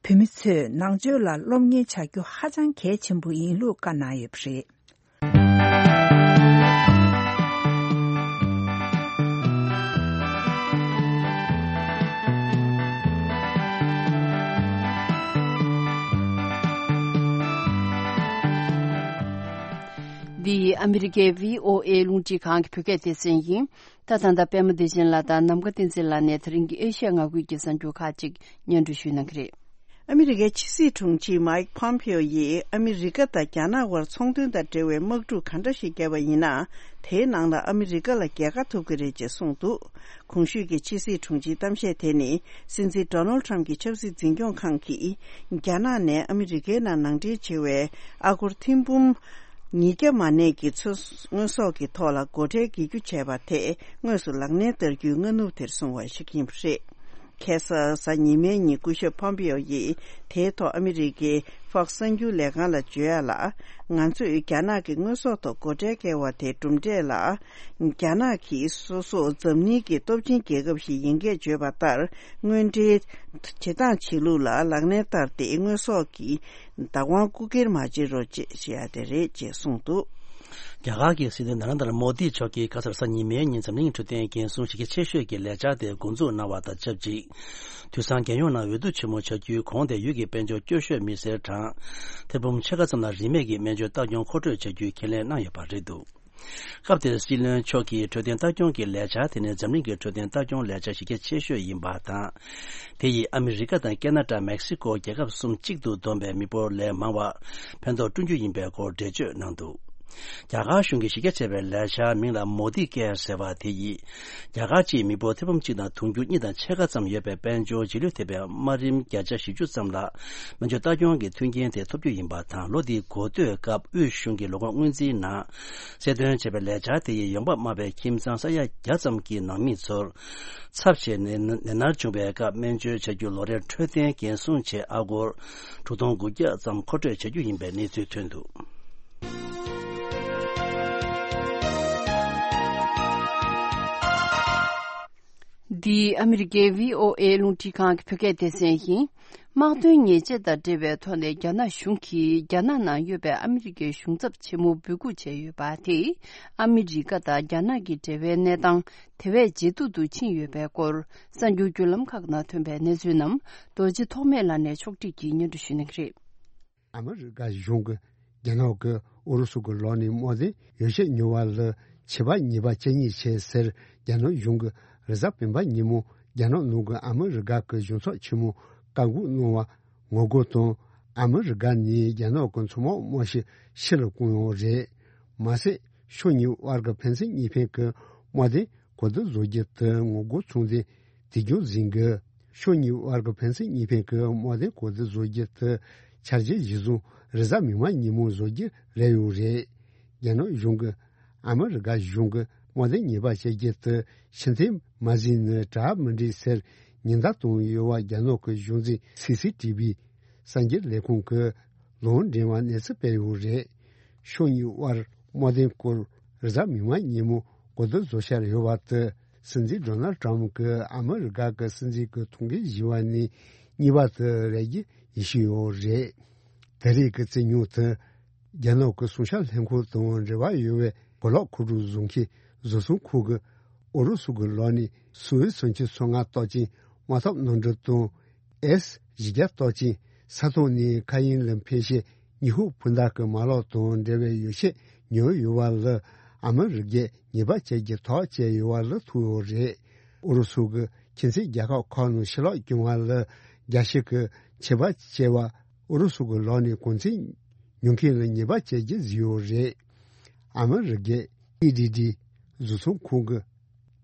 བོད་མི་ཚོས་ནང་ཆོས་ལ་སློབ་གཉེར་བྱ་རྒྱུ་ཧ་ཅང་གལ་ཆེན་པོ་ཡིན་ལུགས་བཀའ་གནང་ཡོད་པ་རེད། འདི་ཨ་མི་རི་ཀའི་བྷི་ཨོ་ཨེ་རླུང་འཕྲིན་ཁང་གི་བོད་སྐད་སྡེ་ཚན་ཡིན། ད་ད་ལྟ་པད་མ་བདེ་ཆེན་ལགས་དང་ནམ་མཁའ་བསྟན་འཛིན་ལགས་ནས་ད་རིང་གི་ཨེ་ཤ་ཡ་མངའ་ཁུལ་གྱི་གསར་འགྱུར་ཁག་ཅིག་སྙན་སྒྲོན་ཞུ་གནང་གི་རེད། ཨ་མི་རི་ཀའི་ཕྱི་སྲིད་དྲུང་ཆེ་མའིག་ཕོམ་པེའོ་ཡིས་ཨ་མི་རི་ཀ་དང་རྒྱ་ནག་དབར་ཚོང་དོན་དང་འབྲེལ་བའི་དམག་འཁྲུག་ག་འདྲ་ཞིག་བརྒྱབ་པ་ཡིན་ན། དེའི་ནང་ལ་ཨ་མི་རི་ཀ་ལ་རྒྱལ་ཁ་ཐོབ་ཀྱི་རེད་ཅེས་གསུངས་འདུག། གོང་ཞུས་ཀྱི་ཕྱི་སྲིད་དྲུང་ཆེའི་གཏམ་བཤད་དེ་ནི་སྲིད་འཛིན་ཌོ་ནལ་ཁྲམ་གྱི་ཆབ་སྲིད་འཛིན་སྐྱོང་ཁང་གིས་རྒྱ་ནག་ནས་ཨ་མི་རི་ཀའི་ནང་ནང་འདྲེན་བྱེད་པའི་ཨ་སྒོར་ཐེར་འབུམ་ཉིས་བརྒྱ་མ་ནས་ཀྱི་ཚོ་དངོས་ཟོག་གི་ཐོག་ལ་སྒོ་ཁྲལ་འགེལ་རྒྱུ་བྱས་པ་དེ་དངོས་སུ་ལག་ལེན་བསྟར་རྒྱུའི་སྔ་ནུབ་དེར་སོང་བ་ཞིག་ཡིན་པ་རེད། ཁ་སང་གཟའ་ཉི་མའི་ཉིན་སྐུ་ཞབས་ཕོམ་པེའོ་ཡིས་དེའི་ཐོག་ཨ་མི་རི་ཀའི་ཧྥོག་སི་གསར་འགྱུར་ལས་ཁང་ལ་བརྗོད་ཡ་ལ། ང་ཚོས་རྒྱ་ནག་གི་དངོས་ཟོག་ཐོག་སྒོ་ཁྲལ་བཀལ་བ་དེ་གྲུབ་འབྲས་ལ། རྒྱ་ནག་གིས་སོ་སོ་འཛམ་གླིང་གི་སྟོབས་ཆེན་རྒྱལ་ཁབ་ཞིག་ཡིན་སྐད་བརྗོད་པ་ལྟར། དངོས་འབྲེལ་བྱེད་སྟངས་བྱེད་ལུགས་ལ་ལག་ལེན་བསྟར་ཏེ། དངོས་ཟོག་གི་བདག་དབང་རྐུ་འཁྱེར་མ་བྱེད་རོགས་ཅེས་བཤད་ཡ་དེ་རེད་ཅེས་གསུངས་འདུག། རྒྱ་གར་གྱི་སྲིད་བློན་ན་རེན་དར་མོ་དི་མཆོག་གིས་ཁ་སང་གཟའ་ཉི་མའི་ཉིན་འཛམ་གླིང་འཕྲོད་བསྟེན་འགན་སྲུང་གཞི་རྒྱ་ཆེ་ཤོས་ཀྱི་ལས་འཆར་དེ་འགོ་འཛུགས་གནང་བ་དང་ཆབས་ཅིག། དུས་སང་རྒྱལ་ཡོངས་ནང་འོས་བསྡུ་ཆེན་མོ་བྱ་རྒྱུའི་གོང་དེ་ཡུལ་གྱི་དཔལ་འབྱོར་སྐྱོ་ཤོས་མི་སེར་གྲངས་ཐེར་འབུམ་ཕྱེད་ཀ་ཙམ་ལ་རིན་མེད་ཀྱི་སྨན་བཅོས་ལྟ་སྐྱོང་མཁོ་སྤྲོད་བྱ་རྒྱུའི་ཁས་ལེན་གནང་ཡོད་པ་རེད་འདུག། སྐབས་དེར་སྲིད་བློན་མཆོག་གིས་འཕྲོད་བསྟེན་ལྟ་སྐྱོང་གི་ལས་འཆར་དེ་ནི་འཛམ་གླིང་གི་འཕྲོད་བསྟེན་ལྟ་སྐྱོང་ལས་འཆར་གཞི་རྒྱ་ཆེ་ཤོས་ཡིན་པ་དང་། དེ་ཡིས་ཨ་མི་རི་ཀ་དང་ཁེ་ན་ཌ། མེག་སི་ཀོ་རྒྱལ་ཁབ་གསུམ་གཅིག་ཏུ་བསྡོམས་པའི་མི་འབོར་ལས་མང་བ་ཕན་ཐོགས་བསྐྲུན་རྒྱུ་ཡིན་པའི་སྐོར་འགྲེལ་བརྗོད་གནང་འདུག། རྒྱ་གར་གཞུང་གིས་གཞི་རྒྱ་ཆེ་བའི་ལས་འཆར་མིང་ལ་མོ་དི་ཀེར་ཟེར་བ་དེ་ཡིས། རྒྱ་གར་སྤྱིའི་མི་འབོར་ཐེར་འབུམ་གཅིག་དང་དུང་ཕྱུར་གཉིས་དང་ཕྱེད་ཀ་ཙམ་ཡོད་པའི་དཔལ་འབྱོར་རྗེས་ལུས་ཐེབས་པའི་དམའ་རིམ་བརྒྱ་ཆ་བཞི་བཅུ་ཙམ་ལ་སྨན་བཅོས་ལྟ་སྐྱོང་གི་མཐུན་རྐྱེན་དེ་ཐོབ་རྒྱུ་ཡིན་པ་དང་། ལོ་འདིའི་འགོ་སྟོད་སྐབས་དབུས་གཞུང་གི་ལོ་འཁོར་སྔོན་རྩིས་ནང་གསལ་སྟོན་བྱས་པའི་ལས་འཆར་དེ་ཡིས་ཡོང་འབབ་དམའ་བའི་ཁྱིམ་ཚང་ས་ཡ་བརྒྱ་ཙམ་གྱི་ནང་མི་ཚོར་ཚབ་བྱས་ནས་ནད་མནར་བྱུང་བའི་སྐབས་སྨན་བཅོས་བྱ་རྒྱུ་ལོ་རེར་འཕྲོད་བསྟེན་འགན་སྲུང་ཆེད་ཨ་སྒོར་དྲུག་སྟོང་དགུ་བརྒྱ་ཙམ་མཁོ་སྤྲོད་བྱ་རྒྱུ་ཡིན་པའི་གནས་ཚུལ་ཐོན་འདུག། འདི་ཨ་མི་རི་ཀའི་བྷི་ཨོ་ཨེ་རླུང་འཕྲིན་ཁང་གི་བོད་སྐད་སྡེ་ཚན་ཡིན། དམག་དོན་ཉེས་ཆད་དང་འབྲེལ་བའི་ཐོག་ནས་རྒྱ་ནག་གཞུང་གིས་རྒྱ་ནག་ནང་ཡོད་པའི་ཨ་མི་རི་ཀའི་གཞུང་ཚབ་ཆེན་མོ་འབོད་འགུག་བྱས་ཡོད་པ་དེས། ཨ་མི་རི་ཀ་དང་རྒྱ་ནག་གི་འབྲེལ་བའི་གནས་སྟངས་དེ་བས་ཇེ་སྡུག་ཏུ་ཕྱིན་ཡོད་པའི་སྐོར། གསར་འགྱུར་བརྒྱུད་ལམ་ཁག་ནང་ཐོན་པའི་གནས་ཚུལ་རྣམས་རྡོ་རྗེ་ཐོགས་མེད་ལགས་ནས་ཕྱོགས་སྒྲིག་གིས་སྙན་སྒྲོན་ཞུ་གནང་གི་རེད། ཨ་མི་རི་ཀ་གཞུང་གིས་རྒྱ་ནག་གིས་ཨུ་རུ་སུ་གི་ལག་ནས་དམག་དོན་ཡོ་བྱད་ཉོ་བ་ལ་ཆད་པ་ཉེས་པ་ཇི་སྙེད་ཆེ་ཟེར། རྒྱ་ནག་གཞུང་གིས་རེས་གཟའ་སྤེན་པ་ཉིན་མོ་རྒྱ་ནག་ནང་གི་ཨ་མི་རི་ཀ་གི་གཞུང་ཚབ་ཆེན་མོ་བཀག་འགོག་གནང་བ་ངོ་རྒོལ་དང་། ཨ་མི་རི་ཀ་ནས་རྒྱ་ནག་གི་མཚོ་དམག་དམག་ཤུགས་ཕྱིར་བསྐྱོན་ཡོད་རེད། མ་ཟད་ཕྱོགས་གཉིས་དབར་གྱི་ཕན་ཚུན་གཉིས་ཕན་གྱི་དམག་དོན་གོང་མཐོར་བཟོ་རྒྱུ་དེ་ངོ་རྒོལ་ཚོགས་འདུ་དེ་བརྒྱུད་ཟིན་གྱི། ཕྱོགས་གཉིས་དབར་གྱི་ཕན་ཚུན་གཉིས་ཕན་གྱི་དམག་དོན་གོང་མཐོར་བཟོ་རྒྱུ་དེ་འཆར་གཞི་གཞིར་བཟུང་རེས་གཟའ་མིག་དམར་ཉིན་མོ་བཟོ་རྒྱུ་རེད་ཡོད་རེད། རྒྱ་ནག་གཞུང་གིས་ཨ་མི་རི་ཀ་གཞུང་གིས་དམག་དོན་ཉེས་པ་བྱེད་རྒྱུ་དེ་ཕྱིར་འཐེན་མ་ཟིན་ན་གྲ་མི་འགྲིག་ཟེར་ཉེན་བརྡ་བཏང་ཡོད་པ་རྒྱ་ནག་གི་གཞུང་འཛིན་སི་སི་ཊི་བི་གསར་འགྱུར་ལས་ཁུངས་ཀྱིས་ལུང་འདྲེན་པ་གནས་ཚུལ་སྤེལ་ཡོད་རེད། ཕྱོགས་གཉིས་དབར་དམག་དོན་སྐོར་རེས་གཟའ་མིག་དམར་ཉིན་མོ་གོ་བསྡུར་བཟོ་འཆར་ཡོད་པ་དེ། སྲིད་འཛིན་ཌོ་ནལ་ཊམ་གྱིས་ཨ་མི་རི་ཀ་གི་སྲིད་འཛིན་གྱི་ཐུགས་འགན་བཞེས་པ་ནས་གཉིས་པ་དེ་རེད་རྒྱུ་ཡིན་ཤེས་ཡོད་རེད། ད་རེས་ཀྱི་རྩོད་རྙོག་དེ་རྒྱ་ནག་གི་སྲུང་སྐྱོབ་ལྷན་ཁང་དང་འབྲེལ་བ་ཡོད་པའི་གོ་ལག་མཁོ་སྒྲུབ་བཟོ་མཁན་བཟོ་ཚོང་ཁང་གིས་ཨུ་རུ་སུ་གི་ལག་ནས་སུ་ཨེ་སུམ་ཅུ་སོ་ལྔ་རྟགས་ཅན་དམག་འཐབ་གནམ་གྲུ་དང་། ཨེས་བཞི་བརྒྱ་རྟགས་ཅན་ས་ཐོག་ནས་མཁའ་དབྱིངས་ལ་འཕེན་བྱེད་ཉི་ཧོང་འཕུར་མདའ་གི་མ་ལག་དང་འབྲེལ་བའི་ཡོ་བྱད་ཉོས་ཡོད་པ་ལ་ཨ་མི་རི་ཀས་ཉེས་པ་བཅད་རྒྱུ་ཐག་བཅད་ཡོད་པ་ལ་ཐུག་ཡོད་རེད། ཨུ་རུ་སུ་གིས་ཁྱིམ་མཚེས་རྒྱལ་ཁབ་ཁག་ནང་ཕྱི་ལོགས་བསྐྱོད་པ་ལ་རྒྱལ་སྤྱི་གིས་ཆད་པ་བཅད་པ་ཨུ་རུ་སུ་གི་ལག་ནས་གོང་ཚད་ཉོ་མཁན་ལ་ཉེས་པ་བཅད་རྒྱུ་བཟོས་ཡོད་རེད། ཨ་མི་རི་ཀའི་ཨི་ཌི་ཌི་བཟོ་ཚོང་ཁང་གི་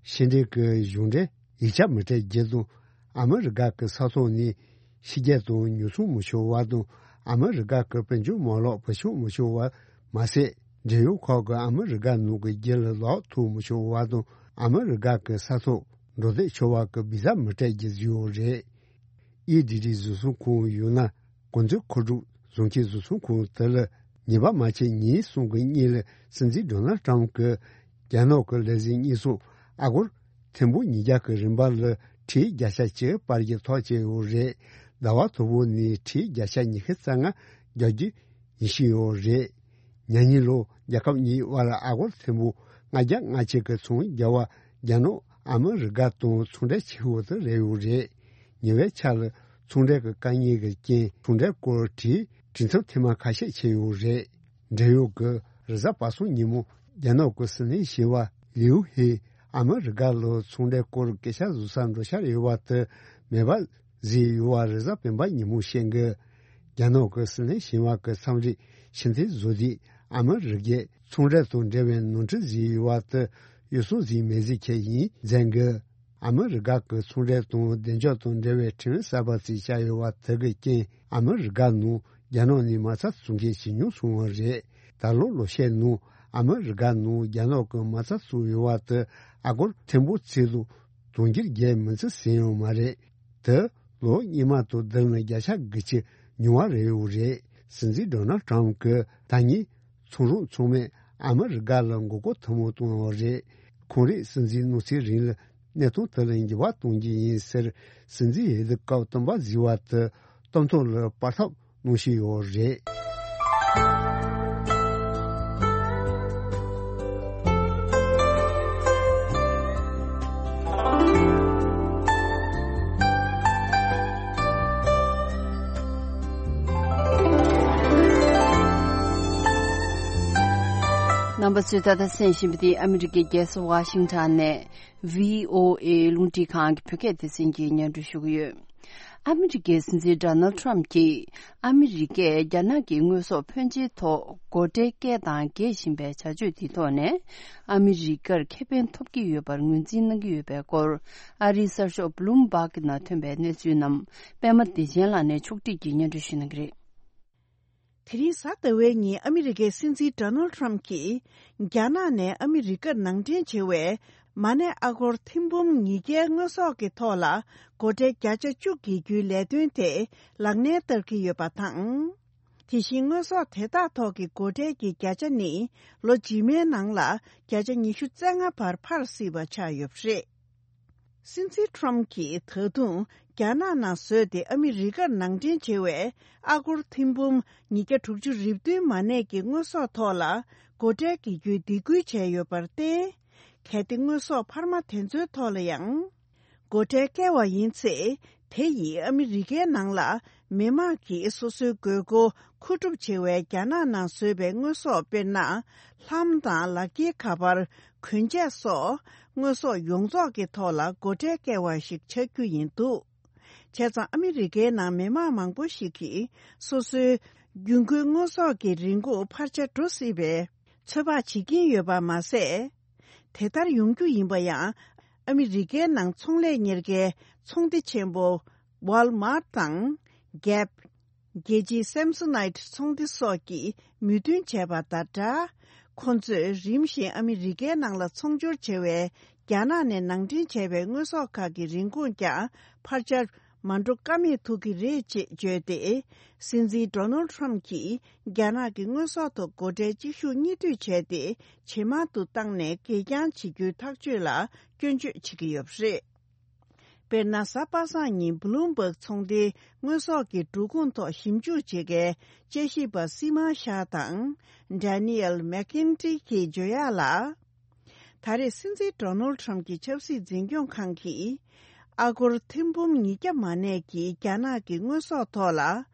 ཕྱི་འབྲེལ་གྱི་གཞུང་འབྲེལ་ཡིག་ཆ་མི་སྤྲད་རྒྱུ་དང་། ཨ་མི་རི་ཀ་གི་ས་ཐོག་ནས་ཕྱི་རྒྱལ་དུ་ཉོ་ཚོང་མི་ཆོག་པ་དང་། ཨ་མི་རི་ཀ་གི་དཔལ་འབྱོར་མ་ལག་བེད་སྤྱོད་མི་ཆོག་པ་མ་ཟད། འབྲེལ་ཡོད་ཁག་གིས་ཨ་མི་རི་ཀ་ནང་གི་རྒྱུ་ལ་ལག་ཐོགས་མི་ཆོག་པ་དང་། ཨ་མི་རི་ཀ་གི་ས་ཐོག་འགྲོ་སྡོད་ཆོག་པ་གི་བི་ཟ་མི་སྤྲད་རྒྱུ་བཟོས་ཡོད་རེད། ཨི་ཌི་ཌི་བཟོ་ཚོང་ཁང་ཡོད་ན། གོང་ཚད་མཁོ་སྒྲུབ་བཟོ་མཁན་བཟོ་ཚོང་ཁང་དེ་ལ་ཉེས་པ་མ་བཅད་ཉིན་གསུམ་གྱི་སྔོན་ལ་སྲིད་འཛིན་ཌོ་ནལ་ཊམ་གྱིས་རྒྱ་ནག་གི་ལས་བྱེད་གཉིས་སུ་ཨ་སྒོར་ཐེར་འབུམ་ཉིས་བརྒྱ་གི་རིན་པ་ལ་ཁྲལ་བརྒྱ་ཆ་གཅིག་སྤར་རྒྱུ་ཐག་བཅད་ཡོད་རེད། ཟླ་བ་དང་པོ་ནས་ཁྲལ་བརྒྱ་ཆ་ཉི་ཤུ་རྩ་ལྔ་རྒྱག་རྒྱུ་ཡིན་བཞིན་ཡོད་རེད། ཉེ་ཉིན་ལོ་རྒྱལ་ཁབ་གཉིས་དབར་ཨ་སྒོར་ཐེར་འབུམ་ལྔ་བརྒྱ་ལྔ་བཅུ་གི་ཚོང་རྒྱག་པ་རྒྱ་ནག་ཨ་མི་རི་ཀ་དང་ཚོང་འབྲེལ་ཆེ་ཤོས་དེ་རེད་ཡོད་རེད། ཉེ་བའི་ཆར་ལ་ཚོང་འབྲེལ་གྱི་དཀའ་ངལ་གྱི་རྐྱེན་ཚོང་འབྲེལ་སྐོར་གྱི་གྲོས་འཆམ་ཐེངས་མ་ཁ་ཤས་བྱས་ཡོད་རེད། འབྲེལ་ཡོད་ཀྱིས་རེས་གཟའ་པ་སངས་ཉིན་མོ་རྒྱ་ནག་གི་སྲིད་བློན་ཞི་བ་ལིའུ་ཧེ་ཨ་མི་རི་ཀ་ལ་ཚོང་འབྲེལ་སྐོར་སྐད་ཆ་བཟོ་སར་འགྲོ་འཆར་ཡོད་པ་དེ་མེད་པ་བཟོས་ཡོད་པ་རེས་གཟའ་སྤེན་པ་ཉིན་མོ་བཤད་འགོ། རྒྱ་ནག་གི་སྲིད་བློན་ཞི་བ་གི་འཚམས་འདྲི་ཕྱིར་འཐེན་བཟོ་དུས་ཨ་མི་རི་ཀས་ཚོང་འབྲེལ་དང་འབྲེལ་བའི་ནོར་འཁྲུལ་བཟོས་ཡོད་པ་དེ་གཡོ་ཟོལ་ཟིག་མེད་ཟིག་ཁྱེར་ཡིན་མཛད་འགོ། ཨ་མི་རི་ཀ་གི་ཚོང་འབྲེལ་དང་བདེ་འཇགས་དང་འབྲེལ་བའི་ཁྲིམས་གསར་པ་ཞིག་བཞག་ཡོད་པ་དེ་གི་རྐྱེན་ཨ་མི་རི་ཀ་ནང་རྒྱ་ནག་ནས་མ་རྩ་བཙུགས་མཁན་ཇེ་ཉུང་སོང་བ་རེད། ད་ལོ་ལོ་ཤས་ནང་ཨ་མི་རི་ཀ་ནང་རྒྱ་ནག་གི་མ་རྩ་བཙུགས་ཡོད་པ་དེ་ཨ་སྒོར་ཐེར་འབུམ་གཅིག་དང་དུང་ཕྱུར་བརྒྱད་མིན་ཙམ་ཟིན་ཡོད་མ་རེད། དེ་ལོ་སྔོན་མ་དང་བསྡུར་ན་བརྒྱ་ཆ་དགུ་བཅུ་ཉུང་བ་རེད་ཡོད་རེད། སྲིད་འཛིན་ཌོ་ནལ་ཊམ་གྱིས་ད་ནི་ཚོང་རོགས་ཚང་མས་ཨ་མི་རི་ཀ་ལ་མགོ་སྐོར་ཐུན་མོང་གཏོང་བ་རེད། ཁོང་རང་སྲིད་འཛིན་གནང་ཚེ་རིང་ལ་གནས་སྟངས་དེ་ལ་འགྱུར་བ་གཏོང་རྒྱུ་ཡིན་ཟེར། སྲིད་འཛིན་འོས་བསྡུ་སྐབས་བསྟུན་པ་བཟོས་པ་དེ་གཏན་ཐོག་ལ་སྤར་ཐབས་གནང་བཞིན་ཡོད་རེད། རྣམ་པ་ཚོས་ད་ལྟ་གསན་བཞིན་པ་འདི་ཨ་མི་རི་ཀའི་རྒྱལ་ས་ཝ་ཤིང་ཊོན་ནས་བྷི་ཨོ་ཨེ་རླུང་འཕྲིན་ཁང་གི་བོད་སྐད་སྡེ་ཚན་གྱིས་སྙན་སྒྲོན་ཞུ་གི་ཡོད། ཨ་མི་རི་ཀའི་སྲིད་འཛིན་ཌོ་ནལ་ཊམ་གྱིས་ཨ་མི་རི་ཀས་རྒྱ་ནག་གི་དངོས་ཟོག་ཕོན་ཆེའི་ཐོག་སྒོ་ཁྲལ་བཀལ་དང་འགེལ་བཞིན་པའི་བྱ་སྤྱོད་དེའི་ཐོག་ནས་ཨ་མི་རི་ཀར་ཁེ་ཕན་ཐོབ་ཀྱི་ཡོད་པར་ངོས་འཛིན་གནང་གི་ཡོད་པའི་སྐོར། ཨ་རིའི་གསར་ཤོག་བྷི་ལུམ་བྷག་ནང་ཐོན་པའི་གནས་ཚུལ་རྣམས་པད་མ་བདེ་ཆེན་ལགས་ནས་ཕྱོགས་སྒྲིག་གིས་སྙན་སྒྲོན་ཞུ་གནང་གི་རེད། དེ་རིང་གཟའ་ཟླ་བའི་ཉིན་ཨ་མི་རི་ཀའི་སྲིད་འཛིན་ཌོ་ནལ་ཊམ་གྱིས་རྒྱ་ནག་ནས་ཨ་མི་རི་ཀར་ནང་འདྲེན་བྱེད་པའི་མ་གནས་ཨ་སྒོར་ཐེར་འབུམ་ཉིས་བརྒྱའི་དངོས་ཟོག་གི་ཐོག་ལ་སྒོ་ཁྲལ་བརྒྱ་ཆ་བཅུ་འགེལ་རྒྱུའི་ལས་དོན་དེ་ལག་ལེན་བསྟར་གྱི་ཡོད་པ་དང་། དེ་བཞིན་དངོས་ཟོག་དེ་དག་ཐོག་གི་སྒོ་ཁྲལ་གྱི་བརྒྱ་ཆ་ནི་ལོ་རྗེས་མའི་ནང་ལ་བརྒྱ་ཆ་ཉི་ཤུ་རྩ་ལྔ་བར་འཕར་སྲིད་པ་ཆགས་ཡོད་པ་རེད། སྲིད་འཛིན་ཁྲོམ་གྱིས་ད་དུང་རྒྱ་ནག་ནང་བཟོས་ཏེ་ཨ་མི་རི་ཀར་ནང་འདྲེན་བྱེད་པའི་ཨ་སྒོར་ཐེར་འབུམ་ཉིས་བརྒྱ་དྲུག་ཅུ་རེ་བདུན་མ་གནས་ཀྱི་དངོས་ཟོག་ཐོག་ལ་སྒོ་ཁྲལ་འགེལ་རྒྱུའི་སྡིགས་སྐུལ་བྱས་ཡོད་པར་བརྟེན། གལ་ཏེ་དངོས་ཟོག་འཕར་མ་དེ་ཚོའི་ཐོག་ལ་ཡང་སྒོ་ཁྲལ་བཀལ་བ་ཡིན་ཚེ། དེ་ཡིས་ཨ་མི་རི་ཀའི་ནང་ལ་མི་དམངས་ཀྱིས་སོ་སོའི་དགོས་མཁོ་མཁོ་སྒྲུབ་བྱེད་པའི་རྒྱ་ནག་ནང་བཟོས་པའི་དངོས་ཟོག་དཔེར་ན། ལྷམ་དང་ལག་འཁྱེར་ཁ་པར། གོན་ཆས་སོགས་དངོས་ཟོག་ཡོངས་རྫོགས་ཀྱི་ཐོག་ལ་སྒོ་ཁྲལ་བཀལ་བ་ཞིག་ཆགས་རྒྱུ་ཡིན་འདུག་བྱས་ཙང་ཨ་མི་རི་ཀའི་ནང་མི་དམངས་མང་པོ་ཞིག་གིས་སོ་སོའི་རྒྱུན་མཁོའི་དངོས་ཟོག་གི་རིན་གོང་འཕར་ཆ་འགྲོ་སྲིད་པའི་ཚོད་དཔག་བྱེད་ཀྱིན་ཡོད་པ་མ་ཟད། དེ་ལྟར་ཡོང་རྒྱུ་ཡིན་པ་ཡང་ཨ་མི་རི་ཀའི་ནང་ཚོང་ལས་གཉེར་མཁན་ཚོང་སྡེ་ཆེན་པོ་Walmart་དང་Gap། རྒྱལ་སྤྱིའི་Samsonite་ཚོང་སྡེ་སོགས་ཀྱིས་མོས་མཐུན་བྱས་པ་དང་སྦྲགས། ཁོ་ཚོས་རིམ་བཞིན་ཨ་མི་རི་ཀའི་ནང་ལ་ཚོང་སྦྱོར་བྱེད་པའི་རྒྱ་ནག་ནས་ནང་འདྲེན་བྱས་པའི་དངོས་ཟོག་ཁག་གི་རིན་གོང་ཀྱང་འཕར་ཆ་མ་འགྲོ་ཀ་མེད་ཐུག་གི་རེད་ཅེས་བརྗོད་དེ། སྲིད་འཛིན་Donald Trump་གྱིས་རྒྱ་ནག་གི་དངོས་ཟོག་ཐོག་སྒོ་ཁྲལ་གཅིག་ཤུགས་གཉིས་མཐུད་བྱས་ཏེ་ཇེ་མང་དུ་བཏང་ནས་གད་རྒྱངས་བྱེད་རྒྱུའི་ཐག་གཅོད་ལ་སྐྱོན་བརྗོད་བྱེད་ཀྱི་ཡོད་པ་རེད། དཔེར་ན། གཟའ་པ་སངས་ཉིན་Bloomberg་ཚོང་སྡེའི་དངོས་ཟོག་གི་འགྲོ་ཁུངས་ཐོག་ཞིབ་འཇུག་བྱེད་མཁན་དཔྱད་ཞིབ་པ་Seema Shah་དང་Daniel McKinty་གིས་བརྗོད་ཡག་ལ། ད་རེས་སྲིད་འཛིན་Donald Trump་གྱི་ཆབ་སྲིད་འཛིན་སྐྱོང་ཁང་གིས་ཨ་སྒོར་ཐེར་འབུམ་ཉིས་བརྒྱ་མ་གནས་ཀྱི་རྒྱ་ནག་གི་དངོས་ཟོག་ཐོག་ལ་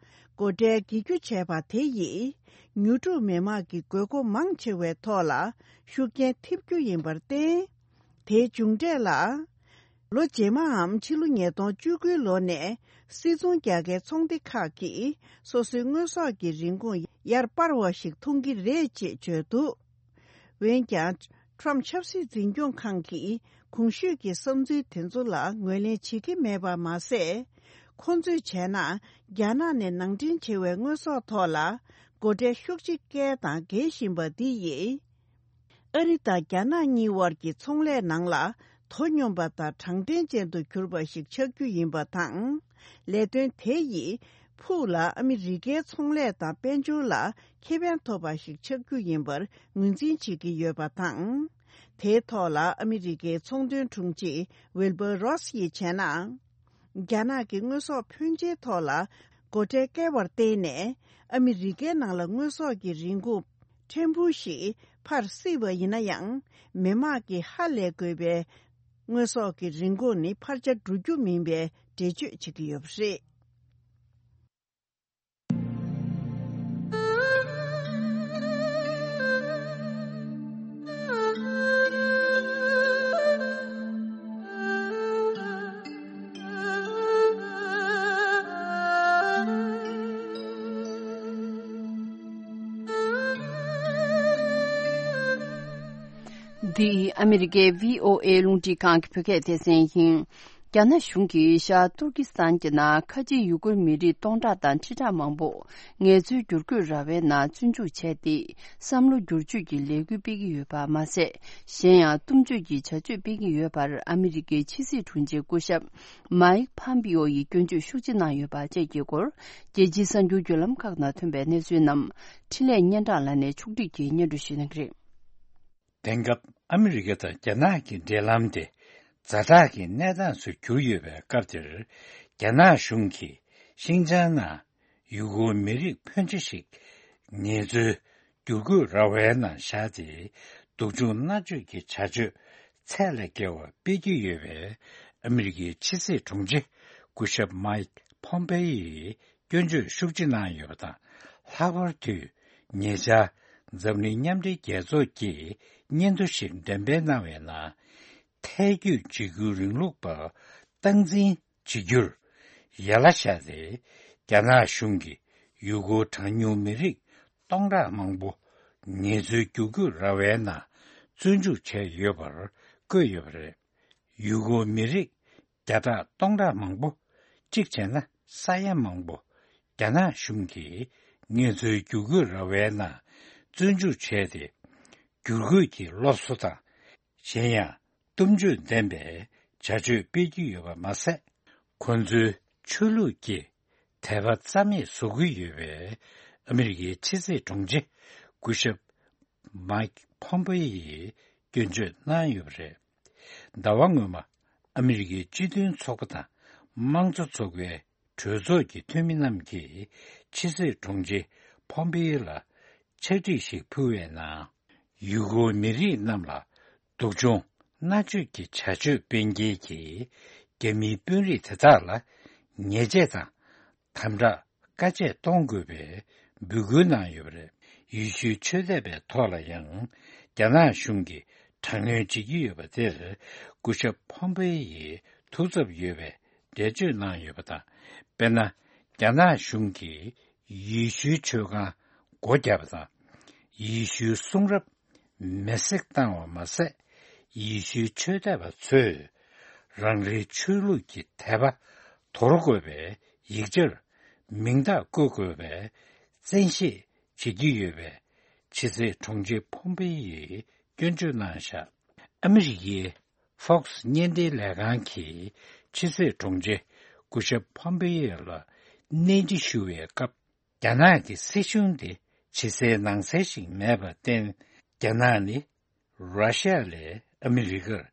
སྒོ་ཁྲལ་འགེལ་རྒྱུ་བྱས་པ་དེ་ཡིས་ཉོ་སྒྲུབ་མི་དམངས་ཀྱི་དགོས་མཁོ་མང་ཆེ་བའི་ཐོག་ལ་ཤུགས་རྐྱེན་ཐེབས་རྒྱུ་ཡིན་པར་བརྟེན། དེའི་མཇུག་འབྲས་ལ། ལོ་རྗེས་མའམ་ཕྱི་ལོ་ཉིས་སྟོང་བཅུ་དགུའི་ལོ་ནས་སིལ་ཚོང་རྒྱག་མཁན་ཚོང་སྡེ་ཁག་གིས་སོ་སོའི་དངོས་ཟོག་གི་རིན་གོང་ཡར་སྤར་བ་ཞིག་མཐོང་གི་རེད་ཅེས་བརྗོད་འདུག་འོན་ཀྱང་། Trump་ཆབ་སྲིད་འཛིན་སྐྱོང་ཁང་གིས་གོང་ཞུས་ཀྱི་བསམ་ཚུལ་དེ་ཚོ་ལ་ངོས་ལེན་བྱེད་ཀྱི་མེད་པ་མ་ཟད། ཁོང་ཚོས་བྱས་ན་རྒྱ་ནག་ནས་ནང་འདྲེན་བྱེད་པའི་དངོས་ཟོག་ཐོག་ལ་སྒོ་ཁྲལ་ཤུགས་ཆེ་བཀལ་དང་འགེལ་བཞིན་པ་འདི་ཡིས། ཨ་རི་དང་རྒྱ་ནག་གཉིས་དབར་གྱི་ཚོང་ལས་ནང་ལ་དོ་སྙོམས་པ་དང་དྲང་བདེན་ཅན་དུ་གྱུར་པ་ཞིག་ཆགས་རྒྱུ་ཡིན་པ་དང་། ལས་དོན་དེ་ཡིས་ཕུགས་ལ་ཨ་མི་རི་ཀའི་ཚོང་ལས་དང་དཔལ་འབྱོར་ལ་ཁེ་ཕན་ཐོབ་པ་ཞིག་ཆགས་རྒྱུ་ཡིན་པར་ངོས་འཛིན་བྱེད་ཀྱི་ཡོད་པ་དང་། དེའི་ཐོག་ལ་ཨ་མི་རི་ཀའི་ཚོང་དོན་དྲུང་ཆེ་Wilbur Ross་ཡིས་བྱས་ན། རྒྱ་ནག་གི་དངོས་ཟོག་ཕོན་ཆེའི་ཐོག་ལ་སྒོ་ཁྲལ་བཀལ་བར་བརྟེན་ནས། ཨ་མི་རི་ཀའི་ནང་ལ་དངོས་ཟོག་གི་རིན་གོང་ཕྲན་བུ་ཞིག་འཕར་སྲིད་པ་ཡིན་ན་ཡང་། མི་དམངས་ཀྱིས་ཧ་ལས་དགོས་པའི་དངོས་ཟོག་གི་རིན་གོང་ནི་འཕར་ཆ་འགྲོ་རྒྱུ་མིན་པའི་འགྲེལ་བརྗོད་བྱེད་ཀྱི་ཡོད་པ་རེད། འདི་ཨ་མི་རི་ཀའི་བྷི་ཨོ་ཨེ་རླུང་འཕྲིན་ཁང་གི་བོད་སྐད་སྡེ་ཚན་ཡིན། རྒྱ་ནག་གཞུང་གིས་ཤར་ཏུར་ཀི་སི་ཐན་གྱི་ནང་ཁ་ཆེའི་ཡུ་གུར་མི་རིགས་སྟོང་ཕྲག་དང་ཁྲི་ཕྲག་མང་པོ་ངལ་རྩོལ་བསྒྱུར་བཀོད་ར་བའི་ནང་བཙོན་འཇུག་བྱས་ཏེ། བསམ་བློ་བསྒྱུར་བཅོས་ཀྱི་ལས་འགུལ་སྤེལ་གྱི་ཡོད་པ་མ་ཟད། གཞན་ཡང་གཏུམ་སྤྱོད་ཀྱི་བྱ་སྤྱོད་སྤེལ་གྱི་ཡོད་པར་ཨ་མི་རི་ཀའི་ཕྱི་སྲིད་དྲུང་ཆེ་སྐུ་ཞབས་མཱིག་ཕམ་པིའོ་ཡིས་སྐྱོན་བརྗོད་ཤུགས་ཆེ་གནང་ཡོད་པ་བཅས་ཀྱི་སྐོར། རྒྱལ་སྤྱིའི་གསར་འགྱུར་བརྒྱུད་ལམ་ཁག་ནང་ཐོན་པའི་གནས་ཚུལ་རྣམས་འཕྲིན་ལས་སྙན་གྲགས་ལགས་ནས་ཕྱོགས་སྒྲིག་གིས་སྙན་སྒྲོན་ཞུ་གནང་གི་རེད། དེང་སྐབས་ཨ་མི་རི་ཀ་དང་རྒྱ་ནག་གི་འབྲེལ་ལམ་དེ་ཛ་དྲག་གི་གནས་སྟངས་སུ་གྱུར་ཡོད་པའི་སྐབས་དེར། རྒྱ་ནག་གཞུང་གིས་ཤིན་ཅང་ནང་ཡུ་གུར་མི་རིགས་ཕོན་ཆེ་ཞིག་ངལ་རྩོལ་བསྒྱུར་བཀོད་ར་བའི་ནང་བཞག་སྟེ། སྡུག་སྦྱོང་མནར་གཅོད་ཀྱི་བྱ་སྤྱོད་ཚད་ལས་བརྒལ་བ་སྤེལ་གྱི་ཡོད་པས། ཨ་མི་རི་ཀའི་ཕྱི་སྲིད་དྲུང་ཆེ་སྐུ་ཞབས་མཱིག་ཕོམ་པེ་ཡིས་སྐྱོན་བརྗོད་ཤུགས་ཆེ་གནང་ཡོད་པ་དང་། ལྷག་པར་དུ་ཉེ་ཆར་འཛམ་གླིང་མཉམ་འབྲེལ་རྒྱལ་ཚོགས་ཀྱིས་སྙན་ཐོ་ཞིག་འགྲེམས་སྤེལ་གནང་བའི་ནང་། ཐལ་སྐྱོད་བྱེད་རྒྱུའི་རིང་ལུགས་པ་སྟངས་འཛིན་བྱེད་རྒྱུར་ཡན་ལ་བཞག་སྟེ། རྒྱ་ནག་གཞུང་གིས་ཡུ་གུར་གྲངས་ཉུང་མི་རིགས་སྟོང་ཕྲག་མང་པོ་ངལ་རྩོལ་བསྒྱུར་བཀོད་ར་བའི་ནང་བཙོན་འཇུག་བྱས་ཡོད་པར་བཀོད་ཡོད་པ་རེད། ཡུ་གུར་མི་རིགས་བརྒྱ་ཕྲག་སྟོང་ཕྲག་མང་པོ། གཅིག་བྱས་ན་ས་ཡ་མང་པོ་རྒྱ་ནག་གཞུང་གིས་ངལ་རྩོལ་བསྒྱུར་བཀོད་ར་བའི་ནང་བཙོན་འཇུག་བྱས་ཏེ། བསྒྱུར་བཀོད་ཀྱི་སློབ་གསོ་དང་། གཞན་ཡང་གཏུམ་སྤྱོད་ལྡན་པའི་བྱ་སྤྱོད་སྤེལ་གྱི་ཡོད་པ་མ་ཟད། ཁོ་ཚོའི་ཆོས་ལུགས་ཀྱི་དད་པ་རྩ་མེད་བཟོ་གི་ཡོད་པས། ཨ་མི་རི་ཀའི་ཕྱི་སྲིད་དྲུང་ཆེ་སྐུ་ཞབས་མཱིག་ཕོམ་པེ་ཡིས་སྐྱོན་བརྗོད་གནང་ཡོད་པ་རེད། ཟླ་བ་སྔོན་མ། ཨ་མི་རི་ཀའི་སྤྱི་མཐུན་ཚོགས་པ་དང་དམངས་གཙོ་ཚོགས་པའི་གྲོས་ཚོགས་ཀྱི་འཐུས་མི་རྣམས་ཀྱིས་ཕྱི་སྲིད་དྲུང་ཆེ་ཕོམ་པེ་ཡེ་ལ་ཕྱག་བྲིས་ཤིག་ཕུལ་བའི་ནང་། ཡུ་གུར་མི་རིགས་རྣམས་ལ་སྡུག་སྦྱོང་མནར་གཅོད་ཀྱི་བྱ་སྤྱོད་སྤེལ་མཁན་གྱི་རྒྱ་མིའི་དཔོན་རིགས་དེ་དག་ལ་ཉེས་ཆད་དང་དམ་དྲག་བཀའ་ཆད་གཏོང་དགོས་པའི་འབོད་སྐུལ་གནང་ཡོད་པ་རེད། ཡེ་ཤུའི་ཆོས་དད་པའི་ཐོག་ལ་ཡང་རྒྱ་ནག་གཞུང་གིས་དྲག་གནོན་བྱེད་ཀྱི་ཡོད་པ་དེར་སྐུ་ཞབས་ཕོམ་པེ་ཡིས་ཐུགས་འཚབ་ཡོད་པའི་འགྲེལ་བརྗོད་གནང་ཡོད་པ་དང་། དཔེར་ན། རྒྱ་ནག་གཞུང་གིས་ཡེ་ཤུའི་ཆོས་ཁང་སྒོ་བརྒྱབ་པ་དང་། ཡེ་ཤུའི་གསུང་རབ་མེར་སྲེག་བཏང་བ་མ་ཟད། ཡེ་ཤུའི་ཆོས་དད་པ་ཚོས་རང་རེའི་ཆོས་ལུགས་ཀྱི་དད་པ་དོར་དགོས་པའི་ཡིག་ཆར་མིང་རྟགས་བཀོད་དགོས་པའི་བཙན་ཤེད་བྱེད་ཀྱི་ཡོད་པའི་ཕྱི་སྲིད་དྲུང་ཆེ་ཕོམ་པེ་ཡིས་སྐྱོན་བརྗོད་གནང་བཞག་ཨ་མི་རི་ཀའི་Fox་བརྙན་འཕྲིན་ལས་ཁང་གིས་ཕྱི་སྲིད་དྲུང་ཆེ་སྐུ་ཞབས་ཕོམ་པེ་ཡེ་ལ་གནས་འདྲི་ཞུ་བའི་སྐབས། རྒྱ་ནག་གི་སྲིད་གཞུང་དེ་ཇེ་གསལ་ནང་གསལ་ཞིག་མེད་པར་བརྟེན། རྒྱ་ནག་ནི་ར་ཤི་ཡ་ལས་ཨ་མི་རི་ཀར་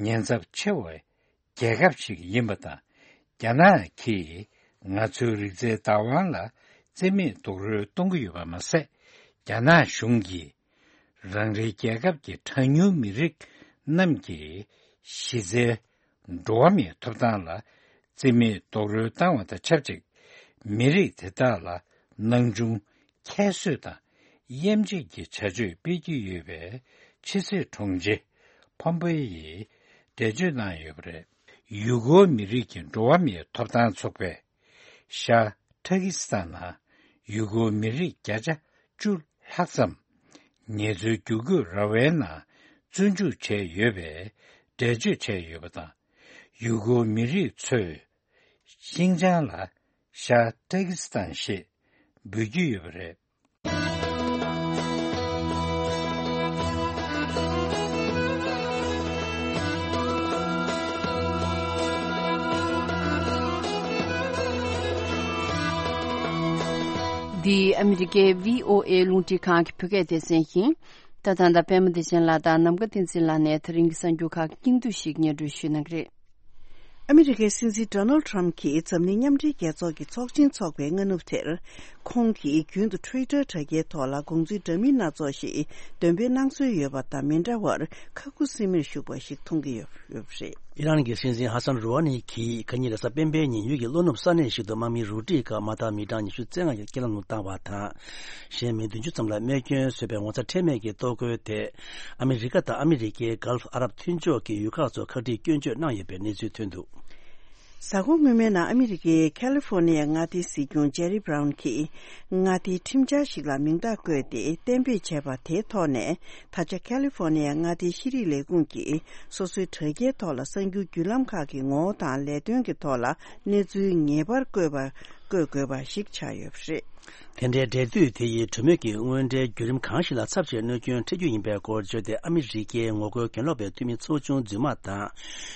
ཉེན་ཚབས་ཆེ་བའི་རྒྱལ་ཁབ་ཞིག་ཡིན་པ་དང་། རྒྱ་ནག་གིས་ང་ཚོའི་རིག་རྩལ་བདག་དབང་ལ་བརྩི་མེད་རྡོག་རོལ་གཏོང་གི་ཡོད་པ་མ་ཟད། རྒྱ་ནག་གཞུང་གིས་རང་རེའི་རྒྱལ་ཁབ་ཀྱི་གྲངས་ཉུང་མི་རིགས་རྣམས་ཀྱི་གཞི་རྩའི་འགྲོ་བ་མིའི་ཐོབ་ཐང་ལ་བརྩི་མེད་རྡོག་རོལ་བཏང་བ་དང་ཆབས་ཅིག་མི་རིགས་དེ་དག་ལ་སྣང་ཆུང་ཁྱད་གསོད་དང་། གཡེམ་བྱེད་ཀྱི་བྱ་སྤྱོད་སྤེལ་གྱི་ཡོད་པའི་ཕྱི་སྲིད་དྲུང་ཆེ་ཕོམ་པེ་ཡིས་འགྲེལ་བརྗོད་གནང་ཡོད་པ་རེད། ཡུ་གུར་མི་རིགས་ཀྱི་འགྲོ་བ་མིའི་ཐོབ་ཐང་ཚོགས་པས་ཤར་ཏུར་ཀི་སི་ཐན་ནང་ཡུ་གུར་མི་རིགས་བརྒྱ་ཆ་བཅུ་ལྷག་ཙམ་ངལ་རྩོལ་བསྒྱུར་བཀོད་ར་བའི་ནང་བཙོན་འཇུག་བྱས་ཡོད་པའི་འགྲེལ་བརྗོད་བྱས་ཡོད་པ་དང་། ཡུ་གུར་མི་རིགས་ཚོས་ཤིང་ཅང་ལ་ཤར་ཏུར་ཀི་སི་ཐན་ཞེས་འབོད་ཀྱི་ཡོད་པ་རེད། འདི་ཨ་མི་རི་ཀའི་བྷི་ཨོ་ཨེ་རླུང་འཕྲིན་ཁང་གི་བོད་སྐད་སྡེ་ཚན་ཡིན། ད་ཐང་ད་པད་མ་བདེ་ཆེན་ལགས་དང་ནམ་མཁའ་བསྟན་འཛིན་ལགས་ནས་ད་རིང་གི་གསར་འགྱུར་ཁག་གི་སྙིང་བསྡུས་ཤིག་སྙན་སྒྲོན་ཞུ་གནང་གི་རེད། ཨ་མི་རི་ཀའི་སྲིད་འཛིན་ཌོ་ནལ་ཊམ་གྱིས་འཛམ་གླིང་མཉམ་འབྲེལ་རྒྱལ་ཚོགས་ཀྱི་ཚོགས་ཆེན་འཚོགས་པའི་སྔ་ནུབ་དེར། ཁོང་གིས་རྒྱུན་དུ་ཊུའི་ཊར་དྲ་རྒྱའི་ཐོག་ལ་དགོངས་ཚུལ་འདྲ་མིན་སྣ་ཚོགས་ཤིག་འདོན་སྤེལ་གནང་སྲོལ་ཡོད་པ་དང་མི་འདྲ་བར་ཁ་ཁུ་སིམ་མེར་བཞུགས་པ་ཞིག་མཐོང་གི་ཡོད་ཡོད་པ་རེད། ཨི་རན་གྱི་སྲིད་འཛིན་ཧ་སན་རུ་ཧ་ནི་གྱིས་ཁ་ཉིན་རེས་གཟའ་སྤེན་པའི་ཉིན་ཡུལ་གྱི་ལྷོ་ནུབ་ས་གནས་ཤིག་ཏུ་དམག་མི་རུ་སྒྲིག་སྐབས་དམག་དར་མི་གྲངས་ཉི་ཤུ་རྩ་ལྔ་ཡི་རྐྱེན་ལམ་ལུགས་བཏང་བ་དང་། གཞན་མི་བདུན་ཅུ་ཙམ་ལ་རྨས་སྐྱོན་བཟོས་པའི་ངོ་ཚ་ཁྲེལ་མེད་ཀྱི་གཏོར་རྒོལ་དེ། ཨ་མི་རི་ཀ་དང་ཨ་མི་རི་ཀའི་གྷལཕ་ཨ་རབ་མཐུན་ཕྱོགས་ཀྱི་ཡུལ་ཁག་ཚོ་ཁ་བྲལ་སྐྱོན་བརྗོད་གནང་ཡོད་པའི་གནས་ཚུལ་ཐོན་འདུག་གཟའ་འཁོར་སྔོན་མའི་ནང་ཨ་མི་རི་ཀའི་ཁ་ལི་ཧྥོ་ནི་ཡའི་མངའ་སྡེའི་སྲིད་སྐྱོང་ཇེ་རི་བྷ་རའུན་གྱིས་མངའ་སྡེའི་ཁྲིམས་འཆར་ཞིག་ལ་མིང་རྟགས་བཀོད་དེ་གཏན་འབེབས་བྱས་པ་དེའི་ཐོག་ནས། ད་ཆ་ཁ་ལི་ཧྥོ་ནི་ཡ་མངའ་སྡེའི་ཤེས་རིག་ལས་ཁུངས་ཀྱིས་སོ་སོའི་དྲ་རྒྱའི་ཐོག་ལ་གསར་འགྱུར་བརྒྱུད་ལམ་ཁག་གི་ངོ་བོ་དང་ལས་དོན་གྱི་ཐོག་ལ་གནས་ཚུལ་ངེས་པར་བཀོད་པ་བཀོད་དགོས་པ་ཞིག་ཆགས་ཡོད་པ་རེད། དེ་འདྲའི་འབྲེལ་མཐུད་དེ་ཡིས་གྲོས་མོལ་གྱི་དངོས་འབྲེལ་བརྒྱུད་རིམ་གང་ཞིག་ལ་ཚབས་ཆེའི་གནོད་སྐྱོན་འཕྲད་རྒྱུ་ཡིན་པའི་སྐོར་བརྗོད་དེ། ཨ་མི་རི་ཀའི་ངོ་རྒོལ་གྱེན་ལོག་པའི་འཐུས་མི་ཚོགས་ཆུང་རྫུན་མ་དང་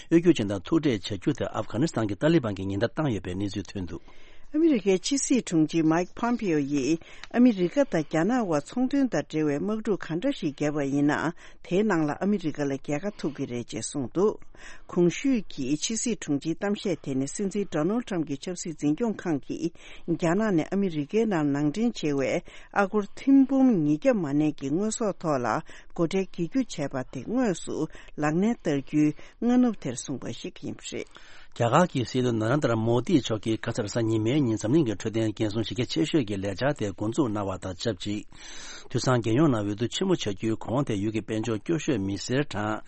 གཡོ་སྒྱུ་ཅན་དང་ཐུག་འཕྲད་བྱ་རྒྱུ་དེ་ཨབ་གྷ་ནི་སི་ཐན་གྱི་ཏཱ་ལི་བན་གྱིས་ཉེན་བརྡ་བཏང་ཡོད་པའི་གནས་ཚུལ་ཐོན་འདུག་ཨ་མི་རི་ཀའི་ཕྱི་སྲིད་དྲུང་ཆེ་མའིག་ཕོམ་པེ་ཡོ་ཡིས་ཨ་མི་རི་ཀ་དང་རྒྱ་ནག་དབར་ཚོང་དོན་དང་འབྲེལ་བའི་དམག་འཁྲུག་ག་འདྲ་ཞིག་བརྒྱབ་པ་ཡིན་ན། དེའི་ནང་ལ་ཨ་མི་རི་ཀ་ལ་རྒྱལ་ཁ་ཐོབ་ཀྱི་རེད་ཅེས་གསུངས་འདུག་གོང་ཞུས་ཀྱི་ཕྱི་སྲིད་དྲུང་ཆེའི་གཏམ་བཤད་དེ་ནི་སྲིད་འཛིན་ཌོ་ནལ་ཊམ་གྱི་ཆབ་སྲིད་འཛིན་སྐྱོང་ཁང་གིས་རྒྱ་ནག་ནས་ཨ་མི་རི་ཀའི་ནང་ནང་འདྲེན་བྱས་པའི་ཨ་སྒོར་ཐེར་འབུམ་ཉིས་བརྒྱ་མ་ནས་ཀྱི་དངོས་ཟོག་ཐོག་ལ་སྒོ་ཁྲལ་འགེལ་རྒྱུ་བྱས་པ་དེ་དངོས་སུ་ལག་ལེན་བསྟར་རྒྱུའི་སྔ་ནུབ་དེར་གསུངས་པ་ཞིག་ཡིན་པ་རེད། རྒྱ་གར་གྱི་སྲིད་བློན་ན་རན་དར་མོ་དི་མཆོག་གིས་ཁ་སང་རེས་གཟའ་ཉི་མའི་ཉིན་འཛམ་གླིང་གི་འཕྲོད་བསྟེན་འགན་སྲུང་གཞི་རྒྱ་ཆེ་ཤོས་ཀྱི་ལས་འཆར་དེ་འགོ་འཛུགས་གནང་བ་དང་ཆབས་ཅིག་དུས་སང་རྒྱལ་ཡོངས་ནང་འོས་བསྡུ་ཆེན་མོ་བྱ་རྒྱུའི་གོང་དེ་ཡུལ་གྱི་དཔལ་འབྱོར་སྐྱོ་ཤོས་མི་སེར་གྲངས་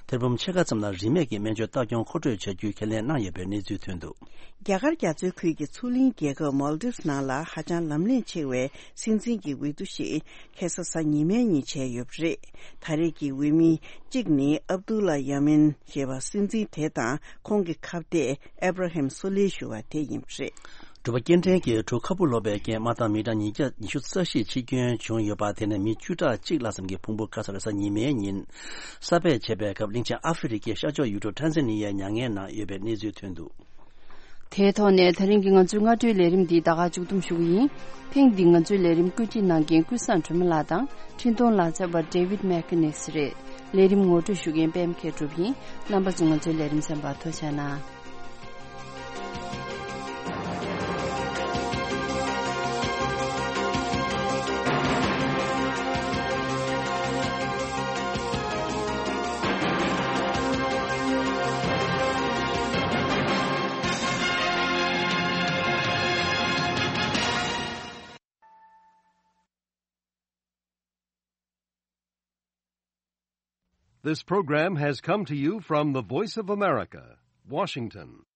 ཐེར་འབུམ་ཕྱེད་ཀ་ཙམ་ལ་རིན་མེད་ཀྱི་སྨན་བཅོས་ལྟ་སྐྱོང་མཁོ་སྤྲོད་བྱ་རྒྱུའི་ཁས་ལེན་གནང་ཡོད་པའི་གནས་ཚུལ་ཐོན་འདུག་རྒྱ་གར་རྒྱ་མཚོའི་ཁུལ་གྱི་མཚོ་གླིང་རྒྱལ་ཁབ་མོལ་དིབ་ནང་ལ་ཧ་ཅང་ལམ་ལྷོང་ཆེ་བའི་སྲིད་འཛིན་གྱི་འོས་བསྡུ་ཞིག་ཁ་སང་གཟའ་ཉི་མའི་ཉིན་བྱས་ཡོད་པ་རེད། ད་རེས་ཀྱི་འོས་མི་གཅིག་ནི་ཨབ་དུ་ལ་ཡ་མིན་ཞེས་པ་སྲིད་འཛིན་དེ་དང་ཁོང་གི་ཁ་གཏད་ཨེབ་ར་ཧེམ་སོ་ལེ་ཞུ་བ་དེ་ཡིན་པ་རེད། འབྲུག་པ་སྐྱེ་ཕྲེང་གི་གྲུ་ཁ་སྦུག་ལོག་པའི་རྐྱེན་དམག་དང་མི་གྲངས་ཉིས་བརྒྱ་ཉི་ཤུ་རྩ་བཞི་འཆི་སྐྱོན་བྱུང་ཡོད་པ་དེ་ནས་མི་བཅུ་ཕྲག་གཅིག་ལྷག་ཙམ་གྱི་ཕུང་པོ་ཁ་སང་རེས་གཟའ་ཉི་མའི་ཉིན་ས་བརྒལ་བྱས་པའི་སྐབས་གླིང་ཆེན་ཨ་ཧྥེ་རི་ཁའི་ཤར་ཕྱོགས་ཡུལ་གྲུ་ཊན་ཟ་ནི་ཡའི་མྱ་ངན་ནང་ཡོད་པའི་གནས་ཚུལ་ཐོན་འདུག་དེའི་ཐོག་ནས་ད་རིང་གི་ང་ཚོའི་སྔ་དྲོའི་ལས་རིམ་འདི་ད་ག་མཇུག་བསྡོམས་ཞུ་གི་ཡིན། ཐེངས་འདིའི་ང་ཚོའི་ལས་རིམ་བཀོད་སྒྲིག་གནང་མཁན་ཀུན་བཟང་སྒྲོལ་མ་ལགས་དང་འཕྲིན་གཏོང་ལག་རྩལ་བ་David Mechanics་རེད། ལས་རིམ་ངོ་སྤྲོད་ཞུ་མཁན་པད་མ་མཁས་གྲུབ་ཡིན། རྣམ་པ་ཚོས་ང་ཚོའི་ལས་རིམ་གསན་པར་ཐུགས་རྗེ་གནང་། This program has come to you from the Voice of America, Washington.